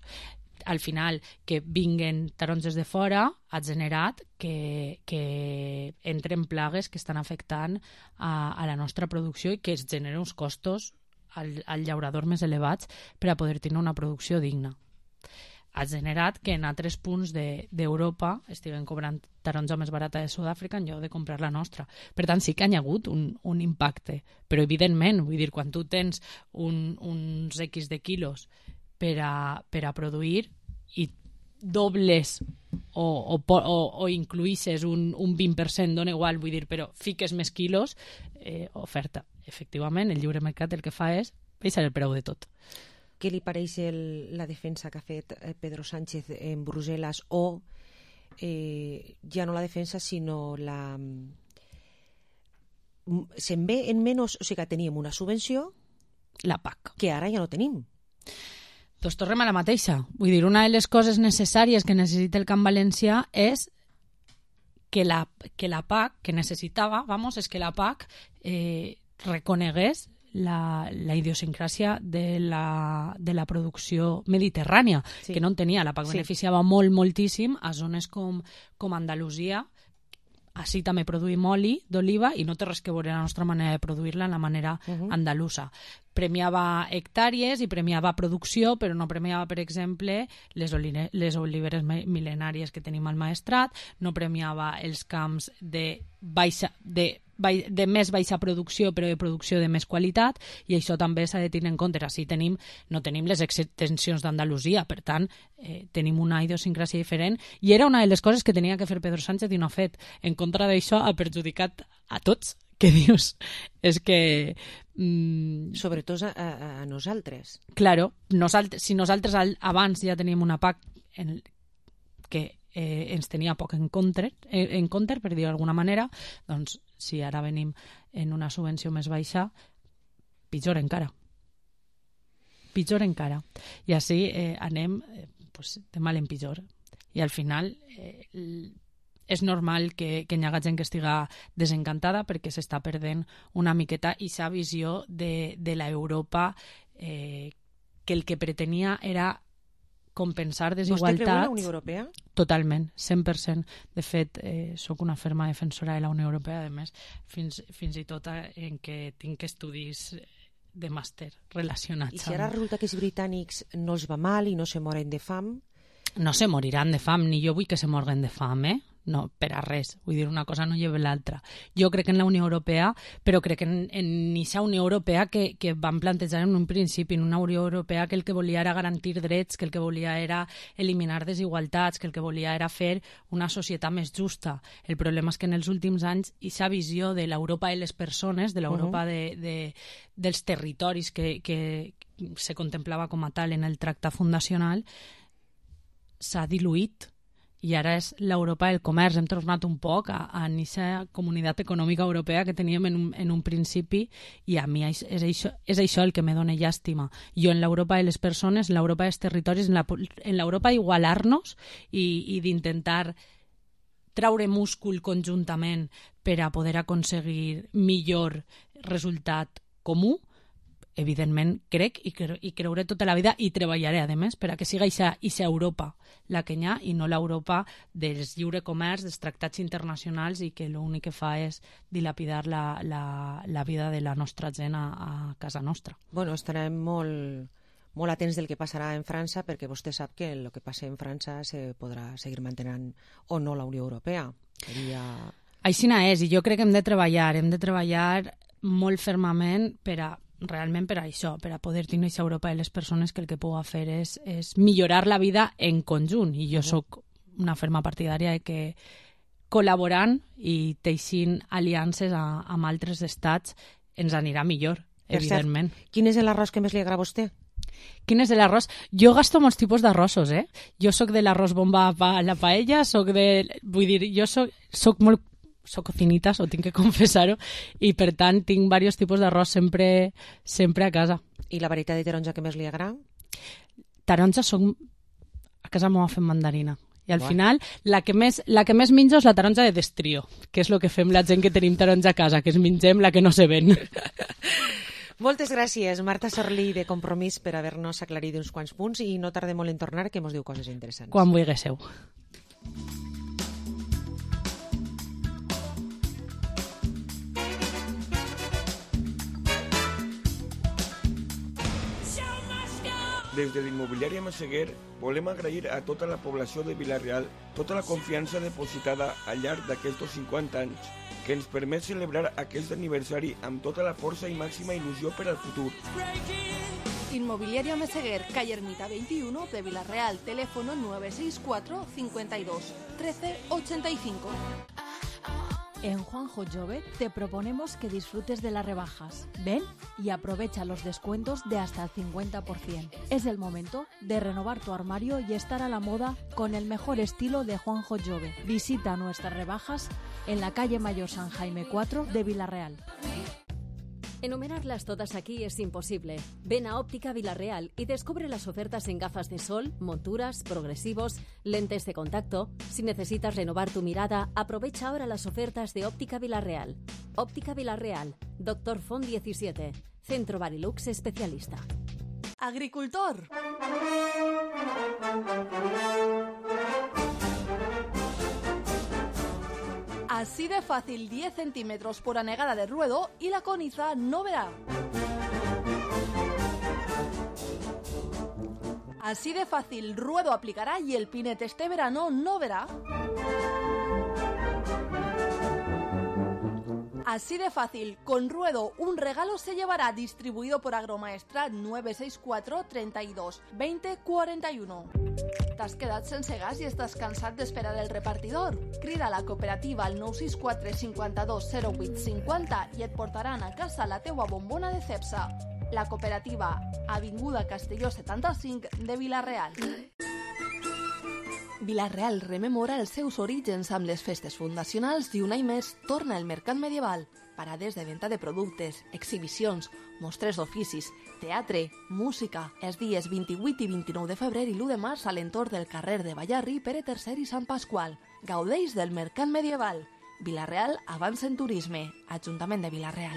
Al final, que vinguen taronges de fora ha generat que, que entren plagues que estan afectant a, a la nostra producció i que es generen uns costos al, al llaurador més elevats per a poder tenir una producció digna. Ha generat que en altres punts d'Europa de, estiguen cobrant taronja més barata de Sud-àfrica en lloc de comprar la nostra. Per tant, sí que hi ha hagut un, un impacte. Però, evidentment, vull dir, quan tu tens un, uns X de quilos per a, per a produir i dobles o, o, o, o incluïsses un, un vint per cent, dona igual, vull dir, però fiques més quilos, eh, oferta. Efectivament, el lliure mercat el que fa és baixar el preu de tot. Què li pareix el, la defensa que ha fet Pedro Sánchez en Brussel·les o eh, ja no la defensa sinó la... Se'n ve en menys... O sigui que teníem una subvenció... La P A C. Que ara ja no tenim. Doncs tornem a la mateixa. Vull dir, una de les coses necessàries que necessita el camp valencià és que la, que la P A C, que necessitava, vamos, és que la P A C eh, reconegués La, la idiosincràsia de la, de la producció mediterrània, sí. que no en tenia. La P A C sí. beneficiava molt, moltíssim a zones com, com Andalusia. Així també produïm oli d'oliva i no té res que veure la nostra manera de produir-la en la manera uh-huh. andalusa. Premiava hectàrees i premiava producció, però no premiava, per exemple, les, oline, les oliveres mil·lenàries que tenim al Maestrat, no premiava els camps de baixa... de de més baixa producció però de producció de més qualitat i això també s'ha de tenir en compte. Així tenim, no tenim les extensions d'Andalusia, per tant eh, tenim una idiosincràsia diferent i era una de les coses que tenia que fer Pedro Sánchez i no ha fet. En contra d'això ha perjudicat a tots. Què dius? És que... Mm, sobretot a, a, a nosaltres. Claro, nosaltres, si nosaltres al, abans ja teníem una P A C en, que eh, ens tenia poc en compte, eh, en compte, per dir d'alguna manera, doncs si ara venim en una subvenció més baixa, pitjor encara. Pitjor encara. I així eh, anem eh, pues, de mal en pitjor. I al final eh, és normal que, que hi hagi gent que estiga desencantada perquè s'està perdent una miqueta aquesta visió de, de l'Europa eh, que el que pretenia era compensar desigualtats. Vostè creu en la Unió Europea? Totalment, cent per cent. De fet, eh, sóc una ferma defensora de la Unió Europea, a més, fins, fins i tot en què tinc estudis de màster relacionats. I si ara resulta que els britànics no els va mal i no se moren de fam? No se moriran de fam, ni jo vull que se morguen de fam, eh? No, per a res. Vull dir, una cosa no lleva l'altra. Jo crec en la Unió Europea, però crec en, en aquesta Unió Europea que, que van plantejar en un principi, en una Unió Europea que el que volia era garantir drets, que el que volia era eliminar desigualtats, que el que volia era fer una societat més justa. El problema és que en els últims anys aquesta visió de l'Europa de les persones, de l'Europa uh-huh. de, de, dels territoris que, que se contemplava com a tal en el tractat fundacional, s'ha diluït. I ara és l'Europa del comerç. Hem tornat un poc a, a aquesta comunitat econòmica europea que teníem en un, en un principi, i a mi és, és, això, és això el que me dona llàstima. Jo en l'Europa de les persones, en l'Europa dels territoris, en, la, en l'Europa igualar-nos i, i d'intentar traure múscul conjuntament per a poder aconseguir millor resultat comú, evidentment crec i, cre i creuré tota la vida i treballaré, a més, per a que siga aquesta Europa la que hi ha i no l'Europa dels lliure comerç, dels tractats internacionals i que l'únic que fa és dilapidar la, la, la vida de la nostra gent a, a casa nostra. Bueno, estarem molt, molt atents del que passarà en França, perquè vostè sap que el que passi en França se podrà seguir mantenint o no la Unió Europea. Seria... Aixina és, i jo crec que hem de treballar, hem de treballar molt fermament per a realment per a això, per a poder tenir aquesta Europa de les persones que el que puga fer és, és millorar la vida en conjunt. I jo sóc una ferma partidària de que col·laborant i teixint aliances a, amb altres estats ens anirà millor, per evidentment. Cert, quin és l'arròs que més li agrada a vostè? Quin és l'arròs? Jo gasto molts tipus d'arrossos, eh? Jo sóc de l'arròs bomba a la paella, sóc de... Vull dir, jo sóc, sóc molt soc cocinitas, ho tinc que confessar-ho, i per tant tinc diversos tipus d'arròs sempre, sempre a casa. I la varietat de taronja que més li agrada? Taronja soc... A casa m'ho fem mandarina. I al Buah. final la que, més, la que més menjo és la taronja de destrio, que és el que fem la gent que tenim taronja a casa, que es mengem la que no se ven. Moltes gràcies, Marta Sorlí, de Compromís, per haver-nos aclarit uns quants punts, i no tardem molt en tornar, que mos diu coses interessants. Quan vulguéssiu. Des de l'immobiliària Massaguer volem agrair a tota la població de Vila-real tota la confiança depositada al llarg d'aquests cinquanta anys, que ens permet celebrar aquest aniversari amb tota la força i màxima il·lusió per al futur. Inmobiliaria Meseguer, calle Ermita veintiuno de Vila-real, teléfono nueve seis cuatro, cincuenta y dos, trece ochenta y cinco. En Juanjo Jove te proponemos que disfrutes de las rebajas. Ven y aprovecha los descuentos de hasta el cincuenta por ciento. Es el momento de renovar tu armario y estar a la moda con el mejor estilo de Juanjo Jove. Visita nuestras rebajas en la calle Mayor San Jaime cuatro de Vila-real. Enumerarlas todas aquí es imposible. Ven a Óptica Vila-real y descubre las ofertas en gafas de sol, monturas, progresivos, lentes de contacto. Si necesitas renovar tu mirada, aprovecha ahora las ofertas de Óptica Vila-real. Óptica Vila-real, Doctor Font diecisiete, Centro Barilux especialista. Agricultor. Así de fácil, diez centímetros por anegada de ruedo y la coniza no verá. Así de fácil, ruedo aplicará y el pinete este verano no verá. Así de fácil, con ruedo un regalo se llevará, distribuido por Agromaestra nueve seis cuatro, treinta y dos, veinte, cuarenta y uno. T'has quedat sense gas i estàs cansat d'esperar el repartidor? Crida a la cooperativa al nou sis quatre, cinquanta-dos, zero vuit, cinquanta i et portaran a casa la teua bombona de Cepsa. La cooperativa, Avinguda Castelló setanta-cinc de Vila-real. Vila-real rememora els seus orígens amb les festes fundacionals i un any més torna el mercat medieval. Parades de venda de productes, exhibicions, mostres d'oficis, teatre, música. Els dies vint-i-vuit i vint-i-nou de febrer i l'u de març a l'entorn del carrer de Ballarri, Pere tercer i Sant Pasqual. Gaudeix del mercat medieval. Vila-real avança en turisme. Ajuntament de Vila-real.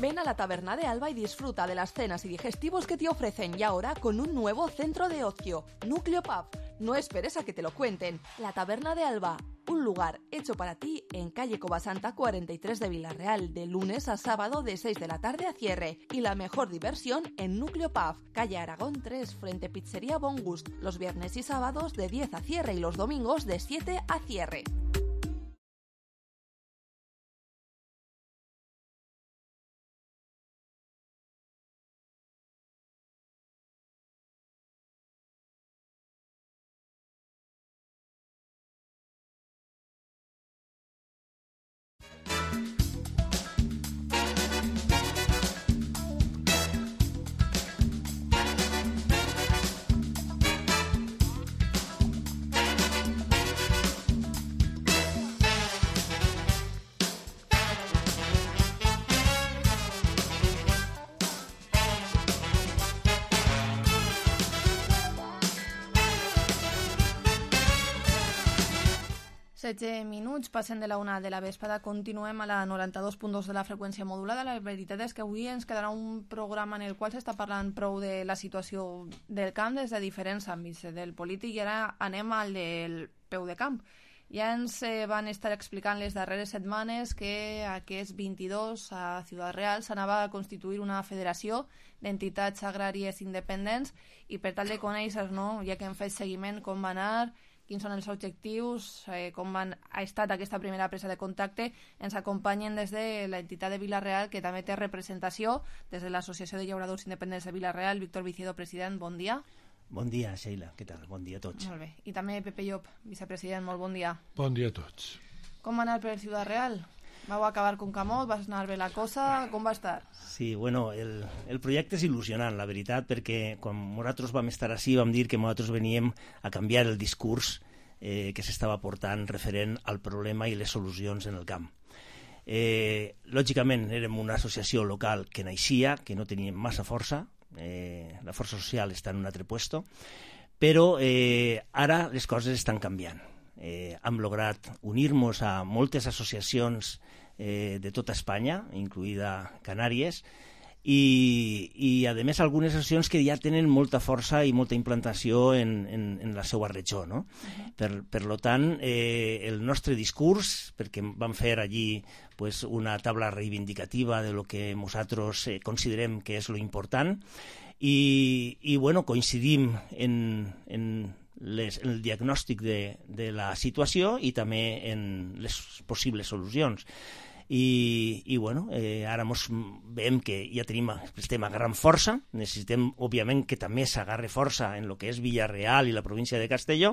Ven a la Taberna de Alba y disfruta de las cenas y digestivos que te ofrecen, y ahora con un nuevo centro de ocio, Núcleo Pub. No esperes a que te lo cuenten. La Taberna de Alba, un lugar hecho para ti en calle Covasanta cuarenta y tres de Villarreal, de lunes a sábado de seis de la tarde a cierre. Y la mejor diversión en Núcleo Pub, calle Aragón tres, frente Pizzería Bon Gust, los viernes y sábados de diez a cierre y los domingos de siete a cierre. setze minuts, passen de la una de la vesprada, continuem a la noranta-dos punt dos de la freqüència modulada. La veritat és que avui ens quedarà un programa en el qual s'està parlant prou de la situació del camp des de diferents àmbits del polític, i ara anem al del peu de camp. Ja ens eh, van estar explicant les darreres setmanes que aquest vint-i-dos a Ciutat Real s'anava a constituir una federació d'entitats agràries independents, i per tal de conèixer, no, ja que hem fet seguiment, com va anar, quins són els objectius, eh, com van, ha estat aquesta primera presa de contacte, ens acompanyen des de l'entitat de Vila-real, que també té representació, des de l'Associació de Llauradors Independents de Vila-real. Víctor Viciedo, president, bon dia. Bon dia, Sheila, què tal? Bon dia a tots. Molt bé. I també Pepe Llop, vicepresident, molt bon dia. Bon dia a tots. Com va anar per Ciutat Real? Vau acabar con Camot, va anar bé la cosa, com va estar? Sí, bueno, el, el projecte és il·lusionant, la veritat, perquè quan nosaltres vam estar així vam dir que nosaltres veníem a canviar el discurs eh, que s'estava portant referent al problema i les solucions en el camp. Eh, lògicament, érem una associació local que naixia, que no tenia massa força, eh, la força social està en un altre puesto, però eh, ara les coses estan canviant. Eh, hem lograt unir-nos a moltes associacions eh, de tota Espanya, incluïda Canàries, i, i a més algunes associacions que ja tenen molta força i molta implantació en, en, en la seva regió, no? Uh-huh. Per, per lo tant, eh, el nostre discurs, perquè vam fer allí pues, una taula reivindicativa de lo que nosaltres eh, considerem que és lo important, i, i bueno, coincidim en, en Les, el diagnòstic de, de la situació i també en les possibles solucions. I, i bueno, eh, ara mos veiem que ja tenim, estem a gran força, necessitem, òbviament, que també s'agarre força en el que és Villarreal i la província de Castelló,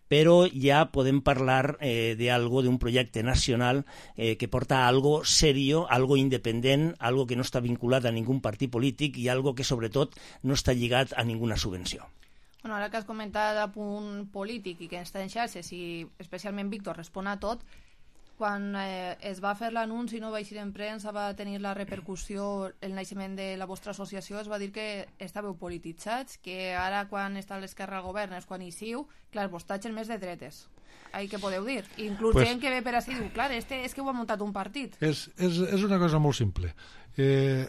però ja podem parlar eh, d'algo, d'un projecte nacional eh, que porta algo serio, algo independent, algo que no està vinculat a ningú partit polític i algo que, sobretot, no està lligat a ninguna subvenció. Bueno, ara que has comentat a punt polític i que està en xarxes i especialment Víctor respon a tot, quan eh, es va fer l'anunci, no va eixir en premsa, va tenir la repercussió el naixement de la vostra associació, es va dir que estàveu polititzats, que ara quan està l'esquerra al govern és quan hi siu, clar, vos tatxen més de dretes. Ai, què podeu dir? Inclús pues, gent que ve per així diu, clar, este és que ho ha muntat un partit. És, és, és una cosa molt simple. Eh,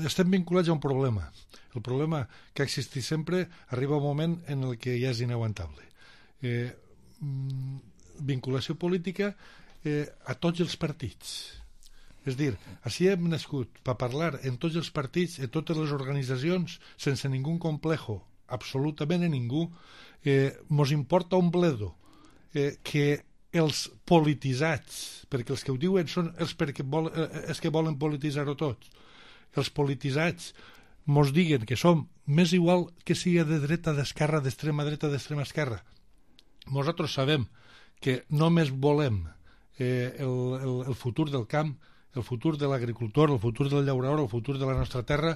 estem vinculats a un problema. El problema que existeix sempre arriba un moment en el que ja és inaguantable. Eh, vinculació política eh, a tots els partits. És dir, així hem nascut per parlar en tots els partits, en totes les organitzacions, sense ningú complejo, absolutament a ningú. Eh, mos importa un bledo eh, que els polititzats, perquè els que ho diuen són els, perquè vol, eh, els que volen polititzar-ho tots, els polititzats mos diguen que som més igual que sigui de dreta, d'esquerra, d'extrema dreta, d'extrema esquerra. Nosaltres sabem que només volem eh, el, el, el futur del camp, el futur de l'agricultor, el futur del llaurador, el futur de la nostra terra,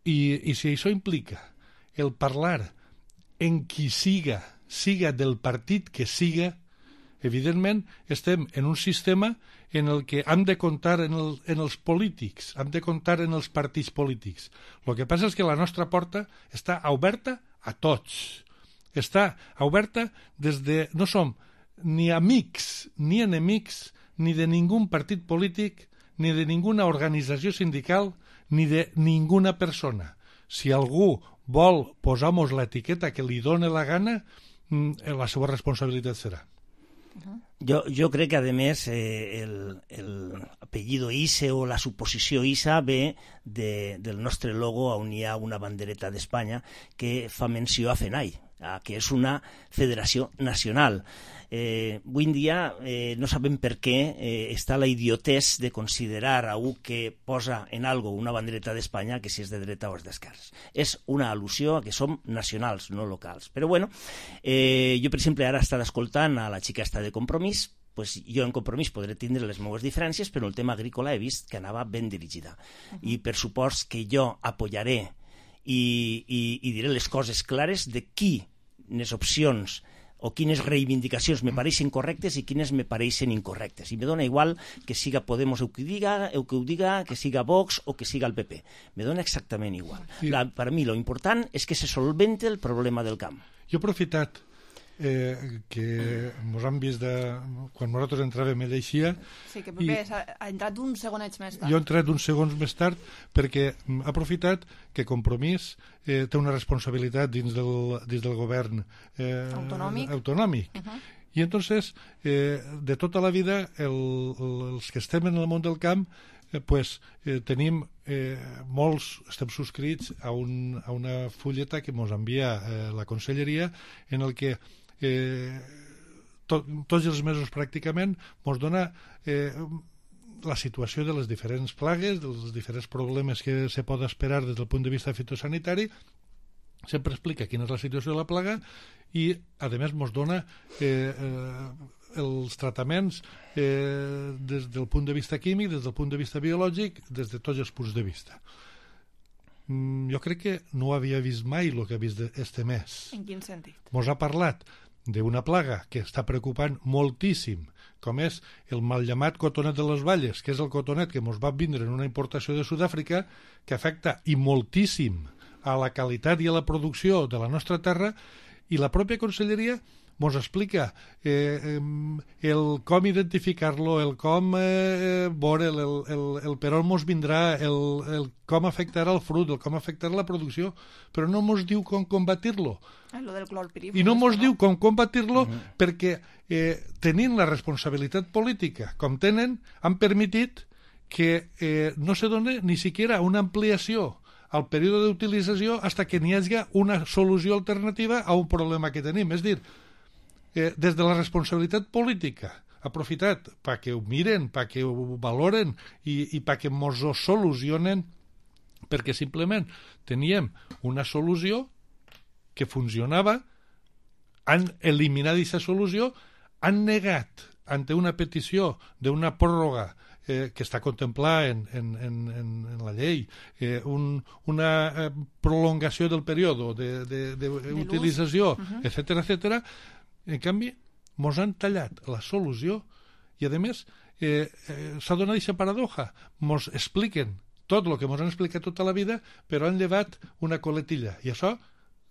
i, i si això implica el parlar en qui siga, siga del partit que siga, evidentment estem en un sistema en el que hem de comptar en, el, en els polítics, hem de comptar en els partits polítics. El que passa és que la nostra porta està oberta a tots. Està oberta des de... No som ni amics ni enemics ni de ningú partit polític, ni de ninguna organització sindical, ni de ninguna persona. Si algú vol posar-nos l'etiqueta que li dóna la gana, la seva responsabilitat serà. Jo, jo crec que, a més, eh, el, el apellido I S E o la suposició I S A ve de, del nostre logo on hi ha una bandereta d'Espanya que fa menció a FENAI, que és una federació nacional. Eh, avui en dia eh, no sabem per què eh, està la idiotès de considerar a un que posa en algo una bandereta d'Espanya que si és de dreta o és d'esquerres. És una al·lusió a que som nacionals, no locals. Però bueno, eh, jo per exemple ara he estat escoltant a la xica esta de Compromís, pues jo en Compromís podré tindre les meves diferències, però el tema agrícola he vist que anava ben dirigida. Uh-huh. I per supost que jo apoyaré i, i, i diré les coses clares de quines opcions o quines reivindicacions me pareixen correctes i quines me pareixen incorrectes. I me dona igual que siga Podemos el que ho diga, el que ho diga, que siga Vox o que siga el P P. Me dona exactament igual. La, per mi lo important és que se solvente el problema del camp. Jo he aprofitat eh, que mos han vist de, quan nosaltres entràvem ell eixia. Sí, que Pepe i, ha entrat uns segonets més tard. Jo he entrat uns segons més tard perquè ha aprofitat que Compromís eh, té una responsabilitat dins del, dins del govern eh, autonòmic. autonòmic. Uh-huh. I entonces, eh, de tota la vida, el, el, els que estem en el món del camp, eh, pues, eh, tenim eh, molts, estem subscrits a, un, a una fulleta que ens envia eh, la conselleria en el que eh, to, tots els mesos pràcticament ens dona eh, la situació de les diferents plagues, dels diferents problemes que se pot esperar des del punt de vista fitosanitari, sempre explica quina és la situació de la plaga i, a més, ens dona eh, eh, els tractaments eh, des del punt de vista químic, des del punt de vista biològic, des de tots els punts de vista. Mm, jo crec que no havia vist mai el que ha vist este mes. En quin sentit? Ens ha parlat d'una plaga que està preocupant moltíssim, com és el mal llamat cotonet de les Valles, que és el cotonet que ens va vindre en una importació de Sud-àfrica, que afecta i moltíssim a la qualitat i a la producció de la nostra terra, i la pròpia conselleria ens explica eh, el com identificar-lo, el com eh, veure, el, el, el per on ens vindrà, el, el com afectarà el fruit, el com afectarà la producció, però no ens diu com combatir-lo. Ah, lo del clorpirifos. I no ens no? diu com combatir-lo uh-huh. perquè eh, tenint la responsabilitat política com tenen, han permitit que eh, no se doni ni siquiera una ampliació al període d'utilització fins que n'hi hagi una solució alternativa a un problema que tenim. És dir, eh, des de la responsabilitat política, aprofitat perquè ho miren, perquè ho valoren i, i perquè ens ho solucionen, perquè simplement teníem una solució que funcionava, han eliminat aquesta solució, han negat ante una petició d'una pròrroga eh, que està contemplada en, en, en, en la llei, eh, un, una eh, prolongació del període d'utilització, uh-huh. etcètera, etcètera. En canvi, ens han tallat la solució i, a més, eh, eh, s'ha donat aquesta paradoja. Ens expliquen tot el que ens han explicat tota la vida, però han llevat una coletilla. I això,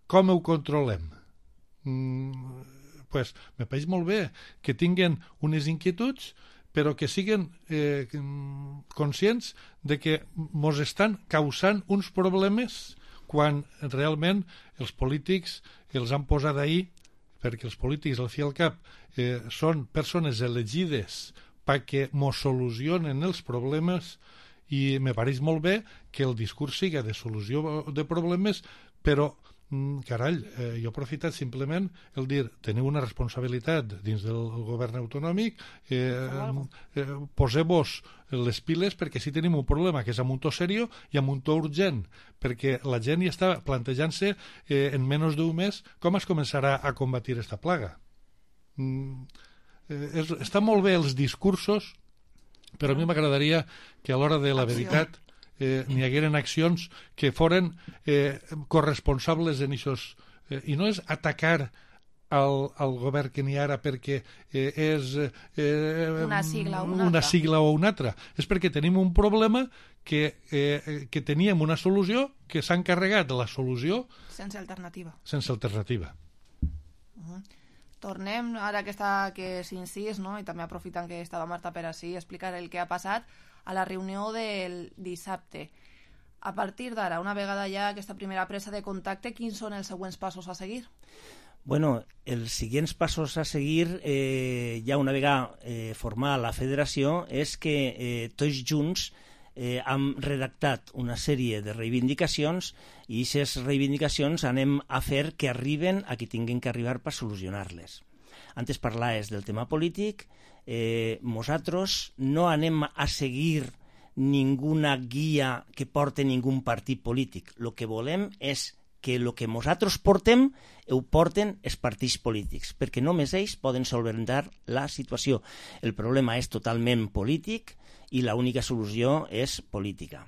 com ho controlem? Mm, pues, me pareix molt bé que tinguen unes inquietuds, però que siguin eh, conscients de que ens estan causant uns problemes quan realment els polítics els han posat ahí, perquè els polítics, al fi i al cap, eh, són persones elegides perquè ens solucionen els problemes, i me pareix molt bé que el discurs siga de solució de problemes, però carall, eh, jo he aprofitat simplement el dir, teniu una responsabilitat dins del govern autonòmic, eh, eh, poseu-vos les piles perquè si tenim un problema que és amb un to serio i amb un to urgent, perquè la gent ja està plantejant-se eh, en menys d'un mes com es començarà a combatir aquesta plaga. Mm, eh, és, està molt bé els discursos, però a mi m'agradaria que a l'hora de la veritat Eh, n'hi hagueren accions que foren eh, corresponsables en això. Eh, I no és atacar al, al govern que n'hi ha ara perquè eh, és eh, una, sigla o una, una, una sigla o una altra. És perquè tenim un problema que, eh, que teníem una solució que s'ha encarregat de la solució sense alternativa. Sense alternativa. Uh-huh. Tornem, ara que està que s'incís, no? I també aprofitant que estava Marta per ací, explicar el que ha passat a la reunió del dissabte. A partir d'ara, una vegada ja aquesta primera presa de contacte, quins són els següents passos a seguir? Bueno, els següents passos a seguir, eh, ja una vegada eh, formada la federació, és que eh, tots junts eh, hem redactat una sèrie de reivindicacions i aquestes reivindicacions anem a fer que arriben a qui tinguin que arribar per solucionar-les. Antes parlaves del tema polític, eh, nosaltres no anem a seguir ninguna guia que porte ningun partit polític. El que volem és que el que nosaltres portem ho porten els partits polítics, perquè només ells poden solventar la situació. El problema és totalment polític i l'única solució és política.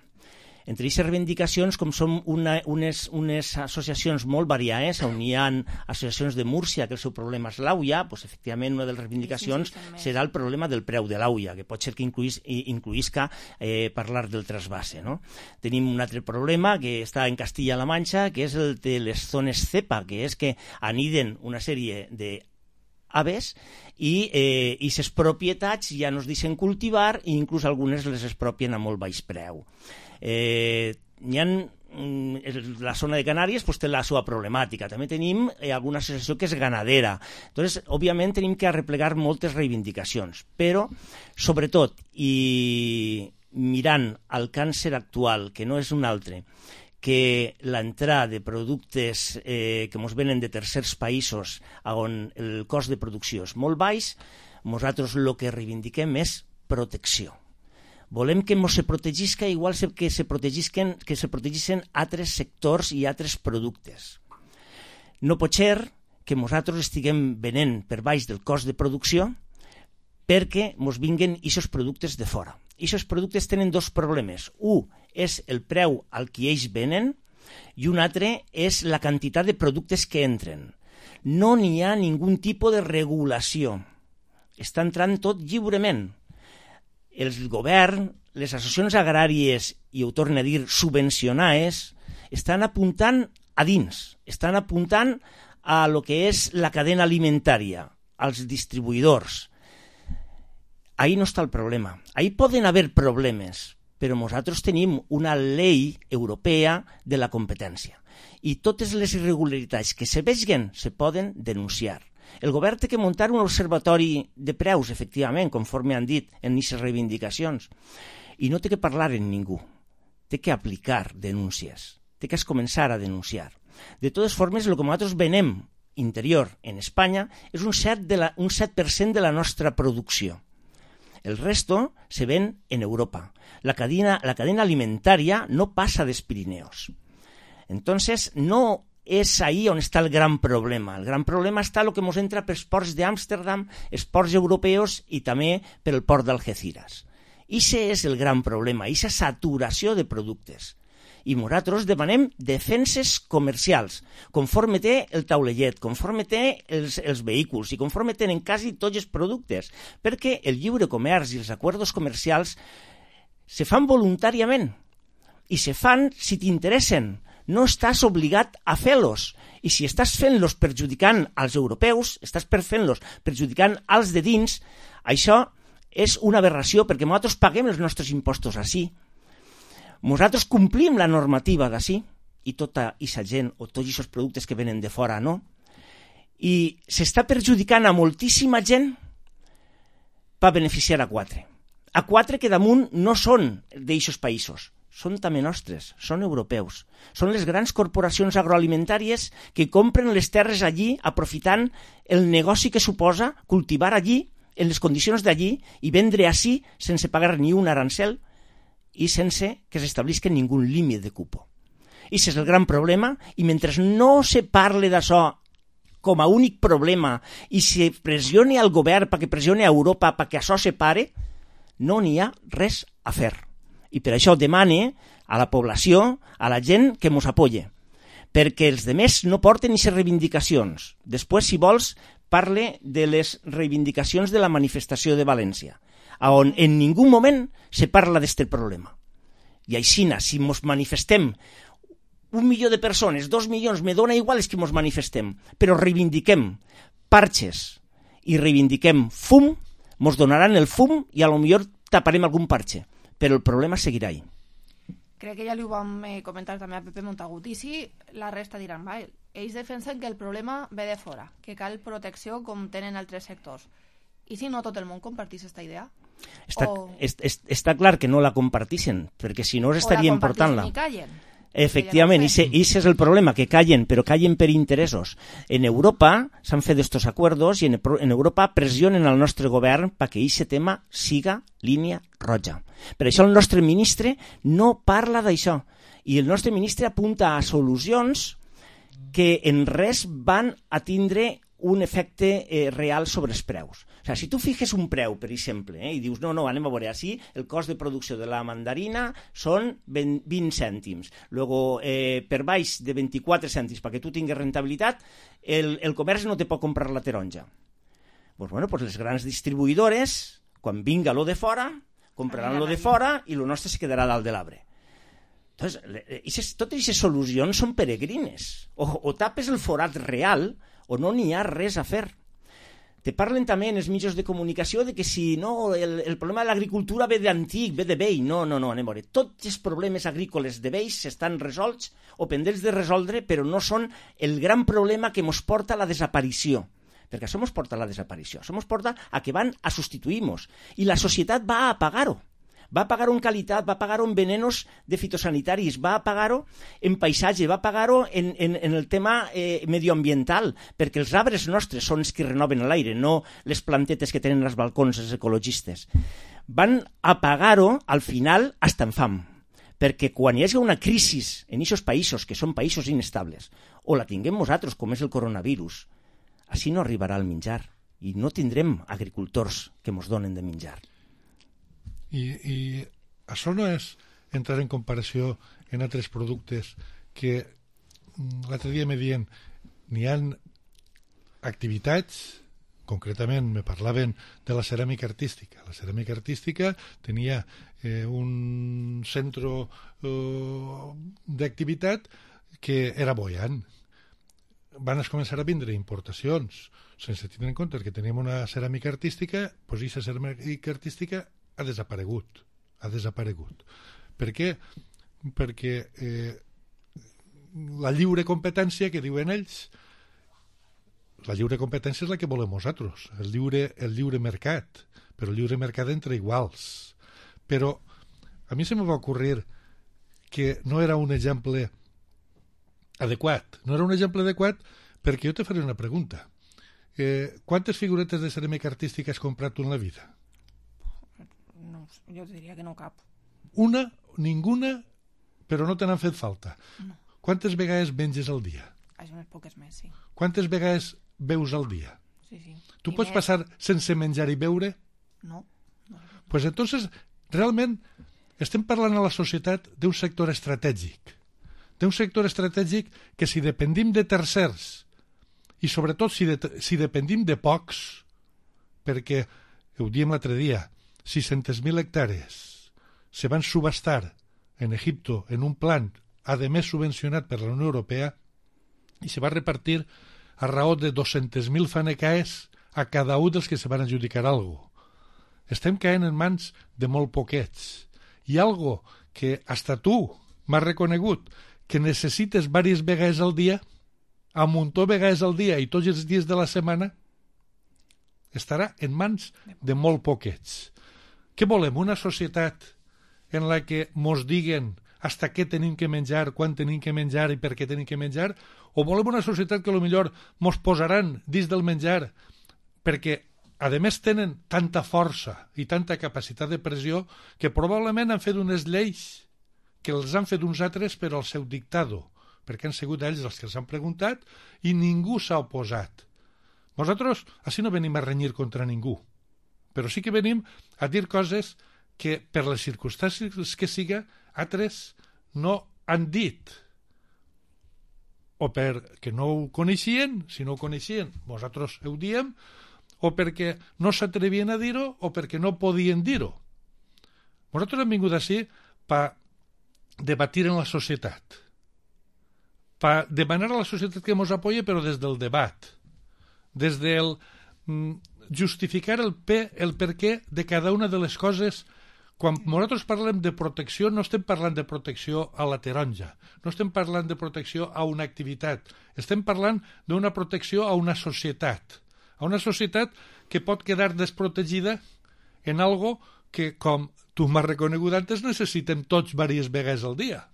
Entre aquestes reivindicacions, com són una, unes, unes associacions molt variades, on hi ha associacions de Múrcia, que el seu problema és l'auia, doncs, efectivament, una de les reivindicacions sí, sí, sí, serà el problema del preu de l'auia, que pot ser que incluís, incluïsca eh, parlar del trasvase. No? Tenim un altre problema que està en Castilla-La Manxa, que és el de les zones cepa, que és que aniden una sèrie de aves i eh, aquestes propietats ja no es deixen cultivar i inclús algunes les expropien a molt baix preu. Eh, hi ha, la zona de Canàries pues, té la seva problemàtica. També tenim eh, alguna associació que és ganadera. Entonces, òbviament, tenim que arreplegar moltes reivindicacions. Però, sobretot, i mirant el càncer actual, que no és un altre, que l'entrada de productes eh, que ens venen de tercers països on el cost de producció és molt baix, nosaltres el que reivindiquem és protecció. Volem que ens se protegisca igual que se protegisquen, que se protegissin altres sectors i altres productes. No pot ser que nosaltres estiguem venent per baix del cost de producció perquè ens vinguen aquests productes de fora. Aquests productes tenen dos problemes. Un és el preu al que ells venen i un altre és la quantitat de productes que entren. No n'hi ha ningú tipus de regulació. Està entrant tot lliurement. El govern, les associacions agràries, i ho torno a dir, subvencionades, estan apuntant a dins, estan apuntant a lo que és la cadena alimentària, als distribuïdors. Ahí no està el problema. Ahí poden haver problemes, però nosaltres tenim una llei europea de la competència i totes les irregularitats que se vegin se poden denunciar. El govern té que muntar un observatori de preus, efectivament, conforme han dit en aquestes reivindicacions, i no té que parlar amb ningú, té que aplicar denúncies, té que començar a denunciar. De totes formes, el que nosaltres venem interior en Espanya és un set per cent de la nostra producció. El resto se ven en Europa. La cadena, la cadena alimentaria no passa dels Pirineos. Entonces, no és ahí on està el gran problema. El gran problema està el que ens entra pels ports d'Amsterdam, els ports europeus i també per el port d'Algeciras. Ixe és el gran problema, ixa saturació de productes. I nosaltres demanem defenses comercials, conforme té el taulellet, conforme té els, els vehicles i conforme tenen quasi tots els productes, perquè el lliure comerç i els acords comercials se fan voluntàriament i se fan si t'interessen. No estàs obligat a fer-los. I si estàs fent-los perjudicant als europeus, estàs fent-los perjudicant als de dins, això és una aberració perquè nosaltres paguem els nostres impostos ací. Nosaltres complim la normativa d'ací i tota aquesta gent o tots aquests productes que venen de fora no. I s'està perjudicant a moltíssima gent per beneficiar a quatre. A quatre que damunt no són d'aquests països. Són també nostres, són europeus. Són les grans corporacions agroalimentàries que compren les terres allí aprofitant el negoci que suposa cultivar allí, en les condicions d'allí, i vendre ací sense pagar ni un arancel i sense que s'establisca ningú límit de cupo. I aquest és el gran problema, i mentre no se parle d'això com a únic problema i se pressione al govern perquè pressione a Europa perquè això se pare, no n'hi ha res a fer. I per això demane a la població, a la gent, que ens apoye. Perquè els demés no porten aquestes reivindicacions. Després, si vols, parle de les reivindicacions de la manifestació de València, on en ningú moment se parla d'aquest problema. I així, si ens manifestem un milió de persones, dos milions, me dona igual és que ens manifestem, però reivindiquem parxes i reivindiquem fum, ens donaran el fum i a lo millor taparem algun parxe. Però el problema seguirà ahí. Crec que ja li ho vam eh, comentar també a Pepe Montagut. I si la resta diran, va, ells defensen que el problema ve de fora, que cal protecció com tenen altres sectors. I si no tot el món compartís aquesta idea? Està, o... est, est, està clar que no la compartissin, perquè si no estaria important-la. O la compartissin i callen. Efectivament, ese, ese és el problema, que callen, però callen per interessos. En Europa s'han fet estos acuerdos i en, en Europa pressionen al nostre govern perquè aquest tema siga línia roja. Per això el nostre ministre no parla d'això i el nostre ministre apunta a solucions que en res van a tindre un efecte eh, real sobre els preus. O sigui, si tu fiques un preu, per exemple, eh, i dius, no, no, anem a veure, així el cost de producció de la mandarina són vint cèntims. Luego, eh, per baix de vint-i-quatre cèntims, perquè tu tinguis rentabilitat, el, el comerç no te pot comprar la taronja. Pues, bueno, pues les grans distribuïdores, quan vinga lo de fora, compraran lo de fora i lo nostre se quedarà dalt de l'arbre. Entonces, ixes, totes aquestes solucions són peregrines. O, o tapes el forat real o no n'hi ha res a fer. Te parlen també en els mitjans de comunicació de que si no, el, el problema de l'agricultura ve d'antic, ve de vell. No, no, no, anem a veure. Tots els problemes agrícoles de vells estan resolts o pendents de resoldre, però no són el gran problema que ens porta a la desaparició. Perquè això ens porta a la desaparició. Això ens porta a que van a substituir-nos. I la societat va a pagar-ho. Va a pagar-ho en qualitat, va a pagar-ho en venenos de fitosanitaris, va a pagar-ho en paisatge, va a pagar-ho en, en, en el tema eh, medioambiental, perquè els arbres nostres són els que renoven l'aire, no les plantetes que tenen als balcons els ecologistes. Van a pagar-ho, al final, hasta en fam, perquè quan hi hagi una crisi en aquests països, que són països inestables, o la tinguem nosaltres, com és el coronavirus, així no arribarà el menjar, i no tindrem agricultors que ens donen de menjar. I, i això no és entrar en comparació en altres productes que l'altre dia me diuen n'hi ha activitats, concretament me parlaven de la ceràmica artística. La ceràmica artística tenia eh, un centre eh, d'activitat que era boiant. Van a començar a vindre importacions sense tenir en compte que teníem una ceràmica artística, doncs aquesta ceràmica artística ha desaparegut, ha desaparegut. Per què? Perquè eh, la lliure competència que diuen ells, la lliure competència és la que volem nosaltres, el lliure, el lliure mercat, però el lliure mercat entre iguals. Però a mi se me va ocurrir que no era un exemple adequat, no era un exemple adequat perquè jo te faré una pregunta. Eh, quantes figuretes de ceràmica artística has comprat tu en la vida? No, jo diria que no cap. Una, ninguna, però no te n'han fet falta. No. Quantes vegades menges al dia? Això unes poques més, sí. Quantes vegades beus al dia? Sí, sí. Tu I pots més... passar sense menjar i beure? No. no. Pues entonces, realment, estem parlant a la societat d'un sector estratègic. D'un sector estratègic que si dependim de tercers i sobretot si, de, si dependim de pocs, perquè, ho diem l'altre dia, sis-centes mil hectàrees se van subhastar en Egipto en un plan, a més subvencionat per la Unió Europea, i se va repartir a raó de dos-centes mil fanecaes a cada un dels que se van adjudicar alguna cosa. Estem caent en mans de molt poquets. I algo que hasta tu m'has reconegut que necessites diverses vegades al dia, a un muntó vegades al dia i tots els dies de la setmana, estarà en mans de molt poquets. Què volem? Una societat en la que mos diguen hasta què tenim que menjar, quan tenim que menjar i per què tenim que menjar? O volem una societat que potser mos posaran dins del menjar perquè, a més, tenen tanta força i tanta capacitat de pressió que probablement han fet unes lleis que els han fet uns altres per al seu dictado, perquè han sigut ells els que els han preguntat i ningú s'ha oposat. Nosaltres així no venim a renyir contra ningú, però sí que venim a dir coses que per les circumstàncies que siga altres no han dit, o perquè no ho coneixien, si no ho coneixien nosaltres ho diem, o perquè no s'atrevien a dir-ho o perquè no podien dir-ho. Nosaltres hem vingut així per debatir en la societat, per demanar a la societat que ens apoyi, però des del debat, des del mm, justificar el, pe, el per què de cada una de les coses quan nosaltres parlem de protecció, no estem parlant de protecció a la taronja, no estem parlant de protecció a una activitat, estem parlant d'una protecció a una societat, a una societat que pot quedar desprotegida en algo que, com tu m'has reconegut antes, necessitem tots diverses vegades al dia,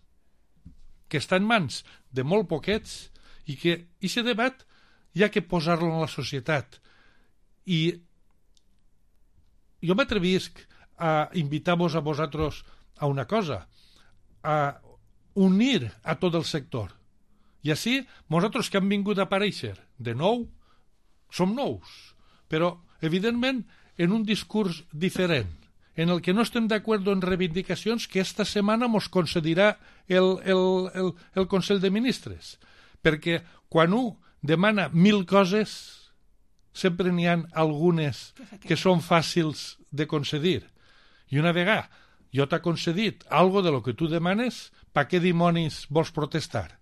que està en mans de molt poquets i que aquest debat hi ha que posar-lo en la societat. I jo m'atrevisc a invitar-vos a vosaltres a una cosa, a unir a tot el sector. I així, nosaltres que hem vingut a aparèixer de nou, som nous, però, evidentment, en un discurs diferent, en el que no estem d'acord en reivindicacions que esta setmana mos concedirà el, el, el, el Consell de Ministres. Perquè quan un demana mil coses, sempre n'hi ha algunes que són fàcils de concedir. I una vegada jo t'ha concedit algo de lo que tu demanes, pa què dimonis vols protestar?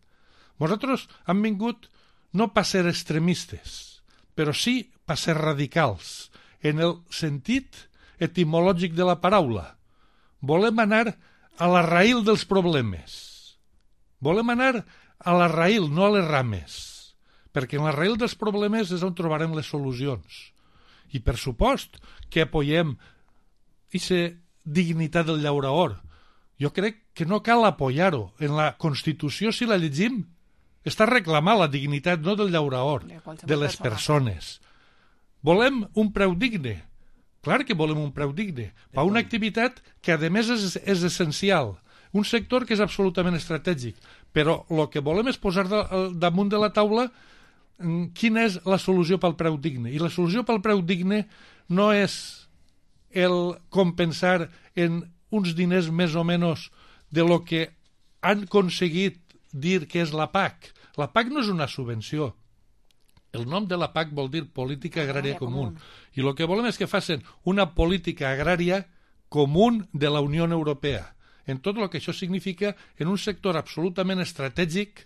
Nosaltres hem vingut no per ser extremistes, però sí per ser radicals, en el sentit etimològic de la paraula. Volem anar a la raïl dels problemes. Volem anar a la raïl, no a les rames, perquè en la raïl dels problemes és on trobarem les solucions. I per supost que apoyem aquesta dignitat del llauraor. Jo crec que no cal apoyar-ho. En la Constitució, si la llegim, està reclamant la dignitat no del llauraor, de les persones. Volem un preu digne. Clar que volem un preu digne. Per una activitat que, a més, és, és essencial. Un sector que és absolutament estratègic. Però el que volem és posar damunt de la taula quina és la solució pel preu digne. I la solució pel preu digne no és el compensar en uns diners més o menys de lo que han aconseguit dir que és la P A C. La P A C no és una subvenció. El nom de la P A C vol dir Política Agrària Comú. I el que volem és que facin una política agrària comú de la Unió Europea, en tot el que això significa en un sector absolutament estratègic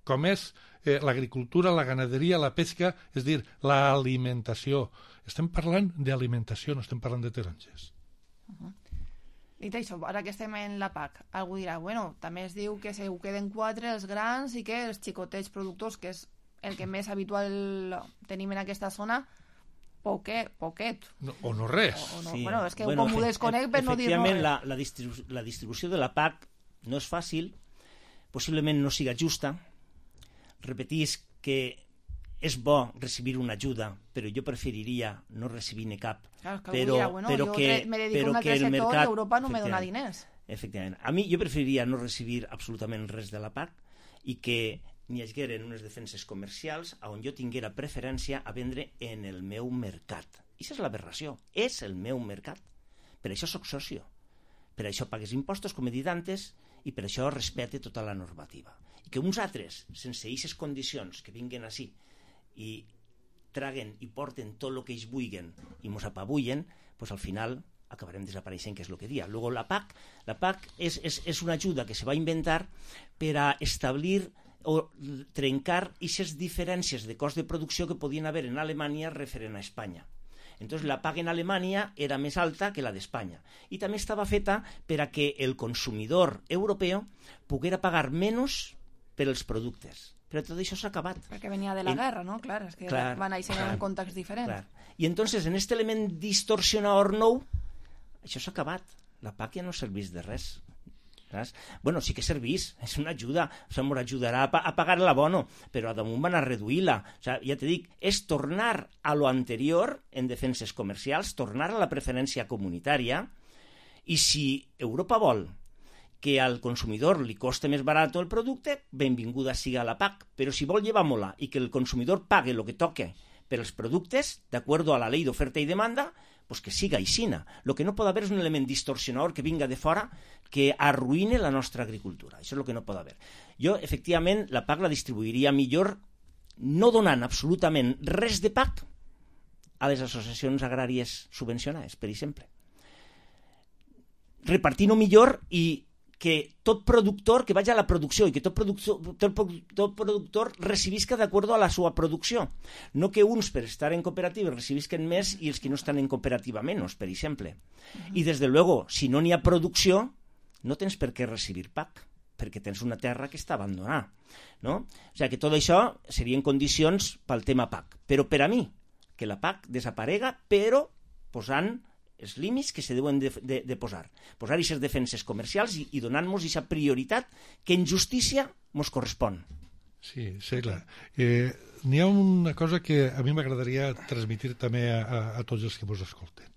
com és eh, l'agricultura, la ganaderia, la pesca, és dir, l'alimentació. Estem parlant d'alimentació, no estem parlant de taronges. Uh -huh. Dit això, ara que estem en la P A C, algú dirà, bueno, també es diu que se ho queden quatre els grans i que els xicotets productors, que és el que més habitual tenim en aquesta zona, poquet, poquet. No, o no res. O, o no. Sí. Bueno, és que bueno, com ho desconec per no dir no res. La, la, distribu la distribució de la P A C no és fàcil, possiblement no siga justa. Repetís que és bo recibir una ajuda, però jo preferiria no recibir-ne cap. Claro, que però, dirà, bueno, però jo que, me dedico però a un altre que el sector mercat, i Europa no me dona diners. Efectivament. A mi jo preferiria no recibir absolutament res de la P A C i que n'hi hagueren unes defenses comercials on jo tinguera preferència a vendre en el meu mercat. I això és l'aberració. És el meu mercat. Per això sóc socio. Per això pagues impostos, com he dit antes, i per això respecte tota la normativa. I que uns altres, sense aquestes condicions, que vinguen així i traguen i porten tot el que ells vulguen i mos apabullen, doncs al final acabarem desapareixent, que és el que dia. Luego la P A C, la P A C és, és, és una ajuda que se va inventar per a establir o trencar aquestes diferències de cost de producció que podien haver en Alemanya referent a Espanya. Entonces la P A C en Alemanya era més alta que la d'Espanya. I també estava feta per a que el consumidor europeu poguera pagar menys per als productes. Però tot això s'ha acabat. Perquè venia de la en... guerra, no? Clar, és que clar, van néixer en un context diferent. Clar. I entonces, en aquest element distorsionador nou, això s'ha acabat. La P A C ja no serveix de res. Saps? Bueno, sí que serveix, és una ajuda, o sigui, ens ajudarà a, pa a pagar l'abono, però a damunt van a reduir-la. O sigui, ja te dic, és tornar a lo anterior en defenses comercials, tornar a la preferència comunitària, i si Europa vol que al consumidor li coste més barat el producte, benvinguda siga la P A C, però si vol llevar-me-la i que el consumidor pague el que toque per als productes, d'acord a la llei d'oferta i demanda, pues que siga aixina. El que no pot haver és un element distorsionador que vinga de fora que arruïne la nostra agricultura. Això és el que no pot haver. Jo, efectivament, la P A C la distribuiria millor no donant absolutament res de P A C a les associacions agràries subvencionades, per exemple. Repartint-ho millor i que tot productor que vagi a la producció i que tot productor, tot, tot productor recibisca d'acord a la seva producció. No que uns per estar en cooperativa recibisquen més i els que no estan en cooperativa menys, per exemple. I des de luego, si no n'hi ha producció, no tens per què recibir P A C, perquè tens una terra que està abandonada. No? O sigui que tot això serien condicions pel tema P A C. Però per a mi, que la P A C desaparega, però posant els límits que se deuen de, de, de posar. Posar aquestes defenses comercials i, i donar-nos aquesta prioritat que en justícia ens correspon. Sí, sí, clar. Eh, N'hi ha una cosa que a mi m'agradaria transmitir també a, a, a tots els que ens escolten.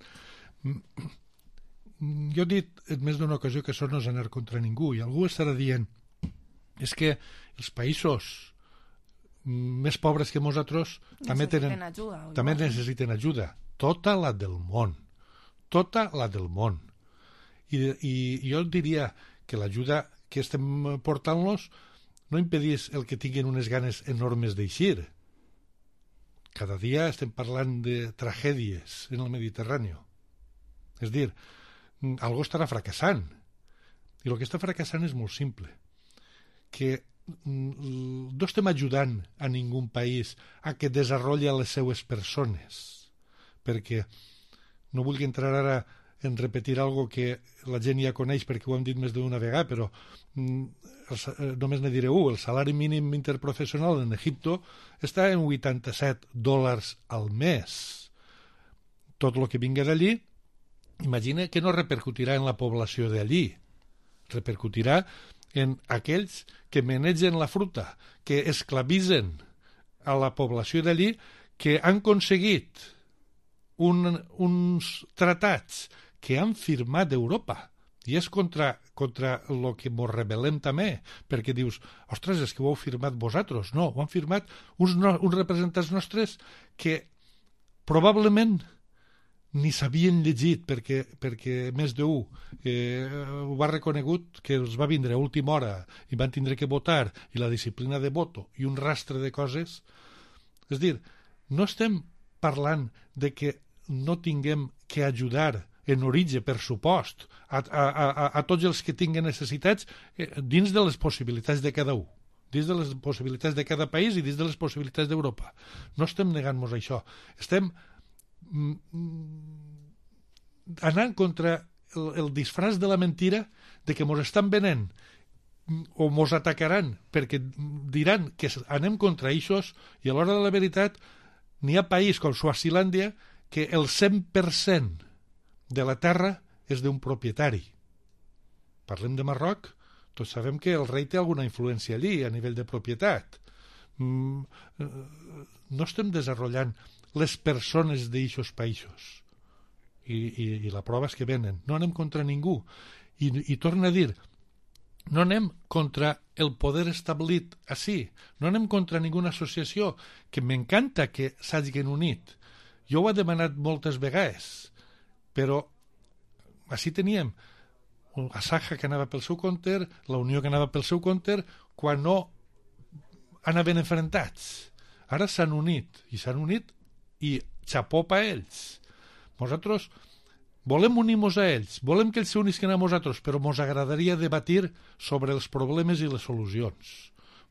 Jo he dit en més d'una ocasió que això no és anar contra ningú, i algú estarà dient és que els països més pobres que nosaltres també, tenen, ajuda, també necessiten ajuda. Tota la del món. Tota la del món. I, i jo diria que l'ajuda que estem portant-los no impedís el que tinguin unes ganes enormes d'eixir. Cada dia estem parlant de tragèdies en el Mediterrani. És dir, algú estarà fracassant. I el que està fracassant és molt simple. Que no estem ajudant a ningú país a que desenvolupi les seues persones. Perquè no vull entrar ara en repetir algo que la gent ja coneix perquè ho hem dit més d'una vegada, però mm, només ne diré un. El salari mínim interprofessional en Egipto està en vuitanta-set dòlars al mes. Tot el que vinga d'allí, imagina que no repercutirà en la població d'allí. Repercutirà en aquells que manegen la fruta, que esclavitzen a la població d'allí, que han aconseguit Un, uns tractats que han firmat d'Europa i és contra, contra el que ens rebel·lem també, perquè dius, ostres, és que ho heu firmat vosaltres. No, ho han firmat uns, no, uns representants nostres que probablement ni s'havien llegit, perquè, perquè més d'un eh, ho va reconegut que els va vindre a última hora i van tindre que votar, i la disciplina de voto i un rastre de coses. És dir, no estem parlant de que no tinguem que ajudar en origen, per supost, a, a, a, a tots els que tinguen necessitats eh, dins de les possibilitats de cada un, dins de les possibilitats de cada país i dins de les possibilitats d'Europa. No estem negant-nos això. Estem mm, anant contra el, el disfraç de la mentira de que mos estan venent o mos atacaran perquè diran que anem contra eixos, i a l'hora de la veritat n'hi ha país com Suazilàndia que el cent per cent de la terra és d'un propietari. Parlem de Marroc, tots sabem que el rei té alguna influència allí a nivell de propietat. Mm, no estem desenvolupant les persones d'eixos països. I, i, I la prova és que venen. No anem contra ningú. I, i torno a dir, no anem contra el poder establit així. No anem contra ninguna associació, que m'encanta que s'hagin unit. Jo ho he demanat moltes vegades, però així teníem la Saja que anava pel seu compte, la Unió que anava pel seu compte, quan no anaven enfrontats. Ara s'han unit, i s'han unit, i xapó pa ells. Nosaltres volem unir-nos a ells, volem que ells s'unisquen a nosaltres, però ens agradaria debatir sobre els problemes i les solucions.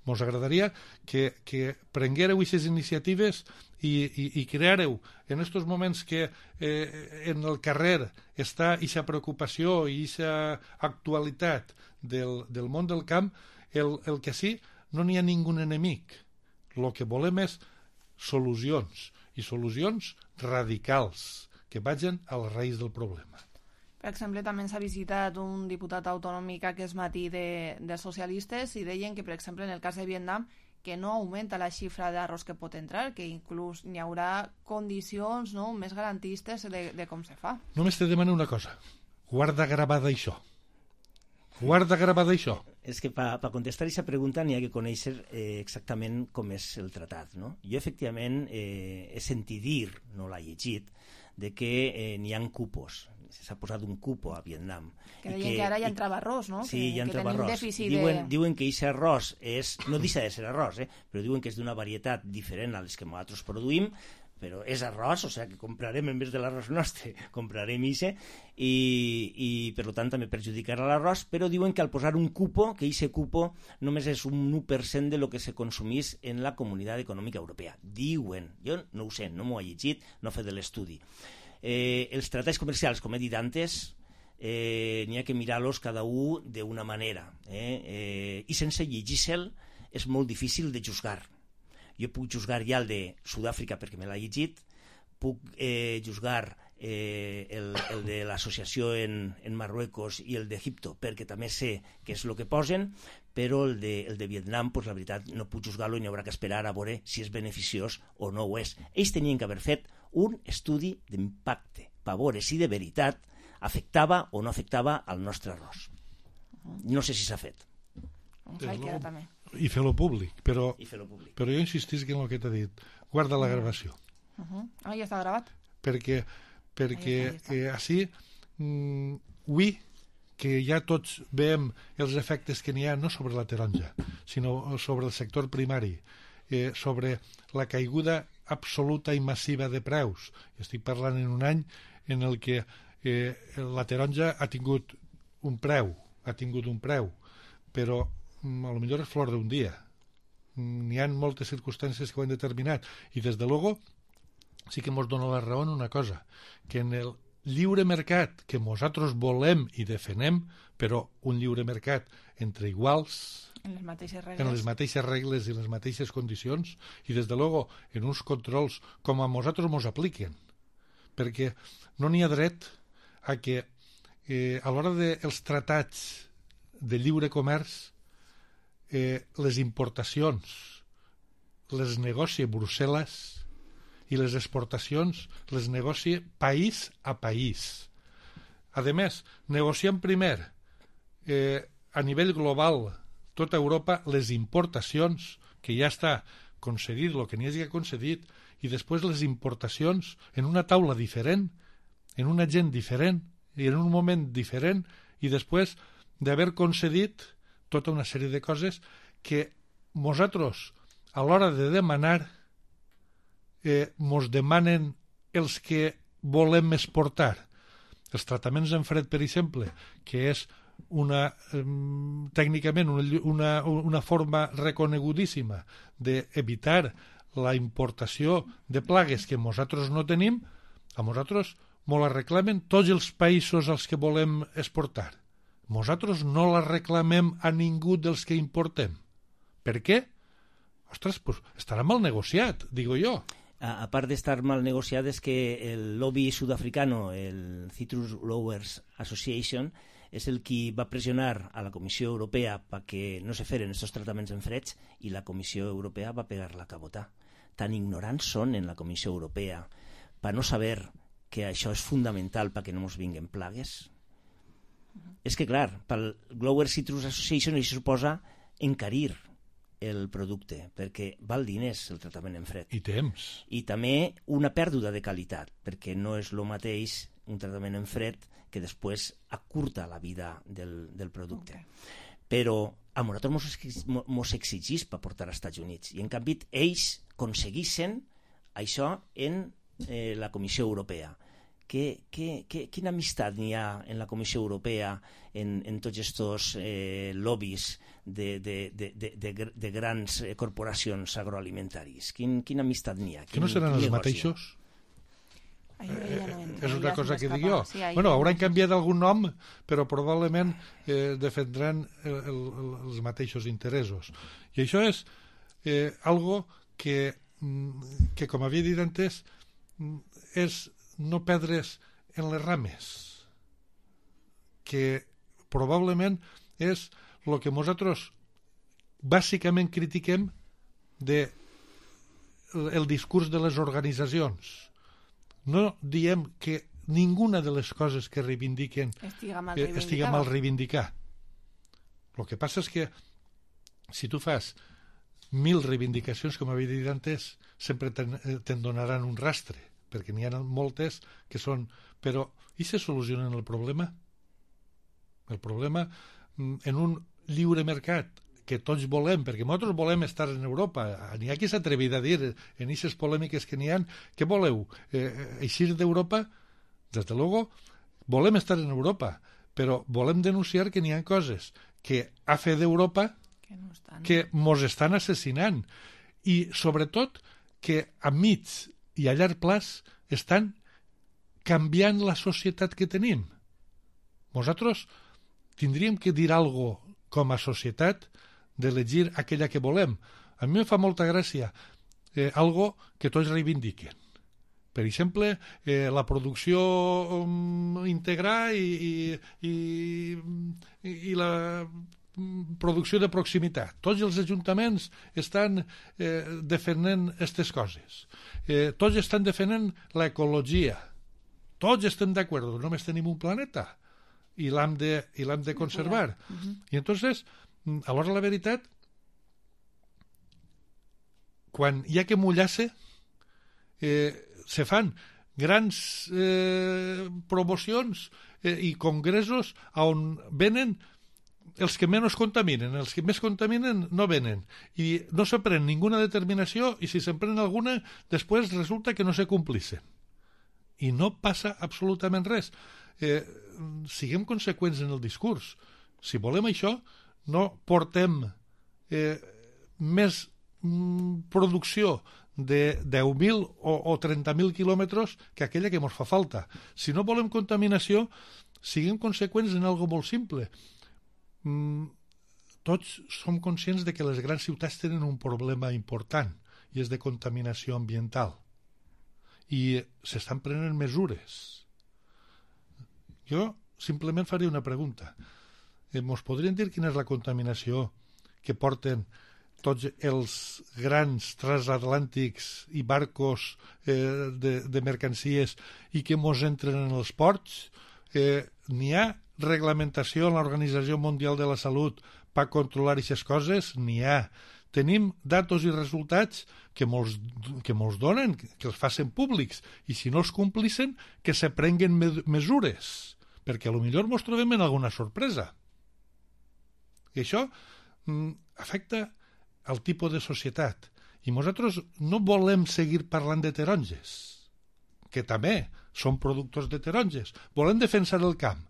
Ens agradaria que, que prenguéreu aquestes iniciatives i, i, i creareu en aquests moments que eh, en el carrer està aquesta preocupació i aquesta actualitat del, del món del camp, el, el que sí, no n'hi ha ningú enemic. El que volem és solucions, i solucions radicals, que vagin als raïs del problema. Per exemple, també ens ha visitat un diputat autonòmic aquest matí de, de socialistes i deien que, per exemple, en el cas de Vietnam, que no augmenta la xifra d'arròs que pot entrar, que inclús n'hi haurà condicions, no?, més garantistes de, de com se fa. Només te demano una cosa. Guarda gravada això. Guarda gravada això. És que per pa contestar aquesta pregunta n'hi ha que conèixer eh, exactament com és el tratat, no? Jo, efectivament, eh, he sentit dir, no l'he llegit, de que eh, n'hi ha cupos. S'ha posat un cupo a Vietnam. Que deien que, que ara ja entrava arròs, no? Sí, que, ja entrava que arròs. Diuen, de... diuen que aquest arròs és, no deixa de ser arròs, eh? Però diuen que és d'una varietat diferent a les que nosaltres produïm, però és arròs, o sigui que comprarem en vez de l'arròs nostre, comprarem ixe, i, i per tant també perjudicarà l'arròs, però diuen que al posar un cupo, que ixe cupo només és un u per cent de lo que se consumís en la Comunitat Econòmica Europea. Diuen, jo no ho sé, no m'ho he llegit, no he fet l'estudi. Eh, els tractats comercials, com he dit antes, eh, n'hi ha que mirar-los cada un d'una manera, eh? Eh, i sense llegir-se'l és molt difícil de juzgar. Jo puc juzgar ja el de Sud-àfrica perquè me l'ha llegit, puc eh, juzgar eh, el, el de l'associació en, en Marruecos i el d'Egipto perquè també sé què és el que posen, però el de, el de Vietnam, pues, la veritat, no puc juzgar-lo i n'hi haurà que esperar a veure si és beneficiós o no ho és. Ells tenien que haver fet un estudi d'impacte per veure si de veritat afectava o no afectava al nostre arròs. No sé si s'ha fet. També. I fer-lo públic, però, fer públic. però jo insistisc en el que t'he dit. Guarda la gravació. Uh -huh. Ah, ja està gravat. Perquè, perquè eh, així, mm, avui, que ja tots veiem els efectes que n'hi ha no sobre la taronja, sinó sobre el sector primari, eh, sobre la caiguda absoluta i massiva de preus. Estic parlant en un any en el que eh, la taronja ha tingut un preu, ha tingut un preu, però a lo millor és flor d'un dia. N'hi ha moltes circumstàncies que ho han determinat i des de luego sí que ens dona la raó en una cosa, que en el lliure mercat que nosaltres volem i defenem, però un lliure mercat entre iguals, en les mateixes regles, en les mateixes regles i les mateixes condicions, i des de luego en uns controls com a nosaltres ens apliquen, perquè no n'hi ha dret a que eh, a l'hora dels tractats de lliure comerç eh, les importacions les negocia Brussel·les i les exportacions les negocia país a país. A més, negociem primer eh, a nivell global tota Europa les importacions, que ja està concedit el que n'hi hagi concedit, i després les importacions en una taula diferent, en una gent diferent i en un moment diferent, i després d'haver concedit tota una sèrie de coses que nosaltres a l'hora de demanar eh, mos demanen els que volem exportar. Els tractaments en fred, per exemple, que és una, eh, tècnicament una, una, una forma reconegudíssima d'evitar la importació de plagues que nosaltres no tenim, a nosaltres mos la reclamen tots els països als que volem exportar. Nosaltres no la reclamem a ningú dels que importem. Per què? Ostres, pues estarà mal negociat, digo jo. A, a part d'estar mal negociat és que el lobby sud-africano, el Citrus Growers Association, és el qui va pressionar a la Comissió Europea perquè no se feren aquests tractaments en freds i la Comissió Europea va pegar la cabota. Tan ignorants són en la Comissió Europea per no saber que això és fundamental perquè no ens vinguen plagues. És que, clar, pel Growers Citrus Association això suposa encarir el producte, perquè val diners el tractament en fred. I temps. I també una pèrdua de qualitat, perquè no és el mateix un tractament en fred que després acurta la vida del, del producte. Okay. Però a nosaltres mos exigís per portar als Estats Units i en canvi ells aconseguissin això en eh, la Comissió Europea. Que, que, que, quina amistat n'hi ha en la Comissió Europea en, en tots aquests eh, lobbies de, de, de, de, de, de grans corporacions agroalimentaris? Quin, quina amistat n'hi ha? Quin, que no seran els mateixos? Ai, ja no entra, és una cosa que dic jo. Sí, bueno, hauran canviat algun nom, però probablement eh, defendran el, el, el, els mateixos interessos. I això és eh, algo que, que, com havia dit antes, és no perdre's en les rames, que probablement és el que nosaltres bàsicament critiquem de el discurs de les organitzacions. No diem que ninguna de les coses que reivindiquen estiga mal, eh, estiga mal reivindicar. El que passa és que si tu fas mil reivindicacions, com havia dit antes, sempre te'n, te'n donaran un rastre, perquè n'hi ha moltes que són... Però, i se solucionen el problema? El problema, en un lliure mercat que tots volem, perquè nosaltres volem estar en Europa. N'hi ha qui s'ha atrevit a dir, en aquestes polèmiques que n'hi ha, què voleu? Eh, eixir d'Europa? Des de luego, volem estar en Europa, però volem denunciar que n'hi ha coses que a fe d'Europa que, no estan... que mos estan assassinant i sobretot que a mig i a llarg plaç estan canviant la societat que tenim. Nosaltres tindríem que dir alguna cosa com a societat d'elegir aquella que volem. A mi em fa molta gràcia eh, algo que tots reivindiquen. Per exemple, eh, la producció um, íntegra i, i, i, i la producció de proximitat. Tots els ajuntaments estan eh, defendent aquestes coses. Eh, tots estan defendent l'ecologia. Tots estem d'acord, només tenim un planeta i l'hem de, i l'hem de conservar. Uh-huh. I entonces, alhora la veritat, quan hi ha que mullar-se, eh, se fan grans eh, promocions eh, i congressos on venen els que menys contaminen, els que més contaminen no venen i no se pren ninguna determinació i si se'n pren alguna després resulta que no se complixen i no passa absolutament res. Eh, siguem conseqüents en el discurs. Si volem això, no portem eh, més mm, producció de deu mil o, o trenta mil quilòmetres que aquella que ens fa falta. Si no volem contaminació, siguem conseqüents en algo molt simple. Mm, tots som conscients de que les grans ciutats tenen un problema important i és de contaminació ambiental. I s'estan prenent mesures. Jo simplement faré una pregunta. Eh, mos podrien dir quina és la contaminació que porten tots els grans transatlàntics i barcos eh, de, de mercancies i que mos entren en els ports? Eh, n'hi ha reglamentació en l'Organització Mundial de la Salut per controlar aquestes coses? N'hi ha. Tenim datos i resultats que molts, que molts donen, que els facin públics, i si no els complixen, que se prenguen me mesures, perquè potser ens trobem en alguna sorpresa. I això mm, afecta al tipus de societat. I nosaltres no volem seguir parlant de taronges, que també són productors de taronges. Volem defensar el camp.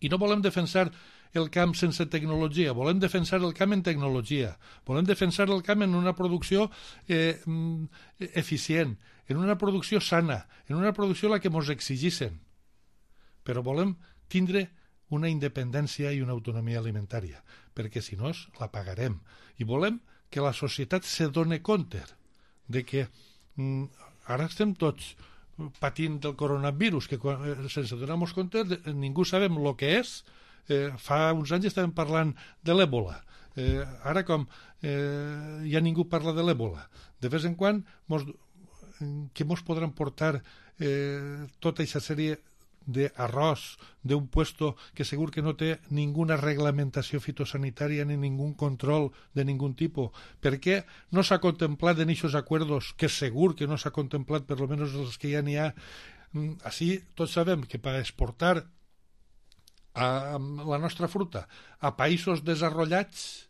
I no volem defensar el camp sense tecnologia, volem defensar el camp en tecnologia, volem defensar el camp en una producció eh, eficient, en una producció sana, en una producció la que ens exigissin. Però volem tindre una independència i una autonomia alimentària, perquè si no la pagarem. I volem que la societat se doni compte de que mm, ara estem tots patint del coronavirus, que sense donar-nos compte ningú sabem el que és. Eh, fa uns anys estàvem parlant de l'èbola. Eh, ara com eh, ja ningú parla de l'èbola, de vez en quan mos, que mos podran portar eh, tota aquesta sèrie d'arròs d'un puesto que segur que no té ninguna reglamentació fitosanitària ni ningú control de ningun tipus. Per què no s'ha contemplat en aquests acords, que segur que no s'ha contemplat, per lo menos els que ja n'hi ha? Així tots sabem que per exportar a la nostra fruta a països desarrollats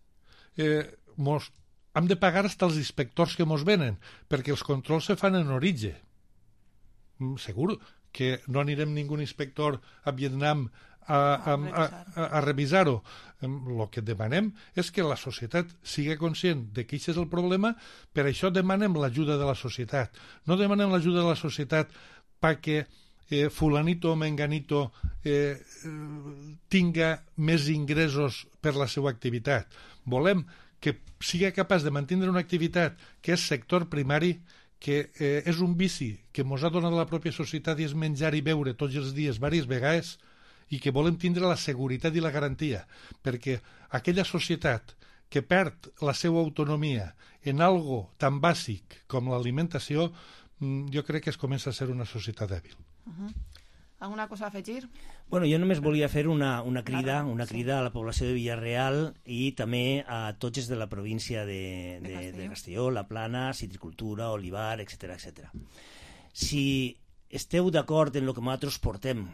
eh, mos, hem de pagar fins als inspectors que mos venen, perquè els controls se fan en origen. Segur que no anirem ningú inspector a Vietnam a, a, a, a, a revisar-ho. El que demanem és que la societat sigui conscient de que aquest és el problema, per això demanem l'ajuda de la societat. No demanem l'ajuda de la societat perquè eh, fulanito o menganito eh, tinga més ingressos per la seva activitat. Volem que sigui capaç de mantenir una activitat que és sector primari, que eh, és un vici que ens ha donat la pròpia societat i és menjar i beure tots els dies, diverses vegades, i que volem tindre la seguretat i la garantia, perquè aquella societat que perd la seva autonomia en algo tan bàsic com l'alimentació, jo crec que es comença a ser una societat dèbil. Uh-huh. Alguna cosa a afegir? Bueno, jo només volia fer una, una crida una crida a la població de Villarreal i també a tots els de la província de, de, de, Castelló. de Castelló, La Plana, citricultura, olivar, etcètera etcètera. Si esteu d'acord en el que nosaltres portem,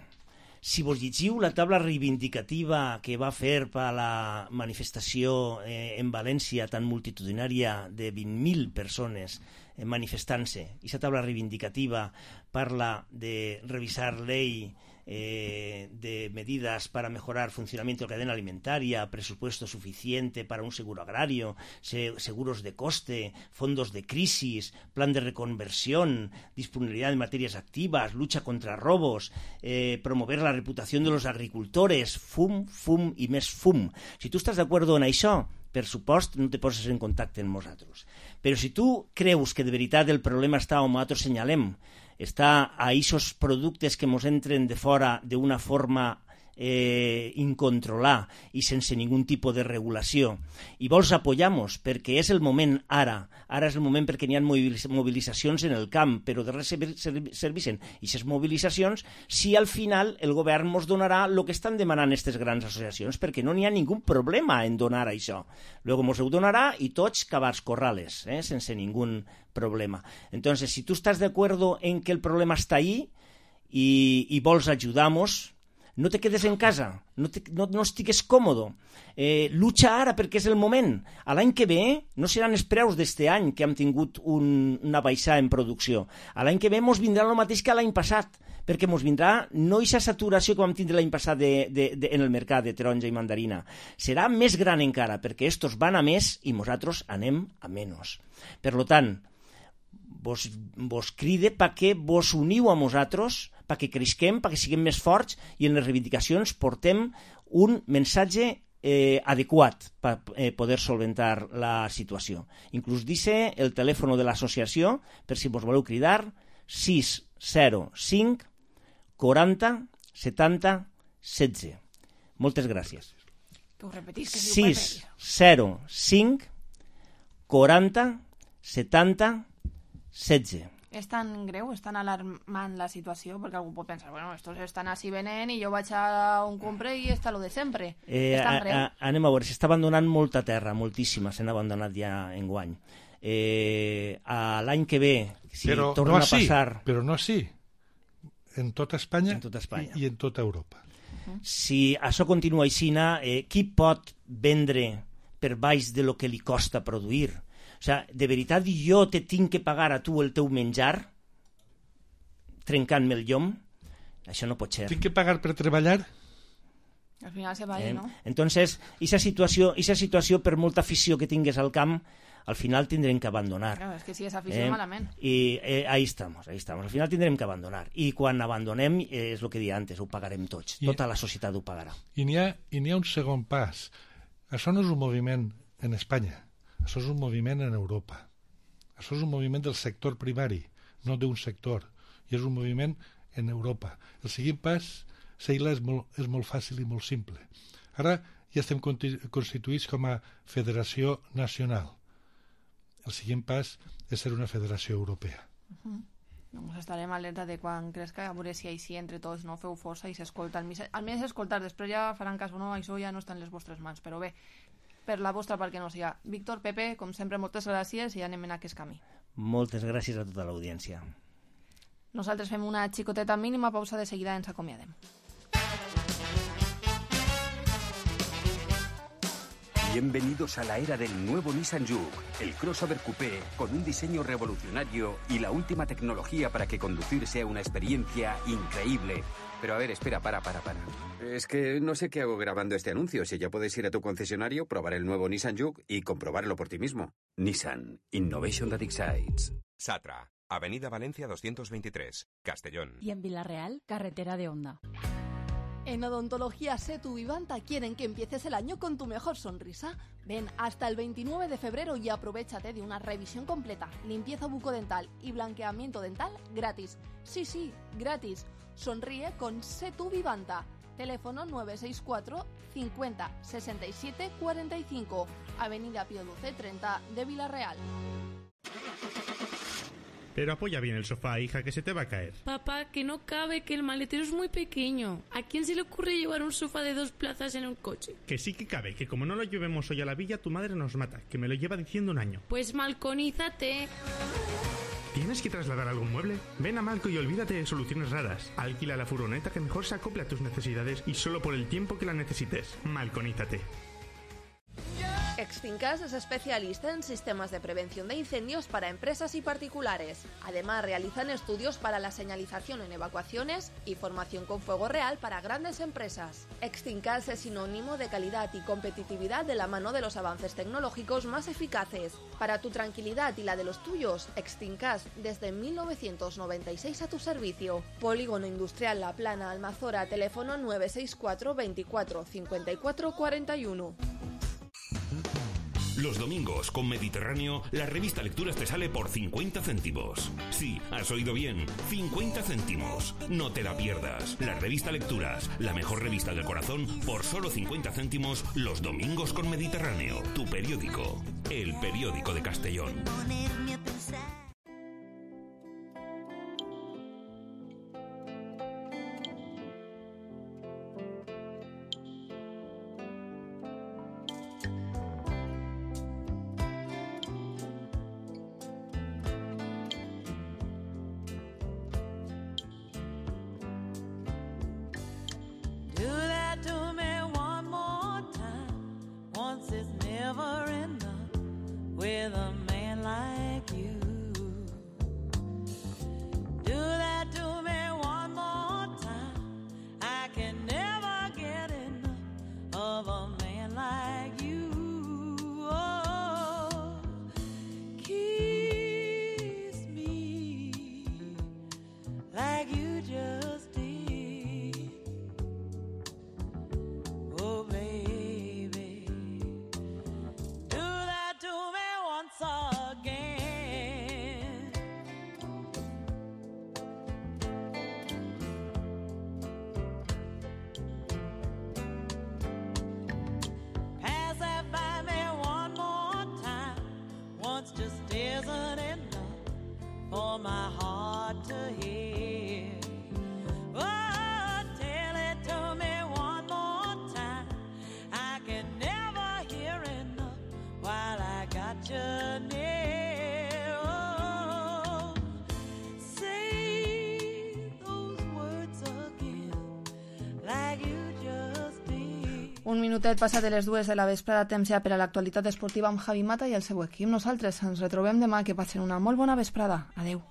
Si vos llegiu la taula reivindicativa que va fer per la manifestació eh, en València tan multitudinària de vint mil persones eh, manifestant-se, i aquesta taula reivindicativa parla de revisar ley Eh, de medidas para mejorar funcionamiento de la cadena alimentaria, presupuesto suficiente para un seguro agrario, se, seguros de coste, fondos de crisis, plan de reconversión, disponibilidad de materias activas, lucha contra robos, eh, promover la reputación de los agricultores, fum, fum i més fum. Si tu estàs d'acord en això, per supost, no te poses en contacte amb nosaltres. Però si tu creus que de veritat el problema està on nosaltres senyalem, està a aquests productes que ens entren de fora d'una forma eh, incontrolada i sense ningun tipus de regulació, i vols apoyar-nos perquè és el moment ara, ara és el moment perquè n'hi ha mobilitzacions en el camp, però de res servissen aquestes mobilitzacions si al final el govern ens donarà el que estan demanant aquestes grans associacions, perquè no n'hi ha ningú problema en donar això. Luego ens ho donarà i tots cabars corrales, eh, sense ningun problema. Entonces, si tú estás de acuerdo en que el problema está ahí y, y vols ayudamos, no te quedes en casa, no, te, no, no estigues còmodo. Eh, lucha ara perquè és el moment. A l'any que ve no seran els preus d'este any que hem tingut un, una baixada en producció. A l'any que ve mos vindrà el mateix que l'any passat, perquè mos vindrà no aquesta saturació que vam tindre l'any passat de, de, de, en el mercat de taronja i mandarina. Serà més gran encara, perquè estos van a més i nosaltres anem a menys. Per lo tant, vos, vos cride perquè vos uniu a nosaltres, perquè creixem, perquè siguem més forts i en les reivindicacions portem un missatge eh, adequat per eh, poder solventar la situació. Inclús dice el telèfon de l'associació, per si vos voleu cridar, sis zero cinc quaranta setanta setze. Moltes gràcies. Que ho repetis, que sis zero cinc quaranta setanta setze. És tan greu, és tan alarmant la situació, perquè algú pot pensar, bueno, estos estan així venent i jo vaig a un compre i està lo de sempre. Eh, és tan greu. A, a, anem a veure, s'està abandonant molta terra, moltíssima, s'han abandonat ja enguany. Eh, a l'any que ve, si però torna no a passar... Però no així, en tota Espanya, en tota Espanya. I, i en tota Europa. Uh-huh. Si això continua així, eh, qui pot vendre per baix de lo que li costa produir? O sigui, de veritat jo te tinc que pagar a tu el teu menjar trencant-me el llom? Això no pot ser. Tinc que pagar per treballar? Al final se va ahí, eh? ¿no? Entonces, esa situació, esa situació, per molta afició que tingues al camp, al final tindrem que abandonar. Claro, es que si és afició, eh? malament. I eh, ahí estamos, ahí estamos. Al final tindrem que abandonar. I quan abandonem, eh, és el que deia antes, ho pagarem tots. I, tota la societat ho pagarà. I n'hi ha, i n'hi ha un segon pas. Això no és un moviment en Espanya. Això és un moviment en Europa. Això és un moviment del sector primari, no d'un sector. I és un moviment en Europa. El següent pas, Seila, és molt, és molt fàcil i molt simple. Ara ja estem constituïts com a federació nacional. El següent pas és ser una federació europea. Uh-huh. Doncs estarem alerta de quan crezca, a veure si així entre tots no feu força i s'escolta. Almenys escoltar, després ja faran cas o no, això ja no està en les vostres mans, però bé, per la vostra part que no siga. Víctor, Pepe, com sempre, moltes gràcies i anem en aquest camí. Moltes gràcies a tota l'audiència. Nosaltres fem una xicoteta mínima pausa, de seguida ens acomiadem. Bienvenidos a la era del nuevo Nissan Juke, el crossover coupé con un diseño revolucionario y la última tecnología para que conducir sea una experiencia increíble. Pero a ver, espera, para, para, para. Es que no sé qué hago grabando este anuncio. Si ya puedes ir a tu concesionario, probar el nuevo Nissan Juke y comprobarlo por ti mismo. Nissan, Innovation that excites. Satra, Avenida Valencia doscientos veintitrés, Castellón. Y en Villarreal, carretera de Honda. En Odontología Setu Vivanta quieren que empieces el año con tu mejor sonrisa. Ven hasta el veintinueve de febrero y aprovéchate de una revisión completa, limpieza bucodental y blanqueamiento dental gratis. Sí, sí, gratis. Sonríe con Setu Vivanta. Teléfono nueve seis cuatro cincuenta sesenta y siete cuarenta y cinco. Avenida Pío doce treinta de Villarreal. Pero apoya bien el sofá, hija, que se te va a caer. Papá, que no cabe, que el maletero es muy pequeño. ¿A quién se le ocurre llevar un sofá de dos plazas en un coche? Que sí que cabe, que como no lo llevemos hoy a la villa, tu madre nos mata, que me lo lleva diciendo un año. Pues malconízate. ¿Tienes que trasladar algún mueble? Ven a Malco y olvídate de soluciones raras. Alquila la furgoneta que mejor se acople a tus necesidades y solo por el tiempo que la necesites. Malconízate. Extincas es especialista en sistemas de prevención de incendios para empresas y particulares. Además, realizan estudios para la señalización en evacuaciones y formación con fuego real para grandes empresas. Extincas es sinónimo de calidad y competitividad de la mano de los avances tecnológicos más eficaces. Para tu tranquilidad y la de los tuyos, Extincas desde mil novecientos noventa y seis a tu servicio. Polígono Industrial La Plana, Almazora, teléfono nueve seis cuatro veinticuatro cincuenta y cuatro cuarenta y uno. Los domingos con Mediterráneo, la revista Lecturas te sale por cincuenta céntimos. Sí, has oído bien, cincuenta céntimos. No te la pierdas. La revista Lecturas, la mejor revista del corazón, por solo cincuenta céntimos los domingos con Mediterráneo. Tu periódico, el periódico de Castellón. Un minutet passa de les dues de la vesprada, temps ja per a l'actualitat esportiva amb Javi Mata i el seu equip. Nosaltres ens retrobem demà, que passen una molt bona vesprada. Adeu.